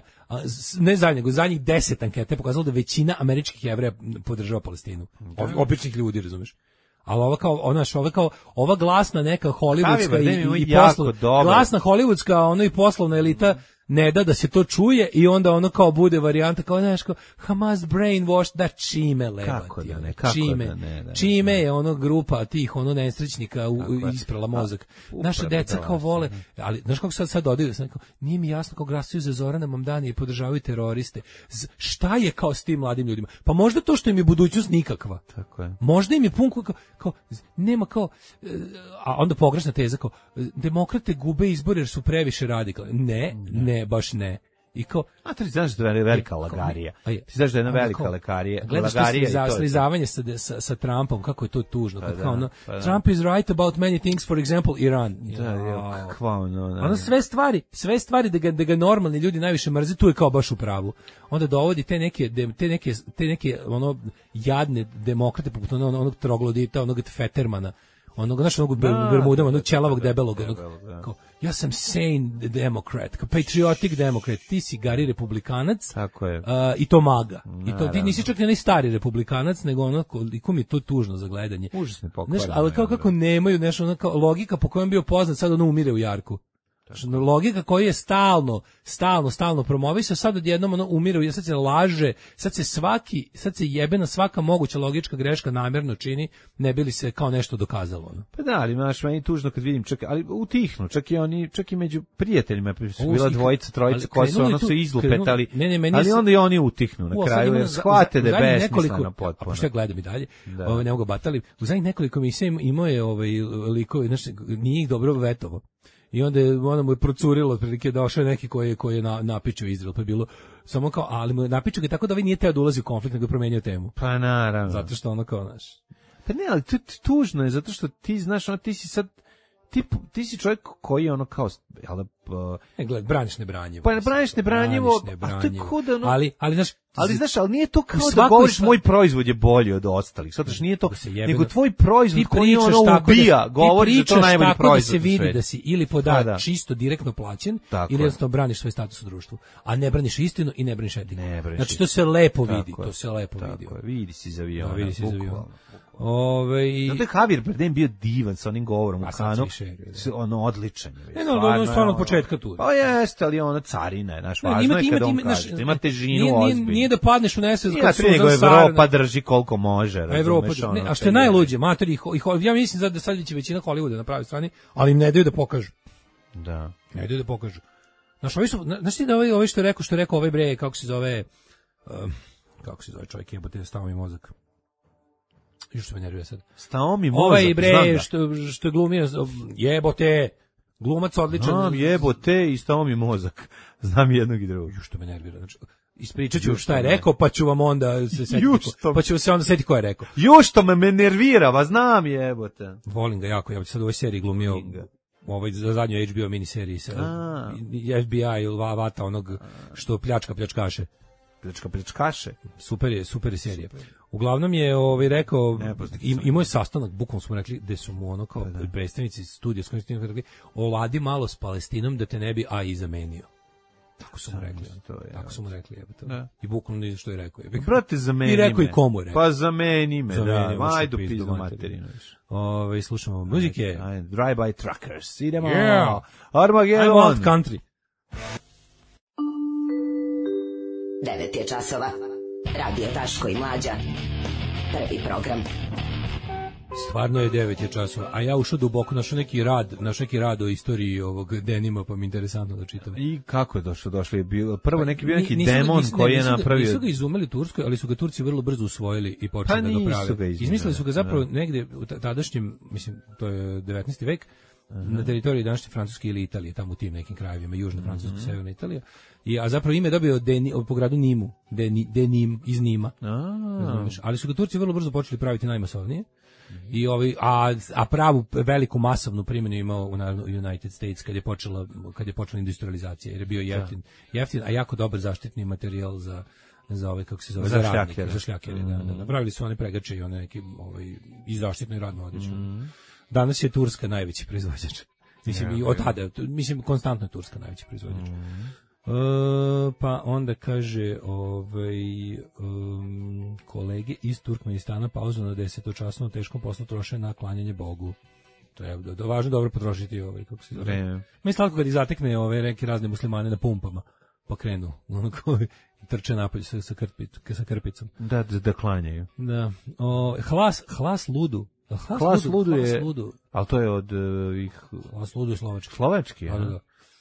ne zadnja, nego zadnjih deset ankete pokazalo da većina američkih Jevreja podržava Palestinu. O, običnih ljudi, razumeš? Ali ova kao ona ova kao ova glasna neka hollywoodska i, i poslovna glasna hollywoodska ono i poslovna elita ne da da se to čuje i onda ono kao bude varijanta kao znaš kao Hamas brainwashed da čime lebati da ne, kako čime da ne, da, čime je ono grupa tih ono nesrećnika u, isprala mozak. Naša deca kao vole, ali znaš kako sad sad dodaju znači nije mi jasno kako glasaju za Zorana Mamdani i podržavaju teroriste. Z, šta je kao s tim mladim ljudima? Pa možda to što im je budućnost nikakva. Tako je. Možda im je pun kao, kao nema kao a onda pogrešna teza kao demokrate gube izbore jer su previše radikalni. Ne, ne Ne, baš ne. I kao, a ti znaš da je velika lagarija. Ti znaš da je jedna velika lagarija. Gledaš to slizavanje sa, sa, sa Trumpom, kako je to tužno. Pa kao ono, pa Trump is right about many things, for example, Iran. Da, je, kakva ono. Ono sve stvari, sve stvari da ga, da ga normalni ljudi najviše mrze, tu je kao baš u pravu. Onda dovodi te neke, te neke, te neke ono, jadne demokrate, poput onog, onog troglodita, onog Fettermana, onog našeg onog Bermudama, onog ćelavog debelog, onog, kao, ja sam sane democrat, kao patriotic democrat, ti si gari republikanac, tako je. Uh, i to maga. Naravno. I to ti nisi čak ni stari republikanac, nego ono koliko mi je to tužno za gledanje. Užasno pokvarno. Ali kao kako nemaju nešto, ono kao logika po kojom bio poznat, sad ono umire u jarku. Logika koja je stalno, stalno, stalno promovisao, sad odjednom ono umire, jer sad se laže, sad se svaki, sad se jebena svaka moguća logička greška namjerno čini, ne bi li se kao nešto dokazalo. Ono. Pa da, ali znaš, meni tužno kad vidim, čak, ali utihnu, čak i oni, čak i među prijateljima, su bila dvojica, trojica koja su ono se izlupetali, ne, ne, meni ali onda i oni utihnu na kraju, jer shvate da je besmisleno potpuno. A pošto ja gledam i dalje, ove, ne mogu batali, u zadnjih nekoliko emisija imao je ovaj, likovi, znaš, nije ih dobro vetovo. I onda je, onda mu je procurilo, otprilike došao je neki koji je, koji je na, napičio Izrael, pa je bilo samo kao, ali mu je napičio ga tako da ovaj nije teo da ulazi u konflikt, nego je promenio temu. Pa naravno. Zato što ono kao, znaš. Pa ne, ali tu, tužno je, zato što ti, znaš, ono, ti si sad, ti, ti si čovjek koji je ono kao, jel da, uh, ne, gled, braniš nebranjivo. Pa ne braniš nebranjivo, a to je kuda, ono, ali, ali, znaš, ali, znaš, ali nije to kao da govoriš moj proizvod je bolji od ostalih, zato što nije to, nego tvoj proizvod koji ono ubija, govoriš da to najbolji proizvod. Da se vidi da si ili poda da. čisto direktno plaćen, tako ili jednostavno braniš svoj status u društvu, a ne braniš istinu i ne braniš etiku. Znači, to se lepo vidi, to se lepo vidi. Vidi si za aviona, vidi si za aviona. Ove, zato je Javier Bardem bio divan sa onim govorom u Kanu, ono odličan je. Ne, no, ono je stvarno od početka tu. Pa jeste, ali ono carina je, naš važno je kada on kaže, ima težinu ozbiljno. Nije da padneš u nesvest kao suzan nego Evropa drži koliko može, Evropa, ne, a što je najluđe, materi, ja mislim da sad će većina Hollywooda na pravoj strani, ali im ne daju da pokažu. Da. Ne daju da pokažu. Znaš, ovi su, znaš ti da ovaj, ovaj što je rekao, što je rekao ovaj bre, kako se zove, um, kako se zove čovjek, jebote, stao mi mozak. Još se me nervira sad. Stao mi mozak, ovaj bre, što, što je glumio, jebote, glumac odličan. Znam, jebote, i stao mi mozak. Znam jednog i drugog. Još što me nervira, znači, ispričat ću šta je rekao, pa ću vam onda se setiti, ko, pa ću se onda setiti ko je rekao. Još što me, me nervira, va znam jebote. Volim ga jako, ja sad u ovoj seriji glumio, ovaj, za zadnjoj H B O miniseriji sa F B I ili Vata, onog što pljačka pljačkaše. Pljačka pljačkaše? Super je, super je serija. Uglavnom je ovaj, rekao, im, imao je sastanak, bukvalno smo rekli, gde su mu ono kao da, da. predstavnici studija s kojim ste rekli, oladi malo s Palestinom da te ne bi A I zamenio. Tako su mu rekli. To je, tako su mu rekli, jebe to. Da. I bukvalno ni što je rekao. Jebe. Brate, zameni me. I rekao i komu je rekao. Pa zameni me, zameni da. Ajde, pizdu materinu. Ove, slušamo muzike. Drive-by Truckers. Idemo. Yeah. Armageddon. I want country. devet je časova. Radio Daško i Mlađa. Prvi program. Stvarno je devet je časova, a ja ušao duboko, našao neki rad, našao neki rad o istoriji ovog denima, pa mi interesantno da čitam. I kako je došlo? Došlo je bilo prvo neki bio neki demon ga, koji je nisu napravio. Nisu ga izumeli u Turskoj, ali su ga Turci vrlo brzo usvojili i počeli pa da ga prave. Ga izmislili su ga zapravo da. negde u tadašnjem, mislim, to je devetnaesti vek, uh -huh. na teritoriji današnje Francuske ili Italije, tamo u tim nekim krajevima, južna Francuska, uh -huh. severna Italija. I, a zapravo ime je dobio Deni, po gradu Nimu, Deni, Denim, iz Nima. Razumeš? Ali su ga Turci vrlo brzo počeli praviti najmasovnije. I ovi, a, a pravu veliku masovnu primjenu imao u United States kad je počela, kad je počela industrializacija, jer je bio jeftin, jeftin, a jako dobar zaštitni materijal za za ove, kako se zove, za, za radnike, za šljakere, mm. da, da. Napravili su one pregače i one neki ovaj, i zaštitno i radno odlično. Mm. Danas je Turska najveći proizvođač. Mislim, ja, i od tada, mislim, konstantno je Turska najveći proizvođač. Mm. Uh, pa onda kaže ovaj, um, kolege iz Turkmenistana pauzu na desetočasnom teškom poslu troše na klanjanje Bogu. To je do, do, važno dobro potrošiti ovaj, kako se zove. Mislim, kad ih zatekne ove reke razne muslimane na pumpama, pa krenu, onako, trče napolje sa, sa, krpic, sa krpicom. Da, da, da klanjaju. Da. O, hlas, hlas ludu. Hlas, hlas ludu, ludu je, ludu. Ali to je od uh, ih... Hlas ludu je slovački. Slovački, ja. Da, da.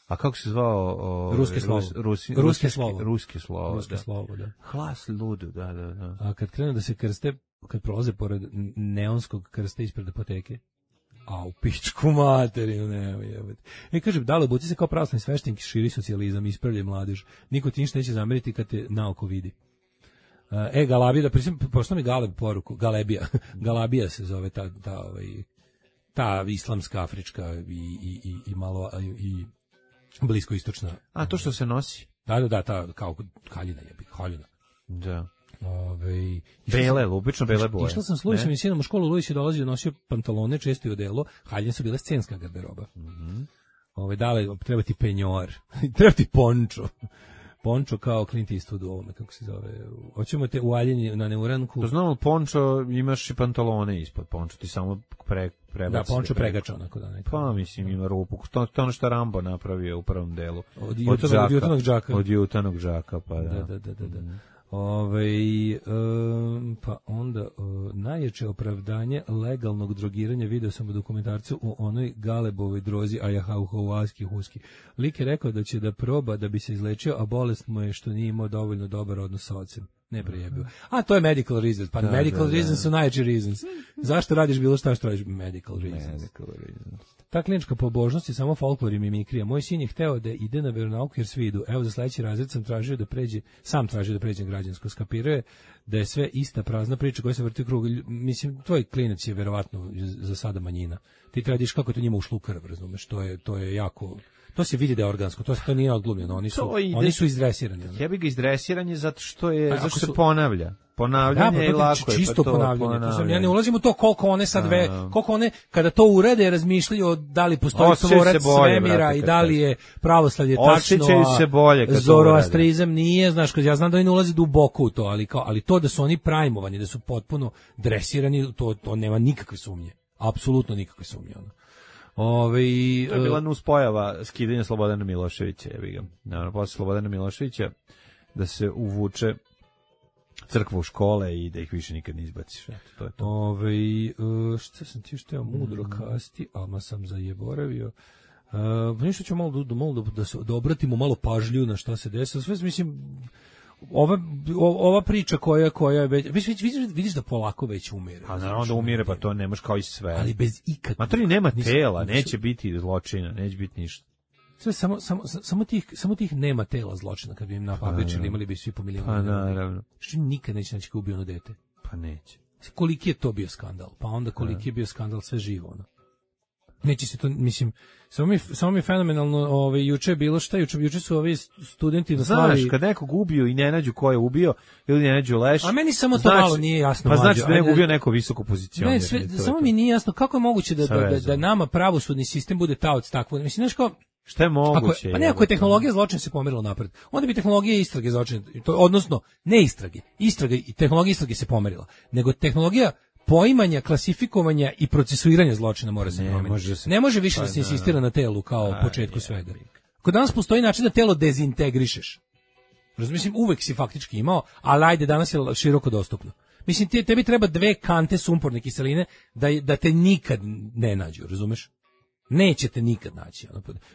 A kako se zvao? O, ruski slovo. Rus, rusi, ruski, ruski slovo. Ruski slovo, ruski da. slovo, da. Hlas ludu, da, da, da. A kad krenu da se krste, kad prolaze pored neonskog krsta ispred apoteke, a u pičku materiju, nema jebati. E, kažem, da li obuci se kao pravoslavni sveštenik, širi socijalizam, ispravljaj mladež. Niko ti ništa neće zameriti kad te naoko vidi. E, Galabija, da prisim, pošto mi Galeb poruku, Galebija, Galabija se zove ta, ta, ovaj, ta islamska, afrička i, i, i, i malo, i bliskoistočna. A, to što se nosi? Da, da, da, ta, kao haljina jebi, haljina. Da. Ove, bele, obično bele boje. Išla sam s Luisom i sinom u školu, Luis je dolazio, nosio pantalone, često i odelo, haljine su bile scenska garderoba. Mm -hmm. Ove, dale, treba ti penjor, treba ti pončo. Pončo kao Clint Eastwood u ovome, kako se zove. Hoćemo te ualjenje na neuranku. To znamo, pončo, imaš i pantalone ispod pončo, ti samo pre, prebaci. Da, pončo pregača onako da nekako. Pa mislim ima rupu. To, to ono što Rambo napravio u prvom delu. Od jutanog, od jutanog džaka. Od jutanog džaka, pa da. Da, da, da, da. da. Ove, um, pa onda uh, najjače opravdanje legalnog drogiranja video sam u dokumentarcu u onoj Galebovoj drozi ajahauhauaski huski. Lik je rekao da će da proba da bi se izlečio, a bolest mu je što nije imao dovoljno dobar odnos sa ocem. Ne prejebio. A to je medical reasons. Pa da, medical da, reasons da. su najjači reasons. Zašto radiš bilo šta što radiš? Medical reasons. Medical reasons. Ta klinička pobožnost je samo folklor i mimikrija. Moj sin je hteo da ide na veronauku jer svi idu. Evo za sledeći razred sam tražio da pređe, sam tražio da pređem građansko. Skapirao je da je sve ista prazna priča koja se vrti u krug. Mislim, tvoj klinac je verovatno za sada manjina. Ti tradiš kako to njima ušlo u krv, razumeš? To je, to je jako... To se vidi da je organsko, to se to nije odglumljeno, oni su ide, oni su izdresirani. Jebi ga izdresiranje zato što je a, zato što se ponavlja. Ponavljanje da, je lako je čisto pa to, ponavljanje. ponavljanje. To sam, ja ne ulazim u to koliko one sad ve, koliko one kada to urede razmišljaju o da li postoji tvorac svemira i da li je pravoslavlje tačno. Osjećaju se bolje kad Zoroastrizam nije, znaš, kad ja znam da oni ne ulaze duboko u to, ali kao ali to da su oni prajmovani, da su potpuno dresirani, to to nema nikakve sumnje. Apsolutno nikakve sumnje ono. Ove, to je bila nuspojava skidanja Slobodana Miloševića, jebi ga. Naravno, posle Slobodana Miloševića da se uvuče crkva u škole i da ih više nikad ne izbaciš. Eto, to je to. Ove, šta sam ti što je mudro kasti, ali sam zaboravio. Uh, nešto ću malo, da, malo da, da, se, da obratimo malo pažlju na šta se desilo. Sve mislim... Ova, ova priča koja koja je već vidiš, vidiš, vidiš da polako već umire. A naravno da umire, pa to ne može kao i sve. Ali bez ikakvih. Matori nema tela, neće biti zločina, neće biti ništa. Sve samo samo samo tih samo tih nema tela zločina, kad bi im napabičili, imali bi svi po milion. Pa naravno. Što nikad neće naći ko ubio ono dete. Pa neće. Koliki je to bio skandal? Pa onda koliki je bio skandal sve živo ono. Neće se to, mislim, samo mi, samo mi je fenomenalno, ovaj, juče je bilo šta, juče, juče su ovi studenti na slavi... Znaš, kad nekog ubio i ne nađu ko je ubio, ili ne nađu leš... A meni samo to znači, malo nije jasno. Pa znači da je ubio neko visoko pozicion. Ne, sve, samo mi nije jasno kako je moguće da, da, da, da nama pravosudni sistem bude taoc takvo. Mislim, znaš kao... Šta je moguće? Ako, pa ne, ako je tehnologija zločina se pomerila napred, onda bi tehnologija istrage zločina, odnosno, ne istrage, istrage i tehnologija istrage se pomerila, nego tehnologija poimanja, klasifikovanja i procesuiranja zločina mora se promeniti. Ne može više da se insistira na telu kao u početku svega. Kod danas postoji način da telo dezintegrišeš. Mislim, uvek si faktički imao, ali ajde, danas je široko dostupno. Mislim, te, tebi treba dve kante sumporne kiseline da, da te nikad ne nađu, razumeš? Nećete nikad naći.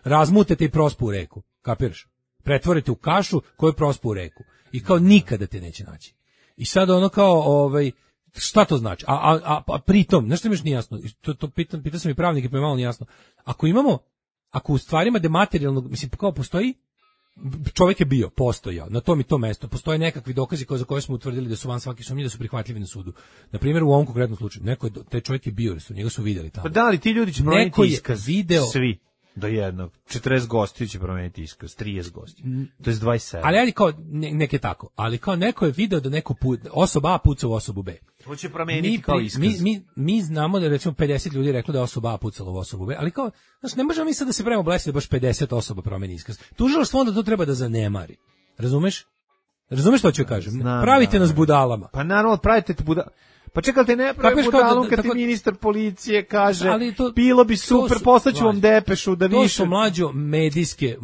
Razmutete i prospu u reku, kapiraš? Pretvorite u kašu koju prospu u reku. I kao nikada te neće naći. I sad ono kao, ovaj, šta to znači? A, a, a, a pritom, nešto mi još nije jasno, to, to pitam, pitam sam i pravnike, pa je malo nije jasno. Ako imamo, ako u stvarima dematerijalnog, mislim, kao postoji, čovjek je bio, postojao, na tom i tom mestu, postoje nekakvi dokazi koje, za koje smo utvrdili da su van svake sumnje, da su prihvatljivi na sudu. Na primjer, u ovom konkretnom slučaju, neko je, taj čovjek je bio, su njega su vidjeli tamo. Pa da li ti ljudi će promeniti iskaz? Video, svi. Do jednog. četrdeset gostiju će promeniti iskaz, trideset gostiju. To je dvadeset sedam. Ali, ali kao, ne, neke tako. Ali kao neko je video da neko put, osoba A puca u osobu B. To će promeniti mi, kao iskaz. Mi, mi, mi znamo da recimo pedeset ljudi reklo da je osoba A pucala u osobu B, ali kao, znači ne možemo mi sad da se pravimo blesi da baš pedeset osoba promeni iskaz. Tužilaštvo onda to treba da zanemari. Razumeš? Razumeš što ću kažem? Znam, pravite nas budalama. Pa naravno, pravite te budalama. Pa čekajte, ne pravi budalom kad ti ministar policije kaže to, bilo bi super, poslaću vam depešu da više... To su mlađo medijske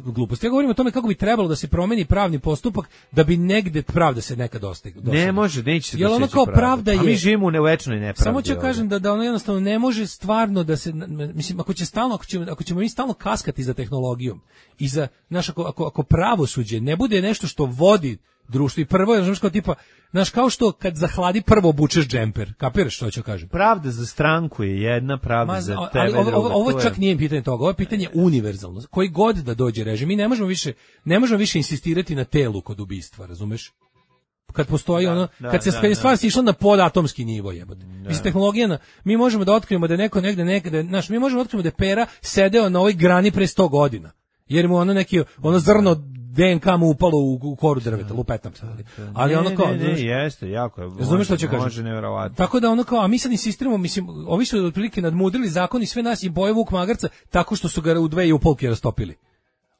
gluposti. Ja govorim o tome kako bi trebalo da se promeni pravni postupak da bi negde pravda se nekad dostigla. Ne može, neće se doseći ono kao pravda je... A mi živimo u večnoj nepravdi. Samo ću kažem da, da ono jednostavno ne može stvarno da se... Mislim, ako, će stalno, ako, ćemo, ako ćemo mi stalno kaskati za tehnologijom i za... Znaš, ako, ako, ako pravosuđe ne bude nešto što vodi društvo i prvo je, znaš, kao tipa, znaš, kao što kad zahladi prvo obučeš džemper, kapiraš što ću kažem? Pravda za stranku je jedna, pravda Ma, za tebe ali, druga. Ovo, ovo čak je... nije pitanje toga, ovo je pitanje univerzalno. Koji god da dođe režim, mi ne možemo više, ne možemo više insistirati na telu kod ubistva, razumeš? Kad postoji da, ono, da, kad se da, kad je stvar da. Išla na podatomski nivo, jebote. Mislim, tehnologija na, mi možemo da otkrijemo da je neko negde nekde, znaš, mi možemo da otkrijemo da je Pera sedeo na ovoj grani pre sto godina. Jer mu ono neki, ono zrno D N K mu upalo u, u koru drveta, lupetam se, ali, ali ne, ono kao... Ne, ne, ne, jeste, jako je. Razumeš što ću kažem? Može, nevjerovatno. Tako da ono kao, a mi sad insistiramo, mislim, ovi su otprilike nadmudrili zakon i sve nas i boje Vuk Magarca tako što su ga u dve i u polke rastopili.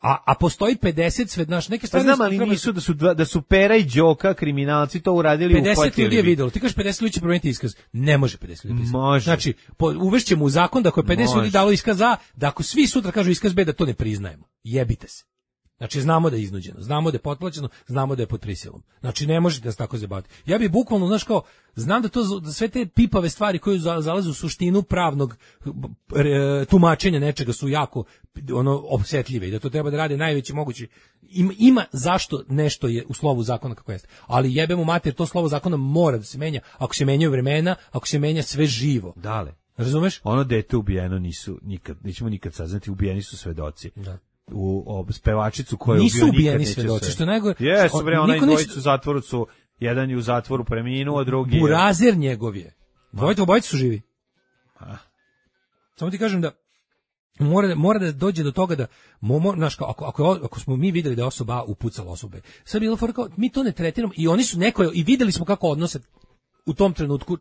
A, a postoji pedeset sve, znaš, neke Pa stvari... znam, ali treba- nisu da su, dva- da su Pera i Đoka, kriminalci, to uradili u pedeset ljudi je videlo. Ti kažeš pedeset ljudi će promijeniti iskaz. Ne može pedeset ljudi. pisati. Može. Znači, po, uvešćemo u zakon da ako je pedeset Može. ljudi dalo iskaz A, da ako svi sutra kažu iskaz B, da to ne priznajemo. Jebite se. Znači, znamo da je iznuđeno, znamo da je potplaćeno, znamo da je pod prisilom. Znači, ne možete da se tako zabaviti. Ja bih bukvalno, znaš kao, znam da to da sve te pipave stvari koje za- zalaze u suštinu pravnog e, tumačenja nečega su jako ono osjetljive i da to treba da rade najveći mogući. Ima, ima zašto nešto je u slovu zakona kako jeste. Ali jebemo mater, to slovo zakona mora da se menja. Ako se menjaju vremena, ako se menja sve živo. Dale. Razumeš? Ono dete ubijeno nisu nikad, nećemo nikad saznati, ubijeni su svedoci. Da. U o, spevačicu koju Nisu ubio nikad ubijeni neće svedoci, se- što je najgore- Jesu bre, on- onaj niko ništa- dvojicu u zatvoru su, jedan je u zatvoru preminuo, drugi je... Burazer njegov je. Dvojica obojica su živi. A. Samo ti kažem da mora da, mora da dođe do toga da mo, mo, znaš, kao, ako, ako, je- ako smo mi videli da je osoba A upucala osobe, sad bi bilo fora kao, mi to ne tretiramo i oni su neko, i videli smo kako odnose u tom trenutku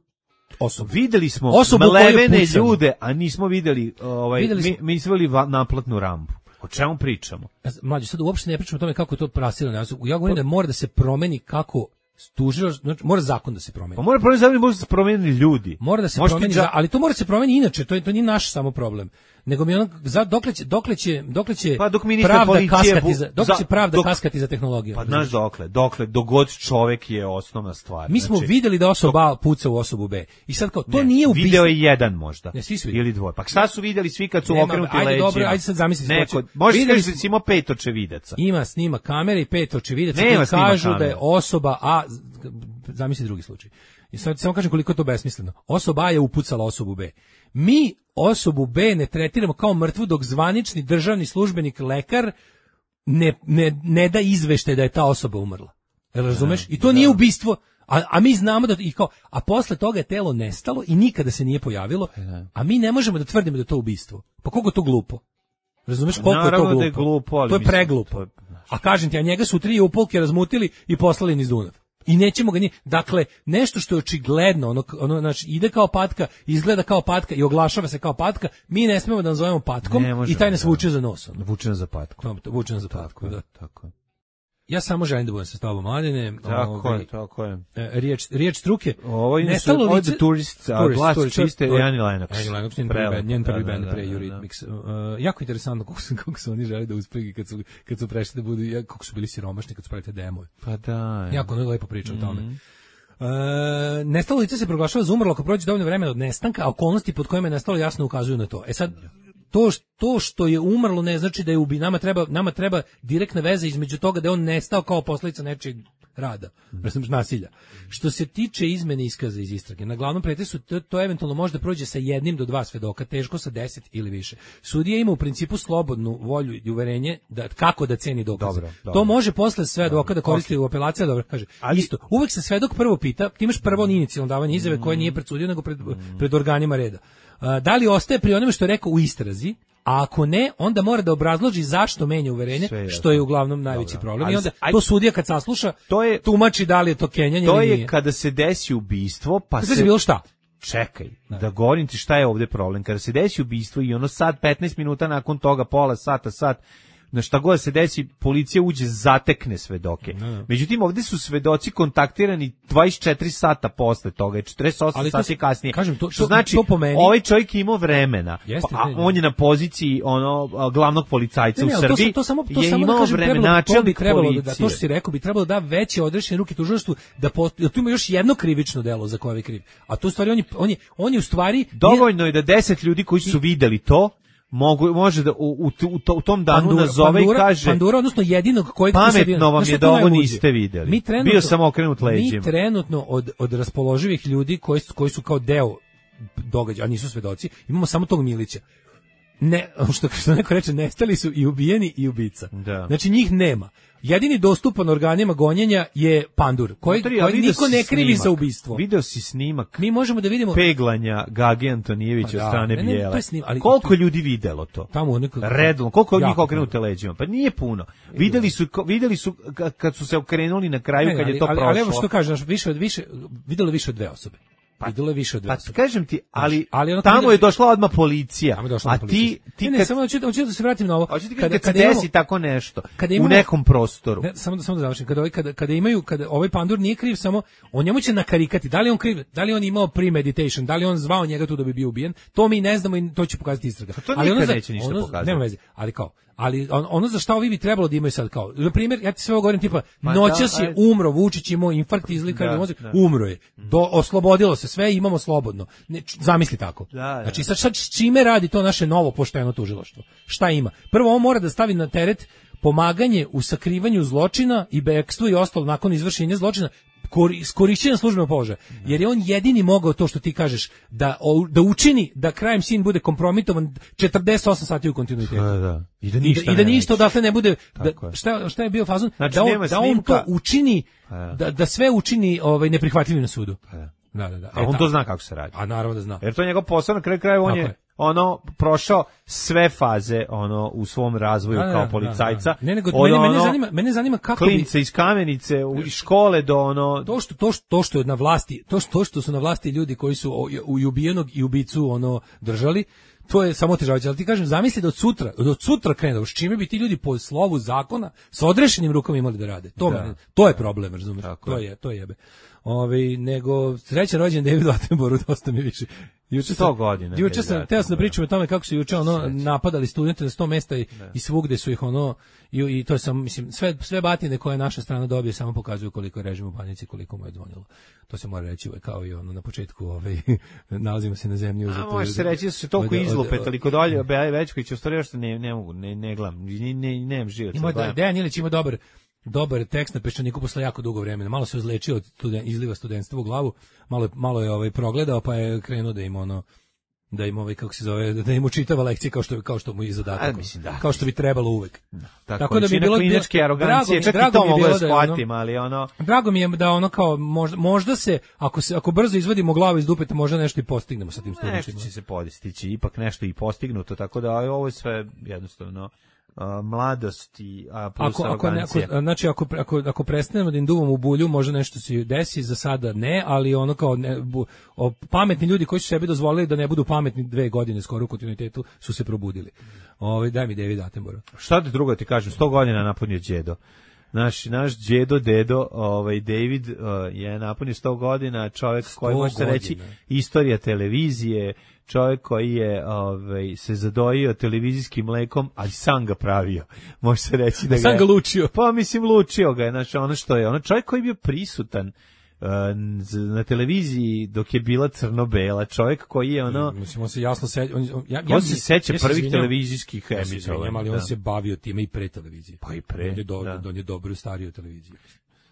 osobu. Videli smo Osobu koju je mlevene pucali. ljude, a nismo videli, ovaj, Videli mi, smo- mi nismo videli va- naplatnu rampu. O čemu pričamo? Mlađe, sad uopšte ne pričamo o tome kako je to prasirano. Ja govorim da mora da se promeni kako tužilac, znači mora zakon da se promeni. Pa mora promijeniti zakon, mora se promijeniti ljudi. Mora da se Možete promeni, dža- za- ali to mora da se promeni inače, to je to nije naš samo problem. Nego mi ono za dokle će dokle će dokle će Pa dok ministar pravda policije kaskati bu- za dokle za- će pravda dok- kaskati za tehnologiju. Pa znaš dokle, dokle, dogod čovek je osnovna stvar. Mi smo Znači, videli da osoba A puca u osobu B. I sad kao to ne, nije ubistvo. Video je jedan možda. Ne, svi su videli. Ili dvoje. Pa šta su vidjeli svi kad su Nema, okrenuti ajde, leđima? dobro, ajde sad zamisli Neko, situaciju. možeš Videli kažeš da smo- si imao pet očevidaca. Ima snima kamere i pet očevidaca Nema koji snima kažu da kamere. je osoba A, zamisli drugi slučaj. I sad samo kažem koliko je to besmisleno. Osoba A je upucala osobu B. Mi osobu B ne tretiramo kao mrtvu dok zvanični državni službenik lekar ne, ne, ne da izveštaj da je ta osoba umrla. Jel razumeš? I to nije ubistvo. A, a mi znamo da i kao, a posle toga je telo nestalo i nikada se nije pojavilo, a mi ne možemo da tvrdimo da je to ubistvo. Pa koliko je to glupo? Razumeš koliko je to Naravno glupo? da je glupo, ali to je mislim, preglupo. to je- A kažem ti, a njega su tri upolke razmutili i poslali niz Dunav. I nećemo ga ni... Dakle, nešto što je očigledno, ono, ono, znači, ide kao patka, izgleda kao patka i oglašava se kao patka, mi ne smemo da nazovemo patkom Ne možemo, i taj nas da. vuče za nos. ono. Vuče nas za patku. To- to Vuče nas za patku, da. Tako je. Ja samo želim da budem sa tobom, Mladene. Tako Ovaj, je, tako je. e, Riječ, riječ struke. Ovo je Nestalo ovo je lice- The Tourist, a Tourist, glas Tourist, čiste to je- Annie Lennox. Annie Lennox, njen prvi Prelepo, band, njen prvi da, band da, pre da, da. Eurythmics. Uh, jako interesantno kako su, kako su oni želi da uspeju kad su, kad su prešli da budu, ja- kako su bili siromašni kad su pravili te demove. Pa da. Jako ono lepo priča o tome. E, nestalo lice se proglašava za umrlo ako prođe dovoljno vremena od nestanka, a okolnosti pod kojima je nestalo jasno ukazuju na to. E sad, to, š- to što je umrlo ne znači da je ubi. Nama treba, nama treba direktna veza između toga da je on nestao kao posledica nečeg rada, mm. nasilja. Što se tiče izmene iskaza iz istrage, na glavnom pretresu to, to eventualno može da prođe sa jednim do dva svedoka, teško sa deset ili više. Sudija ima u principu slobodnu volju i uverenje da kako da ceni dokaze. Dobro, dobro. To može posle svedoka da koristi u apelaciji, dobro kaže. Ali- Isto, uvek se svedok prvo pita, ti imaš prvo inicijalno davanje izjave koje nije pred sudijom nego pred, pred organima reda. A, da li ostaje pri onome što je rekao u istrazi, a ako ne, onda mora da obrazloži zašto menja uverenje, Sve je što je uglavnom najveći Dobro. problem. Ali I onda se- aj- to sudija kad sasluša, To je- tumači da li je to kenjanje To ili je nije. kada se desi ubistvo, pa Kada se... je bilo šta? Čekaj, da govorim ti šta je ovde problem. Kada se desi ubistvo i ono sad petnaest minuta nakon toga, pola sata, sat, na šta god se desi, policija uđe, zatekne svedoke. Međutim, ovde su svedoci kontaktirani dvadeset četiri sata posle toga, četrdeset osam Ali to sati se- kasnije. kažem, to- što to- znači, to po meni- ovaj čovjek je imao vremena, Jeste, pa, a ne, ne. on je na poziciji ono a, glavnog policajca Ne, ne, u ali to, Srbiji, sam- to samo to je samo da imao kažem, vremena, trebalo, to bi načelnik trebalo da, policije. to što si rekao bi trebalo da veće odrešene ruke tužilaštvu da po, da tu ima još jedno krivično delo za koje je kriv. A tu u stvari on je on je on je u stvari Dovoljno je da deset ljudi koji su videli to mogu može da u, u, u, to- u tom danu nazove i kaže Pandura, odnosno jedinog kojeg tu pametno sad- vam znaš šta je to da ovo najluđe? niste videli. Mi trenutno, Bio sam okrenut leđima. Mi trenutno od, od raspoloživih ljudi koji, su- koji su kao deo događaja, a nisu svedoci, imamo samo tog Milića. Ne, što, što neko reče, nestali su i ubijeni i ubica. Da. Znači njih nema. Jedini dostupan organima gonjenja je Pandur, koji, Matori, a koji video niko si ne krivi snimak. za ubistvo. Video si snimak Mi možemo da vidimo peglanja Gage Antonijevića Pa od da, strane ne, ne, Bijele. to je snim- ali- Koliko je ljudi videlo to? tamo u nekog... Redom, koliko od njih Jako okrenute leđima? Pa nije puno. Videli su, ko- videli su ka- kad su se okrenuli na kraju, Ne, ne, kad je ali, to ali, prošlo. ali evo što kažeš, više od više, videlo više od dve osobe. Idolo je više od Pa dvesta. kažem ti, ali, ali ono tamo kada- je došla odmah policija. Tamo je došla a policija. ti, ti ne, ne, kad, samo hoću, hoću da se vratim na ovo. hoću ti kad, kad, se desi imamo- tako nešto kada u imamo- nekom prostoru. Ne, samo da samo da završim. Kada ovaj kada kada imaju kada ovaj pandur nije kriv samo on njemu će nakarikati. Da li je on kriv? Da li je on imao premeditation? Da li je on zvao njega tu da bi bio ubijen? To mi ne znamo i to će pokazati istraga. to nikad ono za- neće ništa ono, pokazati. Nema veze. Ali kao ali on, ono za šta ovi bi trebalo da imaju sad kao. Na primjer, ja ti sve ovo govorim tipa Ma noćas da, je ajde. umro, Vučić imao infarkt, izlikar, Da, mozak, da. umro je. Do, oslobodilo se sve, imamo slobodno. Ne, č- zamisli tako. Da, da. Znači sad, sad s čime radi to naše novo pošteno tužilaštvo? Šta ima? Prvo, on mora da stavi na teret pomaganje u sakrivanju zločina i bekstvo i ostalo nakon izvršenja zločina kori, s korišćenjem službenog položaja. Jer je on jedini mogao to što ti kažeš da, o- da učini da crime scene bude kompromitovan četrdeset osam sati u kontinuitetu. Da, da. I da I ništa da, i da ne ništa reći. odatle ne bude da, Tako je. šta, šta je bio fazon Znači, da, on, nema da on snimka. to učini Da. da, da sve učini ovaj neprihvatljivim na sudu. Da. Da, da, da. A E, on tako. to zna kako se radi. A naravno da zna. Jer to je njegov posao, na kraju krajeva on Tako je, je. ono prošao sve faze ono u svom razvoju Da, da, kao da, policajca. da, da. Ne, nego Od mene, mene ono zanima, mene zanima kako bi klince iz Kamenice, u, iz škole do ono... to što to što to što je na vlasti, to što to što su na vlasti ljudi koji su o- u ubijenog i ubicu ono držali, to je samo otežavajuće. Ali ti kažem, zamisli da od sutra, da od sutra krene, s čime bi ti ljudi po slovu zakona sa odrešenim rukama imali da rade. To, Da. mene- to je problem, razumiješ? Tako To je. je, to je jebe. Ovaj nego srećan rođen Davidu Attenborougu, dosta mi više. Juče sto godina Juče David sam teo sam da Attenborough. pričam o tome kako su juče ono napadali studente na sto mesta i, i svugde su ih ono i, i to je sam mislim sve sve batine koje naša strana dobije samo pokazuju koliko je režim u panici, koliko mu je zvonilo. To se mora reći uvek kao i ono na početku ovaj nalazimo se na zemlji A uzeto. može se reći da su se toliko od- od- izlupetali kod Olje Bećkovića, u stvari što ne, ne mogu, ne, ne gledam, ne, ne, nemam život. Ima sad da gledam. Dejan Ilić ima dobar dobar tekst na Peščaniku posle jako dugo vremena. Malo se izlečio od studen, izliva studentstva u glavu, malo je, malo je ovaj progledao pa je krenuo da im ono da im ovaj kako se zove da im učitava lekcije kao što kao što mu je i zadatak. A, mislim, da. Kao što bi trebalo uvek. Tako, Tako da bi većina bilo- kliničke drago arogancije, mi- čak i drago to mi je mogu bilo da da je ono- shvatim, ali ono... Drago mi je da ono kao možda, možda se ako se ako brzo izvadimo glavu iz dupeta možda nešto i postignemo sa tim Nešto studentima. će se postići, ipak nešto i postignuto, tako da ovo je sve jednostavno a, mladost i a, plus Ako, ako, ne, arogancija. ako, znači ako, ako, ako prestanemo da im duvamo u bulju, može nešto se desi, za sada ne, ali ono kao ne, bu, o, pametni ljudi koji su sebi dozvolili da ne budu pametni dve godine skoro u kontinuitetu su se probudili. Ovaj daj mi David Attenborough. Šta ti drugo ti kažem, sto godina napunio đedo. Naš, naš đedo, dedo, ovaj, David uh, je napunio sto godina, čovjek koji može se reći godina. istorija televizije, čovjek koji je ovaj, se zadojio televizijskim mlekom, ali sam ga pravio. Može se reći da ga Sam je- ga lučio. Pa mislim lučio ga je, znači ono što je, ono čovjek koji je bio prisutan uh, z- na televiziji dok je bila crno-bela, čovjek koji je ono, Mislim, on se jasno seća, on, on, ja, ja, on se seća ja se prvih izvinjam- televizijskih ja se izvinjam, emitovanja. ali on da. se bavio time i pre televizije. Pa i pre, On je, do, da. on je dobro stario televiziju.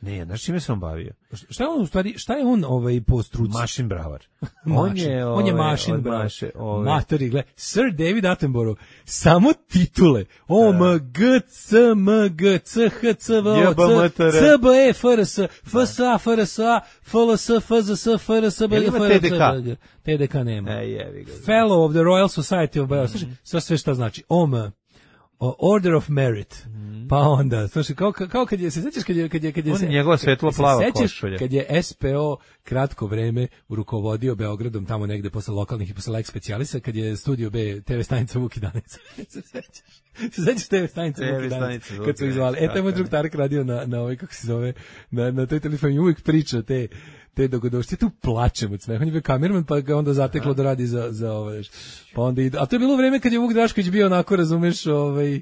Ne, znaš čime sam bavio? Šta je on u stvari, šta je on ovaj po struci? Mašin bravar. On je, on je ovaj, mašin, od bravo. Maše, ovaj, Matori, gle, Sir David Attenborough, samo titule. O, M, G, C, M, G, C, H, C, V, O, J B M T R. C, C, B, E, F, R, S, F, S, A, F, R, S, A, F, L, S, F, Z, S, F, R, S, B, Jel G, ima F, R, T D K? S, B, G. T D K nema. E, jevi ga. Fellow of the Royal Society of Biology. Slušaj, sve, sve šta znači. O, M, o, Order of Merit. Pa onda, slušaj, kao, kao kad je, se sećaš kad je, kad je, kad je, On je se- njegova svetlo se plava sećaš košulja. kad je S P O kratko vreme rukovodio Beogradom tamo negde posle lokalnih i posle Lex specijalisa, kad je Studio B T V stanica Vuk i Danica. se sećaš? Se sećaš T V stanice T V Vuk i Danica? stanice Vuk Kad su i ih zvali. Danica, E, taj moj tako drug je. Tarek radio na, na ovaj, kako se zove, na, na toj telefoni uvijek priča te te dogodošće, tu plačem od smeha. On je bio kamerman, pa ga onda zateklo da radi za, za ovaj, pa onda ide. A to je bilo vreme kad je Vuk Drašković bio onako, razumeš, ovaj,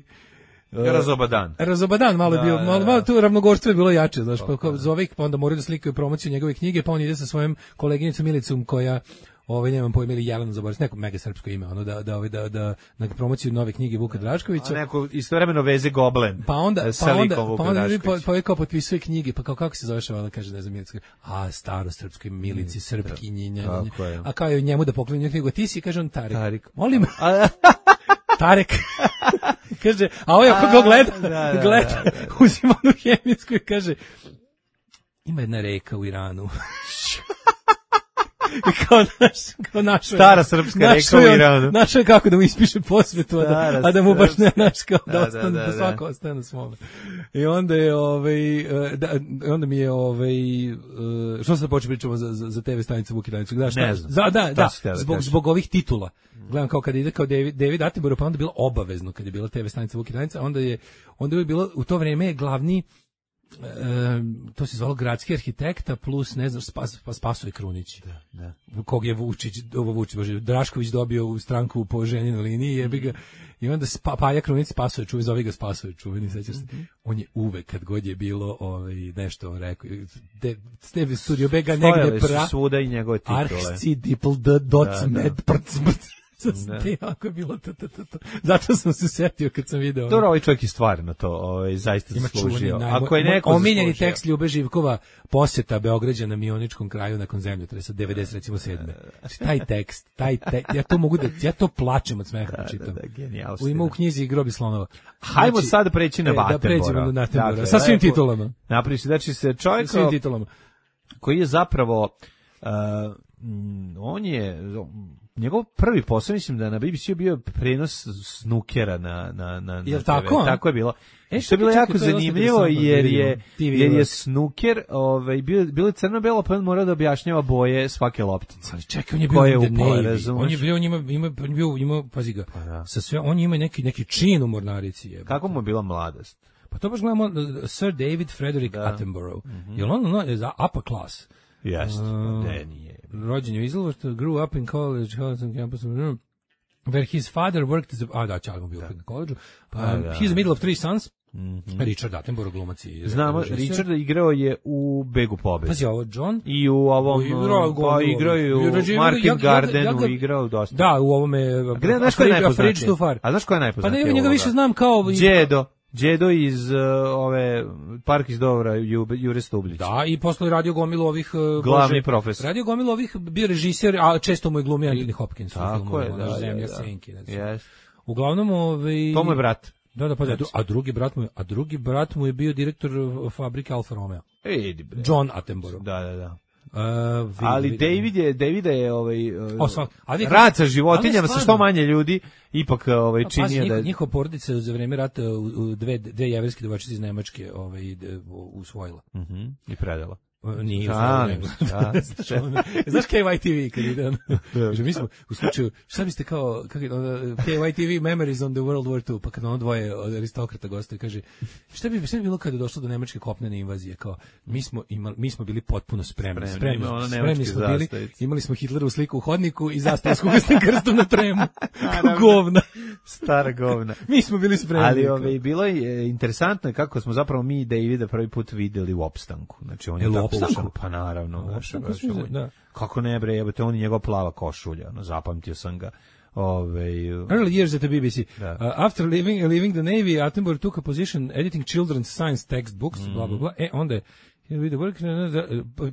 Razobadan. Razobadan, malo je Da, bio, da, malo, da. malo tu ravnogorstvo je bilo jače, znaš, pa kao zove ih, pa onda moraju da slikaju promociju njegove knjige, pa on ide sa svojom koleginicom Milicom koja ovaj nemam pojma ili Jelena zaboravim, neko mega srpsko ime, ono da da ovaj da da na promociju nove knjige Vuka A Draškovića. neko istovremeno veze Goblen. Pa onda, sa pa onda, likom Vuka pa onda ljudi Draškovića. po, po, kao potpisuje knjige, pa kao kako se zove ona kaže ne znam Milica, a staro srpskoj Milici, srpkinji, nja, nja, nja. Tako je. A kao je njemu da pokloni knjigu, ti si kaže on Tarek. Tarik. Molim. Tarek. kaže, a ovaj ako ga gleda, Da, da, gleda, da, uzima onu hemijsku i kaže, ima jedna reka u Iranu. I kao naš, kao našo Stara srpska reka u Iranu. Našo je kako da mu ispiše posvetu, a da, a da mu baš ne naš kao da, Da, ostane, da, da, da, svako ostane na svome. I onda je, ovaj, e, da, onda mi je, ovaj, e, što sad počeo pričamo za, za, za te ve stanice Vuk i Danica? Gledaš, Ne znam. Za, da, da, si htjela da zbog, kažeš? zbog ovih titula. Gledam kao kad ide kao David, David Attenborough, pa onda je bilo obavezno kad je bila te ve stanica Vuk i Danica, onda je, onda je bilo, u to vreme je glavni, e, to se zvalo gradski arhitekta plus, ne znam, Spas, pa Spasoje Krunić. Da, da. Kog je Vučić, ovo Vučić, bože, Drašković dobio u stranku po ženinoj liniji, jebi ga. I onda spa, Paja Krunić Spasoje čuveni, zove ga Spasoje čuveni, sećaš se. Mm-hmm. On je uvek kad god je bilo ovaj nešto on rekao, de Steve Studio Bega negde pra svuda i njegove titule. Arhci dipl d doc Da, da. med prc te jako je bilo to, to, to, to. Zato sam se setio kad sam video. Dobro, ovaj čovjek je stvarno to, ovaj zaista zaslužio. Ako je neko omiljeni zaslužio. tekst Ljube Živkova, posjeta Beograđana Mioničkom kraju nakon zemljotresa devedeset recimo sedme. Znači taj tekst, taj tekst, ja to mogu da ja to plačem od smeha da čitam. Da, da, genijalno. U ima u knjizi Grobi slonova. Hajmo Znači, sad preći na e, Attenborougha. Da pređemo na Attenborougha. Dakle, Sa svim lepo- titulama. Napravi se, znači se čovjek Sa svim titulama. koji je zapravo uh, mm, on je njegov prvi posao, mislim da na B B C-u bio prenos snukera na na na Jel na T V. tako, a? Tako je bilo. E, Što je bilo čekaj, jako to je dosta zanimljivo interesantno da jer vidimo. je T V jer je uvek. snuker, ovaj bio bilo je crno-belo, pa on morao da objašnjava boje svake loptice. Ali čekaj, on je bio Ko je in the upao, Navy. razumeš? On je bio, on ima, ima, on je bio, ima, pazi ga, Pa da. sa sve, on ima neki, neki čin u mornarici. Jebote. Kako mu je bila mladost? Pa to baš gledamo, uh, Sir David Frederick Da. Attenborough. Mhm. Jel on, on je za upper class? Jeste, Uh, pa de nije. Rođen je u Izlovoštu, grew up in college, Holliston campus, where his father worked as a, a da, Čalmo bio opet na koleđu. Um, Pa da. he's the middle of three sons. Mhm. Richard Attenborough, glumac i Znamo, režiser. Richard igrao je u Begu pobede. Pazi ovo, John. I u ovom, Igrao, pa igrao je u Igrađe- Market ja- ja ga- Gardenu, ja ga- igrao dosta. Da, u ovome... A gde, znaš ko je A Fridge najpoznatiji? Too Far. A znaš ko je Pa najpoznatiji? ne, njega više znam kao... Đedo. Đedo iz uh, ove Park iz Dovra, Jube, Jure Stublić. Da, i posle radio gomilu ovih... Uh, Glavni Bože, profesor. Radio gomilu ovih, bio režiser, a često mu je glumio Anthony Hopkins. u Tako filmu, je, ono, da, da, Zemlja da. senki. Znači. Yes. Uglavnom, ovaj... To mu je brat. Da, da, pa da, a drugi brat mu je, a drugi brat mu je bio direktor uh, fabrike Alfa Romeo. Edi bre. John Attenborough. Da, da, da. Uh, vidi, Ali vidi. David je, Davida je ovaj, uh, O, sva- ali- rad sa životinjama, ali sa što stvarno. manje ljudi, ipak ovaj, Pa, pazi, činio da... njihova, njihova porodica za vreme rata u, u dve, dve jeverske devojčice iz Nemačke ovaj, d- usvojila. Mhm, i predala. Nije Šalim usvojila. se, da. Znaš K Y T V kad ide ono? Kaže, mi smo u slučaju, šta biste kao, kako je, ono, K Y T V Memories on the World War Two, pa kad ono dvoje od aristokrata gostoje, kaže, šta bi, šta bi bilo kada je došlo do nemačke kopnene invazije, kao, mi smo, imali, mi smo bili potpuno spremni, Spremni, spremni, ono spremni nemačke smo bili, zastavice. imali smo Hitlerovu sliku u hodniku i zastavu s kugastnim krstom na tremu, kao govna. Stara govna. Mi smo bili spremni. Ali kao. ovaj, bilo je interesantno kako smo zapravo mi i Davida prvi put videli u opstanku. Znači, on je Jel u tako opstanku? ušao, pa naravno. U znaš, opstanku baš, smo ovaj, videli, da. Kako ne bre, jebote, on i njegova plava košulja, ono, zapamtio sam ga. Ove, Early years at the B B C. Da. Uh, after leaving, leaving the Navy, Attenborough took a position editing children's science textbooks, Mm. bla, bla, bla. E, onda je, here we the work,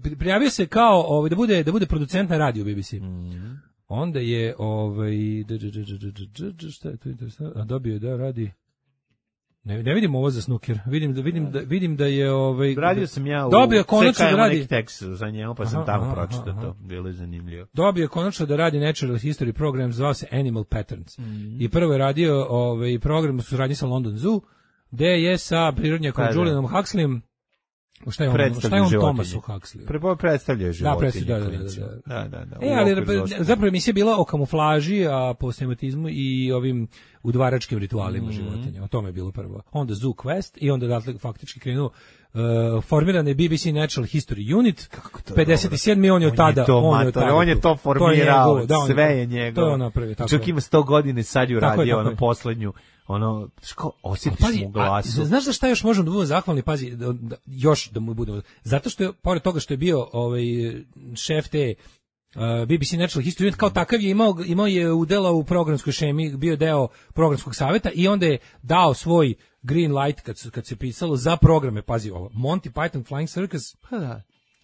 da, prijavio se kao, ovaj, da bude, da bude producent na radiju B B C. Mm. Onda je, ovaj, d- d- d- d- d- d- d- šta je to interesantno, a dobio je da radi, ne, ne vidim ovo za snooker, vidim da, vidim da, vidim da je, ovaj, radio sam ja u dobio konačno da C K M radi, neki tekst za njemu, pa sam Aha, tamo aha, pročitao aha. to. Bilo je zanimljivo. dobio je konačno da radi Natural History program, zvao se Animal Patterns. Mm. I prvo je radio ovaj, program u suradnji sa London Zoo, gde je sa prirodnjakom Pa da. Julianom Huxleyem, šta je on, Predstavlja šta je on životinje. Thomasu Huxleyu? Prvo predstavljaju životinje. predstavlja, da, da, da, klincima. da. da, da, da. E, u ali okviru zoološkog. zapravo emisija je bila o kamuflaži, a po sematizmu i ovim udvaračkim ritualima Mhm. životinja. O tome je bilo prvo. Onda Zoo Quest i onda dakle faktički krenuo uh, formiran je B B C Natural History Unit. to pedeset sedmi on je od tada, to, on je od mator, tada on je tu. to formirao, njegovo, da, on sve to- je njegovo. To je on napravio, tako Čak je. ima sto godina i sad ju Tako je, radio, tako ono je. poslednju, ono, ško, osjetiš Pazi, mu u glasu. a, znaš za šta još možemo da budemo zahvalni, pazi, da, da, još da mu budemo, zato što je, pored toga što je bio ovaj, šef te uh, B B C Natural History Unit, kao takav je imao, imao je udela u programskoj šemi, bio deo programskog saveta i onda je dao svoj green light kad, su- kad se pisalo za programe, pazi ovo, Monty Python Flying Circus Pa da,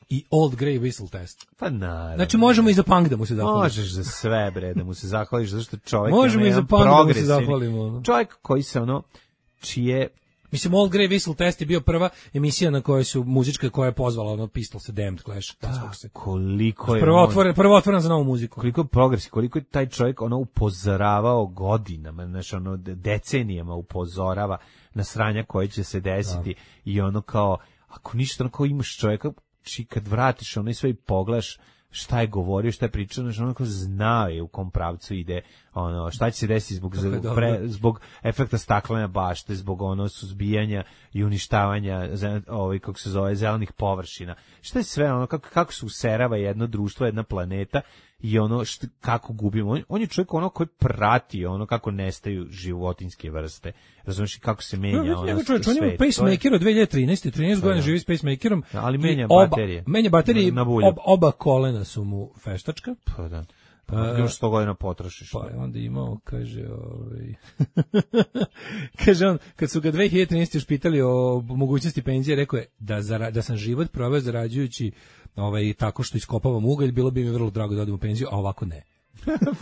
i Old Grey Whistle Test. pa naravno. Znači možemo i za punk da mu se zahvalimo. Možeš za sve, bre, da mu se zahvališ, zato što čovjek Možemo ima i za jedan punk da mu se progresivni- zahvalimo. Čovjek koji se ono, čije Mislim, Old Grey Whistle Test je bio prva emisija na kojoj su muzička koja je pozvala ono Pistols, Damned, Clash. Da, koliko je... Prvo otvoren, prvo otvoren za novu muziku. Koliko je progresi, koliko je taj čovjek ono upozoravao godinama, znači ono decenijama upozorava na sranja koje će se desiti da. I ono kao, ako ništa, ono kao imaš čovjeka, či kad vratiš ono i sve i pogledaš šta je govorio, šta je pričao, znači ono kao znao je u kom pravcu ide, ono, šta će se desiti zbog, pre, zbog efekta staklene bašte, zbog ono suzbijanja i uništavanja ovaj, kako se zove, zelenih površina. Šta je sve, ono, kako, kako se userava jedno društvo, jedna planeta i ono št, kako gubimo. On, on je čovjek ono koji prati ono kako nestaju životinjske vrste. Razumiješ kako se menja no, ono čovjek, svet. On ima pacemaker od dve hiljade trinaeste. trinaest godina živi s pacemakerom. Ali menja oba, baterije. Menja baterije, ob, oba kolena su mu feštačka. Pa da. Pa, još sto godina potrošiš. Pa je onda imao, kaže, ovaj... kaže on, kad su ga dve hiljade trinaeste još pitali o mogućnosti penzije, rekao je da, zara, da sam život proveo zarađujući ovaj, tako što iskopavam ugalj, bilo bi mi vrlo drago da odem u penziju, a ovako ne.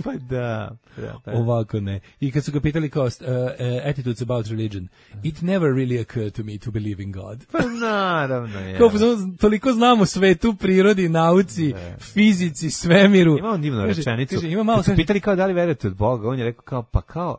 Pa da, da, da. Ovako ne. I kad su ga pitali kao uh, uh, attitudes about religion, it never really occurred to me to believe in God. Pa naravno je. Kao, toliko znamo svetu, prirodi, nauci, ne. Fizici, svemiru. Ima on divnu kaže, rečenicu. Kaže, ima malo, kad su pitali kao da li verujete od Boga, on je rekao kao, pa kao,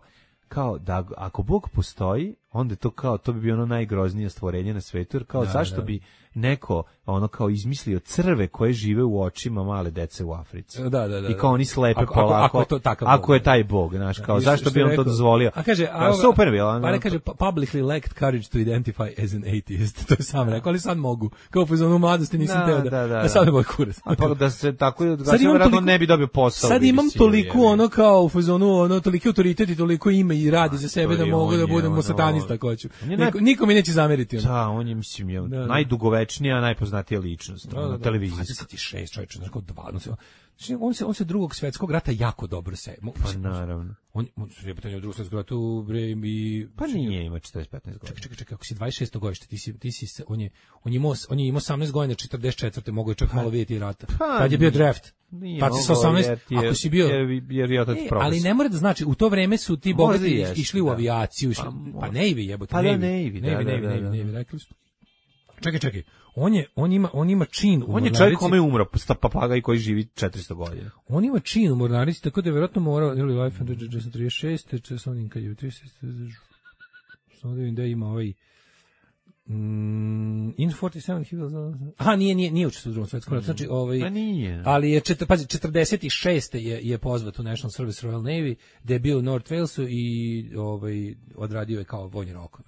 kao da ako Bog postoji, onda to kao, to bi bio ono najgroznije stvorenje na svetu, jer kao da, zašto da. bi neko ono kao izmislio crve koje žive u očima male dece u Africi. Da, da, da. I kao oni slepe ako, polako. Ako, ako, je, to takav ako je taj Bog, znaš, kao, da, zašto bi on rekao, to dozvolio? A kaže, a, super bilo. Pa ne kaže, publicly lacked courage to identify as an atheist. To je sam rekao, ali sad mogu. Kao u fazonu mladosti nisam da, teo da, da, da, da sad ne moj kurac. A pa da se tako, da se vjerojatno ne bi dobio posao. Sad imam toliko ono kao u fazonu, ono, toliki autoritet i toliko ime i radi za sebe da mogu da budem satanista ko ću. Niko mi neće zameriti. Da, on je, mislim, je najdugovečnija, najpoznatija ličnost na televiziji. dvadeset šest čovječe, znači kao dvadeset. On se on se drugog svjetskog rata jako dobro se. Pa naravno. On on se pitanje drugog svjetskog rata u bre i pa nije ima četrdeset petnaest godina. Čekaj, čekaj, čekaj, ako si dvadeset šesto godište, ti si ti si on je on je imao on je imao osamnaest godina četrdeset četvrte mogu je čak malo vidjeti rata. Kad je bio draft. Tad si sa osamnaest, ako si bio jer jer je otac profesor. Ali ne mora da znači u to vreme su ti bogati išli u avijaciju, išli, pa Navy jebote, pa Navy, Navy, Navy, Navy, rekli su. Čekaj, čekaj. On je on ima on ima čin u on je čovjek kome je umro papagaj koji živi četiristo godina. On ima čin u mornarici, tako da je vjerojatno morao ili life and trideset šest, če sam onim kad je trideset šest. Samo da vidim da ima ovaj mm, in četrdeset sedam he was. Aha, nije nije nije učestvovao u drugom svetskom ratu. Znači ovaj pa nije. Ali je čet, pazi četrdeset šest je je pozvat u National Service Royal Navy, da je bio u North Walesu i ovaj odradio je kao vojni rok.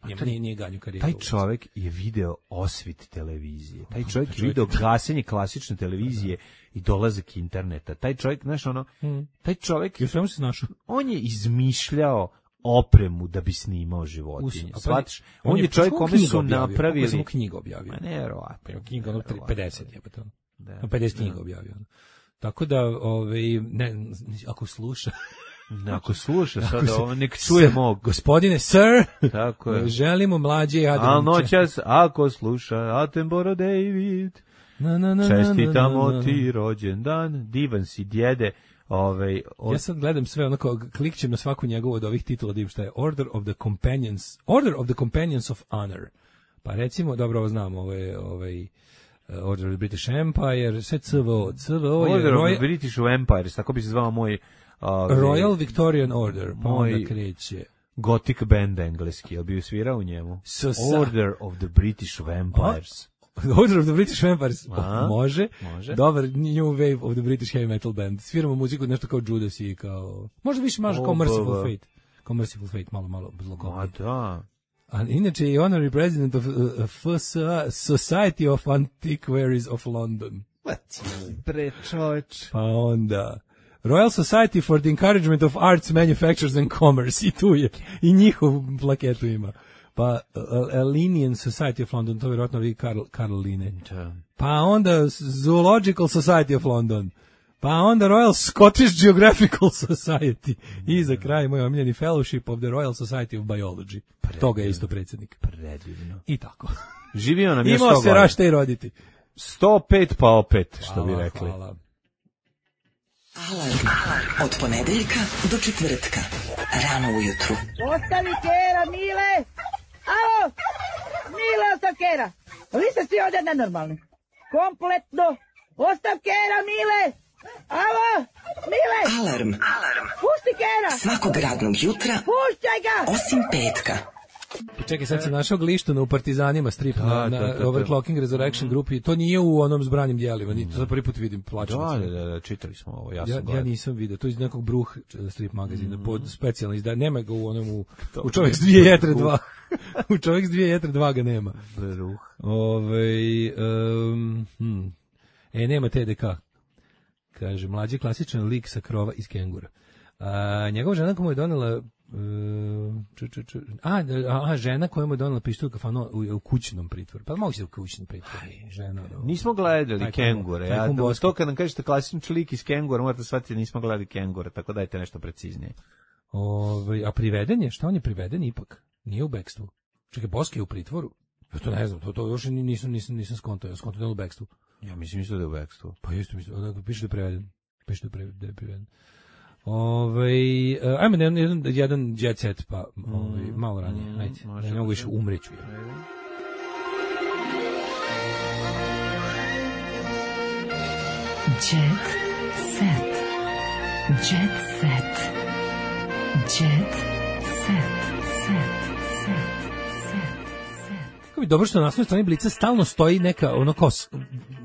Nije, nije, nije ganju karijeru. Taj čovjek je video osvit televizije. Taj čovjek je video gasenje klasične televizije i dolazak interneta. Taj čovjek, znaš ono, hmm. taj čovjek... I svemu se našao. On je izmišljao opremu da bi snimao životinje. Shvatiš? On, on je čovjek kome su napravili... Kako sam mu knjigu objavio? Ma nevjerovatno. Knjiga ono pedeset je, pa to. pedeset knjiga objavio. Tako da, ovaj, ne, ako sluša... Ako sluša sada ovo, nek čuje mog. Gospodine, sir, tako je. Želimo mlađe i Adamića. Al noćas, ako sluša, Attenborough David, na, na, na, čestitamo na, na, na. ti rođendan, divan si djede. Ovaj, od... Ja sad gledam sve, onako, klikćem na svaku njegovu od ovih titula da im šta je Order of the Companions, Order of the Companions of Honor. Pa recimo, dobro, ovo znam, ovo je, ovaj, Order of the British Empire, sve C V O, C V O je... Order of the British Empire, tako bi se zvao moj... Ove, Royal Victorian Order, pa onda kreće. Gothic band engleski, jel bi svirao u njemu? So, Order of the British Vampires. Order of the British Vampires, A, može. može. Dobar, New Wave of the British Heavy Metal Band. Sviramo muziku nešto kao Judas i kao... Možda više maže kao Merciful Fate. Kao Merciful Fate, malo, malo zlogobno. A da. A inače je honorary president of uh, Society of Antiquaries of London. Bre, čoveč. Pa onda... Royal Society for the Encouragement of Arts, Manufactures and Commerce, i tu je, i njihov plaketu ima. Pa uh, Linnean Society of London, to vjerojatno vi Karl, Karl Linne. Pa onda Zoological Society of London. Pa onda Royal Scottish Geographical Society. I za kraj moj omiljeni Fellowship of the Royal Society of Biology. Predivno. Toga je isto predsjednik. Predivno. I tako. Živio nam je sto godina. Imao se rašta i roditi. sto pet pa opet, što hvala, bi rekli. Hvala. Alarm od ponedeljka do četvrtka. Rano ujutru. Ostavi Kera, Mile! Alo, Mile Ostavkera, vi ste svi ovdje nenormalni. Kompletno. Ostavkera, Mile. Alo, Mile. Alarm. Alarm. Pusti Kera. Svakog radnog jutra. Pušćaj ga. Osim petka. Čekaj, sad sam našao Glištuna u Partizanima strip Da, na, da, na da, da. Overclocking Resurrection grupi. To nije u onom zbranim dijelima, ni to prvi put vidim, plačem. Da, da, da, čitali smo ovo, ja sam Ja, ja gledao. nisam vidio, to je iz nekog Bruh strip magazina, pod specijalno izdanje, nema ga u onom u, u Čovjek s dvije jetre dva. U Čovjek s dvije jetre dva ga nema. Bruh. Ove, um, hm. E, nema T D K. Kaže, mlađi klasičan lik sa krova iz Kengura. A, njegova žena koja mu je donela Uh, č, č, č, a, a, žena koja mu je donela pištolj u kafanu u, u kućnom pritvoru. Pa mogu se u kućnom pritvoru. Žena, no. Nismo gledali Taj Kengure. taj Ja, komboski. to kad nam kažete klasični lik iz Kengura, morate shvatiti da nismo gledali Kengure, tako dajte nešto preciznije. Ove, a priveden je? Šta on je priveden ipak? Nije u bekstvu. Čekaj, Boski je u pritvoru? Ja to ne znam, to, to još nisam, nisam, nisam skontao, ja skontao da je u bekstvu. Ja mislim isto da je u bekstvu. Pa isto mislim, onako piše da je priveden. Piše da je priveden. Da je priveden. Ove, uh, ajme jedan, jedan, jedan jet set, pa ove, Mm, malo ranije, mm, ajde, može, da ne mogu može. više umreću. Ja. Jet set. Jet set. Jet set. Set. Set. Set. Set. Kako bi dobro što na naslovnoj strani Blica stalno stoji neka ono kao s-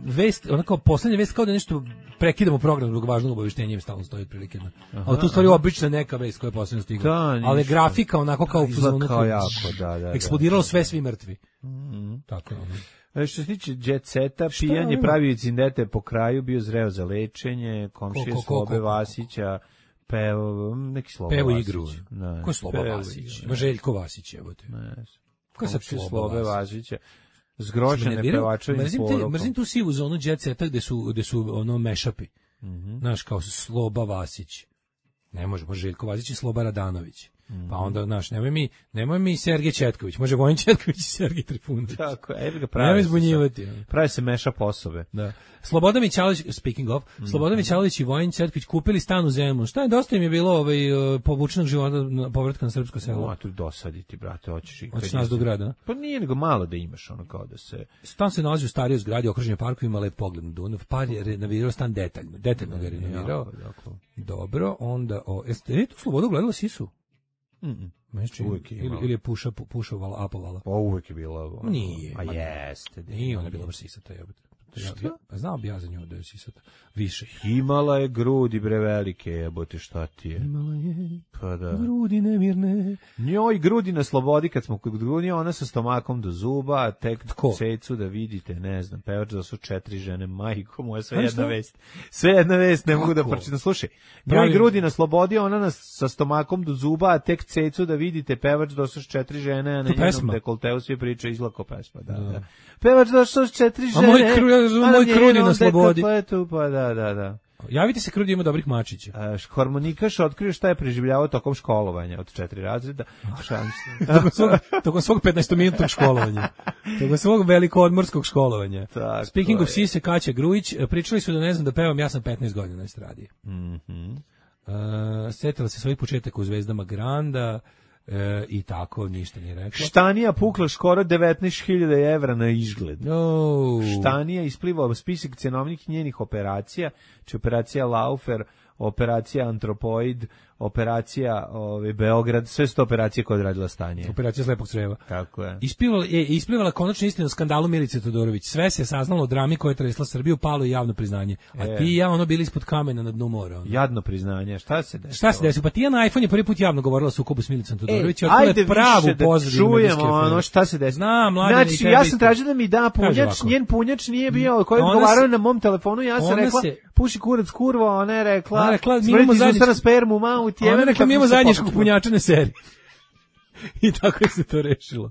vest, ona kao poslednja vest, kao da nešto prekidamo program zbog važnog obaveštenja, im stalno stoji otprilike. Ali tu stvari obična neka vest koja je poslednja stigla. Da, ništa. Ali grafika onako kao Izgleda ono kao jako, da, da, da. eksplodiralo sve, svi mrtvi. Mhm. Tako je ono. E, Što se tiče jet seta, Šta pijan je ima? pravio incidente po kraju, bio zreo za lečenje, komšije Ko, ko, ko, Slobe ko, ko, ko. Vasića, peo, neki Sloba Pevo Vasić. igru. Da, Ko je Sloba pevo Vasić? igru, Ima Željko Vasić, evo te. ne. Ko je sad Komšije Sloba Slobe Vasić? Vasića. Zgrožene Nervirao- pevačevim mrzim, te, porukom. mrzim tu sivu zonu jet seta gde su, gde su ono mešapi. Mhm. Znaš, kao Sloba Vasić. Ne može, može Željko Vasić i Sloba Radanović. Pa onda, znaš, nemoj mi, nemoj mi Sergej Četković, može Vojin Četković i Sergej Trifunović. Tako, evo ga Nemoj pravi se. zbunjivati. sad. Pravi se meša osobe. Da. Slobodan Mićalović, speaking of, Slobodan Mićalović i Vojin Četković kupili stan u Zemunu. Šta je, dosta im je bilo ovaj, uh, povučenog života, na- povratka na srpsko selo. Ma tu dosaditi, brate, hoćeš i... Hoćeš nas do grada? Pa nije nego malo da imaš ono kao da se... Stan se nalazi u starijoj zgradi, okružen je parkovima, lep pogled na Dunav. Par je renovirao stan detaljno, detaljno ga je renovirao. Jako, jako. Dobro, onda, o, jeste je tu Slobodu gledala Sisu? Mm-mm. Meni se čini. Uvijek je ili, imala. ili je puša, pu- pušovala, apovala. Pa uvek je bila... ono, Nije, A ma ne. jeste. da Nije ona bila baš sisata, jebote. Ja, Šta? ja, znao bi ja za nju da je sisata. Više. Imala je grudi bre velike, jebote, šta ti je? Imala je Pa da. grudi nemirne. Njoj grudi na slobodi kad smo kod grudi, ona sa stomakom do zuba, a tek Tko? cecu da vidite, ne znam, pevač da su četiri žene, majko moja, sve Ali jedna šta? vest. Sve jedna vest, ne mogu da Kako? pročitam. Slušaj, njoj Pravi- grudi na slobodi, ona nas sa stomakom do zuba, a tek cecu da vidite, pevač da su četiri žene, a na To njenom pesma? dekolteu svi pričaju izlako pesma, da, da. Pevač da su četiri A žene, moj kru- ja razumem, a moj krudi na njenom slobodi. dekoltetu, pa da, da, da. Javite se, Krudi ima dobrih mačića. A, š- harmonikaš otkrio šta je preživljavao tokom školovanja od četiri razreda. Šalim se. Tokom svog, tokom svog petnaestominutnog školovanja. Tokom svog velikoodmorskog školovanja. Tako Speaking of je. Sise, Kaća Grujić, pričali su da ne znam da pevam, ja sam petnaest godina na estradi. Mhm. Uh, setila se svojih početaka u Zvezdama Granda uh, i tako, ništa nije rekla. Štanija pukla skoro devetnaest hiljada evra na izgled. No. Štanija isplivao spisak cenovnih njenih operacija, či operacija Laufer, operacija Antropoid, operacija ove, Beograd, sve su to operacije koje je odradila Stanija. Operacija slepog creva. Tako je. Ispivala, je, isplivala konačno istina o skandalu Milice Todorović. Sve se saznalo o drami koja je tresla Srbiju, palo je javno priznanje. A E. ti i ja ono bili ispod kamena na dnu mora. Ono. Jadno priznanje. Šta se desilo? Šta se desilo? Pa Tijana iPhone je prvi put javno govorila o sukobu s Milicom Todorović. E, i otkrila je ajde pravu više da pozadinu čujemo medijske afere. ono šta se desilo. Znam, mladen, i Znači, tebe ja sam isto. tražio da mi da Kaže punjač, ovako. njen punjač nije bio, koji je Ona odgovarao se- na mom telefonu, ja sam ona rekla, se- puši kurac kurva, ona je rekla, Ona je rekla, mi smrti imamo iz usta zajednički- na spermu, mau ti Ona je rekla, mi imamo zajedničkog punjača. punjačane serije. I tako je se to rešilo.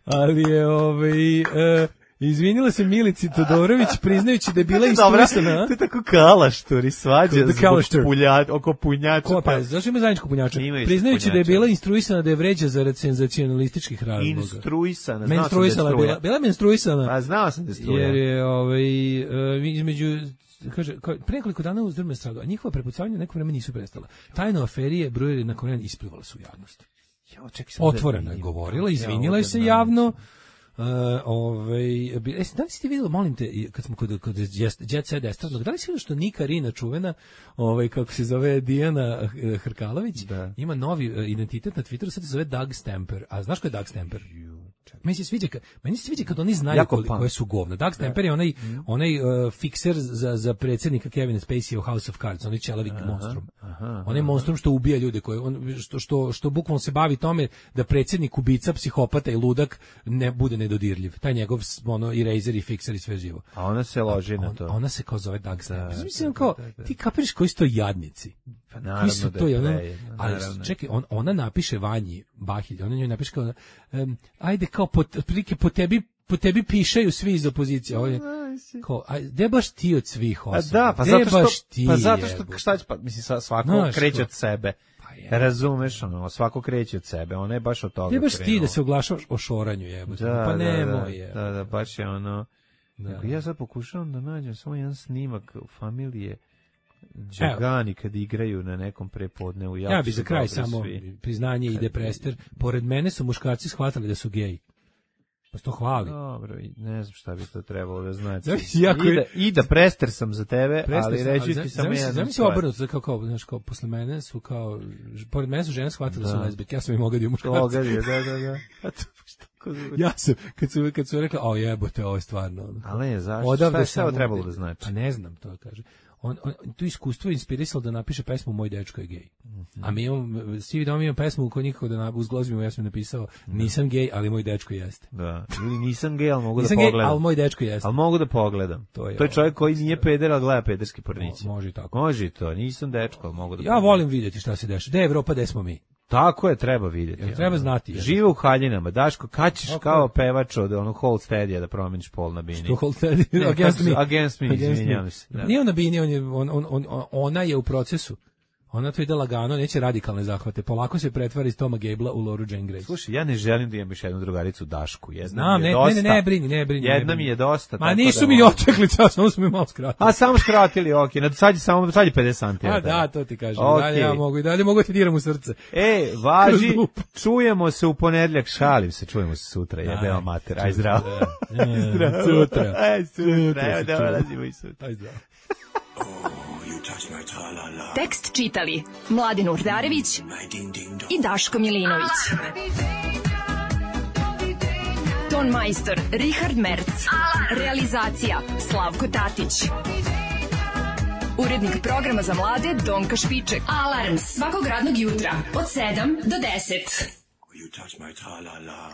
Ali je, ovaj, e, izvinila se Milici Todorović, priznajući da je bila instruisana. To je tako kalaštori, svađa Kako da kalaštor? zbog pulja, oko punjača. Ko, pa, zašto ima zajedničkog punjača? Ima isto Priznajući da je punjača. bila instruisana da je vređa za senzacionalističkih razloga. Instruisana, znao sam da je Menstruisala je struja. bila, bila je menstruisana. A znao sam da je struja. Jer je ovaj e, između kaže kao, pre nekoliko dana u Zdrme stradu, a njihova prepucavanja neko vreme nisu prestala. Tajno aferije brojeri na koren isplivale su u javnost. Jo, čekaj, samo da otvoreno je vidim. govorila, Ja, izvinila ovdje je se nađem. javno. Uh, ovaj, e, da li ste vidjeli, molim te, i kad smo kod, kod Jet Set estradnog, da li ste vidjeli što Nika Rina čuvena, ovaj, kako se zove Dijana eh, Hrkalović, Da. ima novi eh, identitet na Twitteru, sad se zove Doug Stamper. A znaš ko je Doug Stamper? Meni se sviđa, kad- meni se sviđa kad oni znaju Jako koli- punk. koje su govna. Doug Stamper je onaj, onaj uh, fikser za, za predsjednika Kevina Spacey u House of Cards, onaj čelavi monstrum. Onaj monstrum što ubija ljude, koje, on, što, što, što bukvalno se bavi tome da predsjednik ubica, psihopata i ludak ne bude nedodirljiv. Taj njegov ono, eraser i fikser i sve živo. A ona se loži na On- to. Ona se kao zove Doug Stamper. Da, Mislim da, kao, da, da. ti kapiraš koji su to jadnici? Pa Koji naravno su da to, je ono, prejedno, ali naravno. čekaj, on, ona napiše Vanji Bahilj, ona njoj napiše kao, um, ajde kao, po, otprilike po tebi, po tebi pišaju svi iz opozicije. Ovo je, kao, aj, gde baš ti od svih A osoba? da, pa Gde zato baš što, ti, pa zato što, jebote? šta će, pa, mislim, sa- svako Znaš, kreće ko- od sebe. Pa je. Razumeš, ono, svako kreće od sebe, ona je baš od toga Gde baš ti krenula. da se oglašavaš o šoranju, jebote? Da, Pa da, nemoj, da, je. da, da, baš je ono... Da. Nego ja sad pokušavam da nađem samo jedan snimak familije Đagani kad igraju na nekom prepodnevu. Ja bi su za kraj dobri samo svi. priznanje ide Prester. Pored mene su muškarci shvatili da su geji. Pa se to hvali. Dobro, i ne znam šta bi to trebalo da znači. Zavisi jako I, da, je- I da Prester sam za tebe, Prester ali sam, reći zam- ti samo zamisli- jednu zamisli stvar. obrnuto, kao, kao, znaš, kao, posle mene su kao, ž- pored mene su žene shvatile da su Da. lezbijke, ja sam im ogadio muškarci. Ogadio, da, da, da. A to baš tako zvuči. Ja sam, kad su, kad su rekli, o jebote, ovo je stvarno. ono. Ali ne, zašto? Odavde Šta je sve ovo samo- trebalo da znači? Pa ne znam, to kaže. On, on, tu iskustvo je inspirisalo da napiše pesmu Moj dečko je gej. A mi imamo, svi vidimo, mi imamo pesmu kod njihova da na, uz glozbima ja sam napisao, nisam gej, ali moj dečko jeste. Da. Ili nisam gej, ali mogu Nisam da gej, pogledam. ali moj dečko jeste. Ali mogu da pogledam. To je to je čovjek ovo, koji nije peder, ali gleda pederski pornići. Mo- može i tako. Može i to, nisam dečko, ali mogu da Ja pogledam. volim vidjeti šta se dešava. Gde je Evropa, gde smo mi? Tako je, treba vidjeti. Jel treba ono. znati, jel? Žive u haljinama. Daško, kad ćeš Tako kao je. pevač od onog Hold Steadija da promeniš pol na bini? To hold steady. Ne, Against kako- me. Against me, izvinjavam se, da. Nije on na bini, on je, on, on, on, ona je u procesu. Ona to ide lagano, neće radikalne zahvate. Polako se pretvara iz Toma Gablea u Lauru Jane Grace. Slušaj, ja ne želim da imam još jednu drugaricu Dašku. Jedna Znam, mi je ne, dosta. ne, ne, ne brini, ne brini. ne Jedna brini. mi je dosta. Ma tako nisu da mi mogu- otekli, čas, samo smo mi malo skratili. A samo skratili, okej. Okay. Sad je samo sad je pedeset centimetara. A da, to ti kažem. Okej. Dalje ja mogu, i dalje mogu ti diram u srce. E, važi, Kroz dupe. čujemo se u ponedjeljak, šalim se, čujemo se sutra, jebeo mater, aj zdravo. Aj zdravo. Sutra. Aj sutra, Sutra evo se da čujemo. dolazimo i sutra. Aj zdravo. Tekst čitali Mladin Urdarević i Daško Milinović. Ton majstor Richard Merc. Realizacija Slavko Tatić. Urednik programa za mlade Donka Špiček. Alarms svakog radnog jutra od sedam do deset. You touch my tra-la-la.